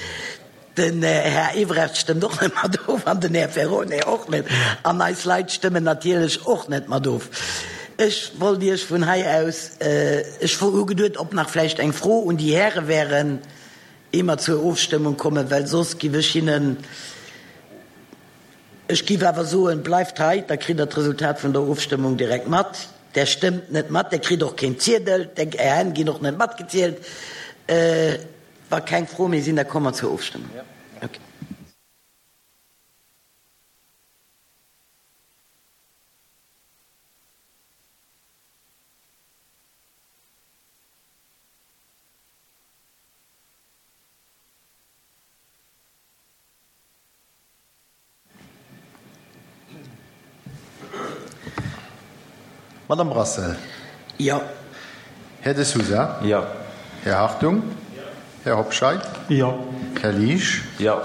den Här Ebrecht stëmmt och net mat of an den Här Ferrone och net. An eis Leit stëmmen natierlech och net mat of. Ech wollt Iech vun hei aus, ech hu geduet, ob nach vläicht eng Fro un déi Häre wären, ehe mer zur Ofstëmmung kommen, well soss giff ech hinnen, ech giff awer soen, bleift hei, da kritt Der d'Resultat vun der Ofstëmmung direkt mat. Der stëmmt net mat, Der kritt och keen Ziedel, Är Hänn ginn och net matgezielt. Wa keng Froe méi sinn, da komme mer zur Ofstëmmung. Okay. Madame Brassel. Jo. Här De Sousa. Jo. Här Hartung. Jo. Här Hobscheit. Jo. Här Liesch. Jo.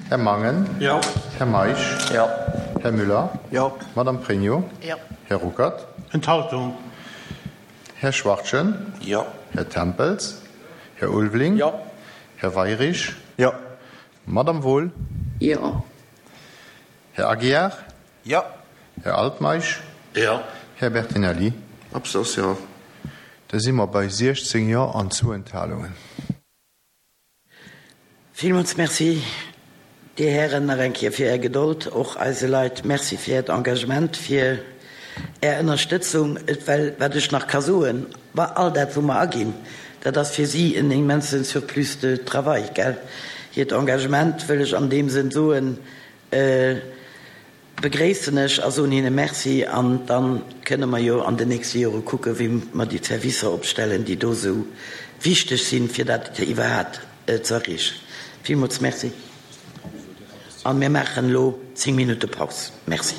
Här Mangen. Jo. Här Meisch. Jo. Här Müller. Jo. Madame Pregno. Jo. Här Ruckert. Enthaltung. Här Schwachtgen. Jo. Här Tempels. Här Ulveling. Jo. Här Weirich. Jo. Madame Wohl. Jo. Här Aguiar. Jo. Här Altmeisch. Jo. Här Bertinelli. Absatz, jo. Da si mer bei siechzéng Jo an zwou Enthalungen. Villmools Merci, Dir Hären, nach eng Kéier fir Är Gedold, och eise Leit Merci fir Äert Engagement, fir Är Ënnerstëtzung. Well wat ech nach ka soen, bei all dat, wou mer aginn, dat ass fir si en immense Surplus de travail, gell? Hiert Engagement, wëll ech an deem Sënn soen, begréissen ech a soen hinne Merci. An da kënne mer jo an den nächste Jore kucken, wéi mer déi Servicer opstellen, déi do esou wichteg sinn, fir dat iwwerhat ze erreechen. Villmools Merci. A mir maachen elo zéng Minutte Paus. Merci.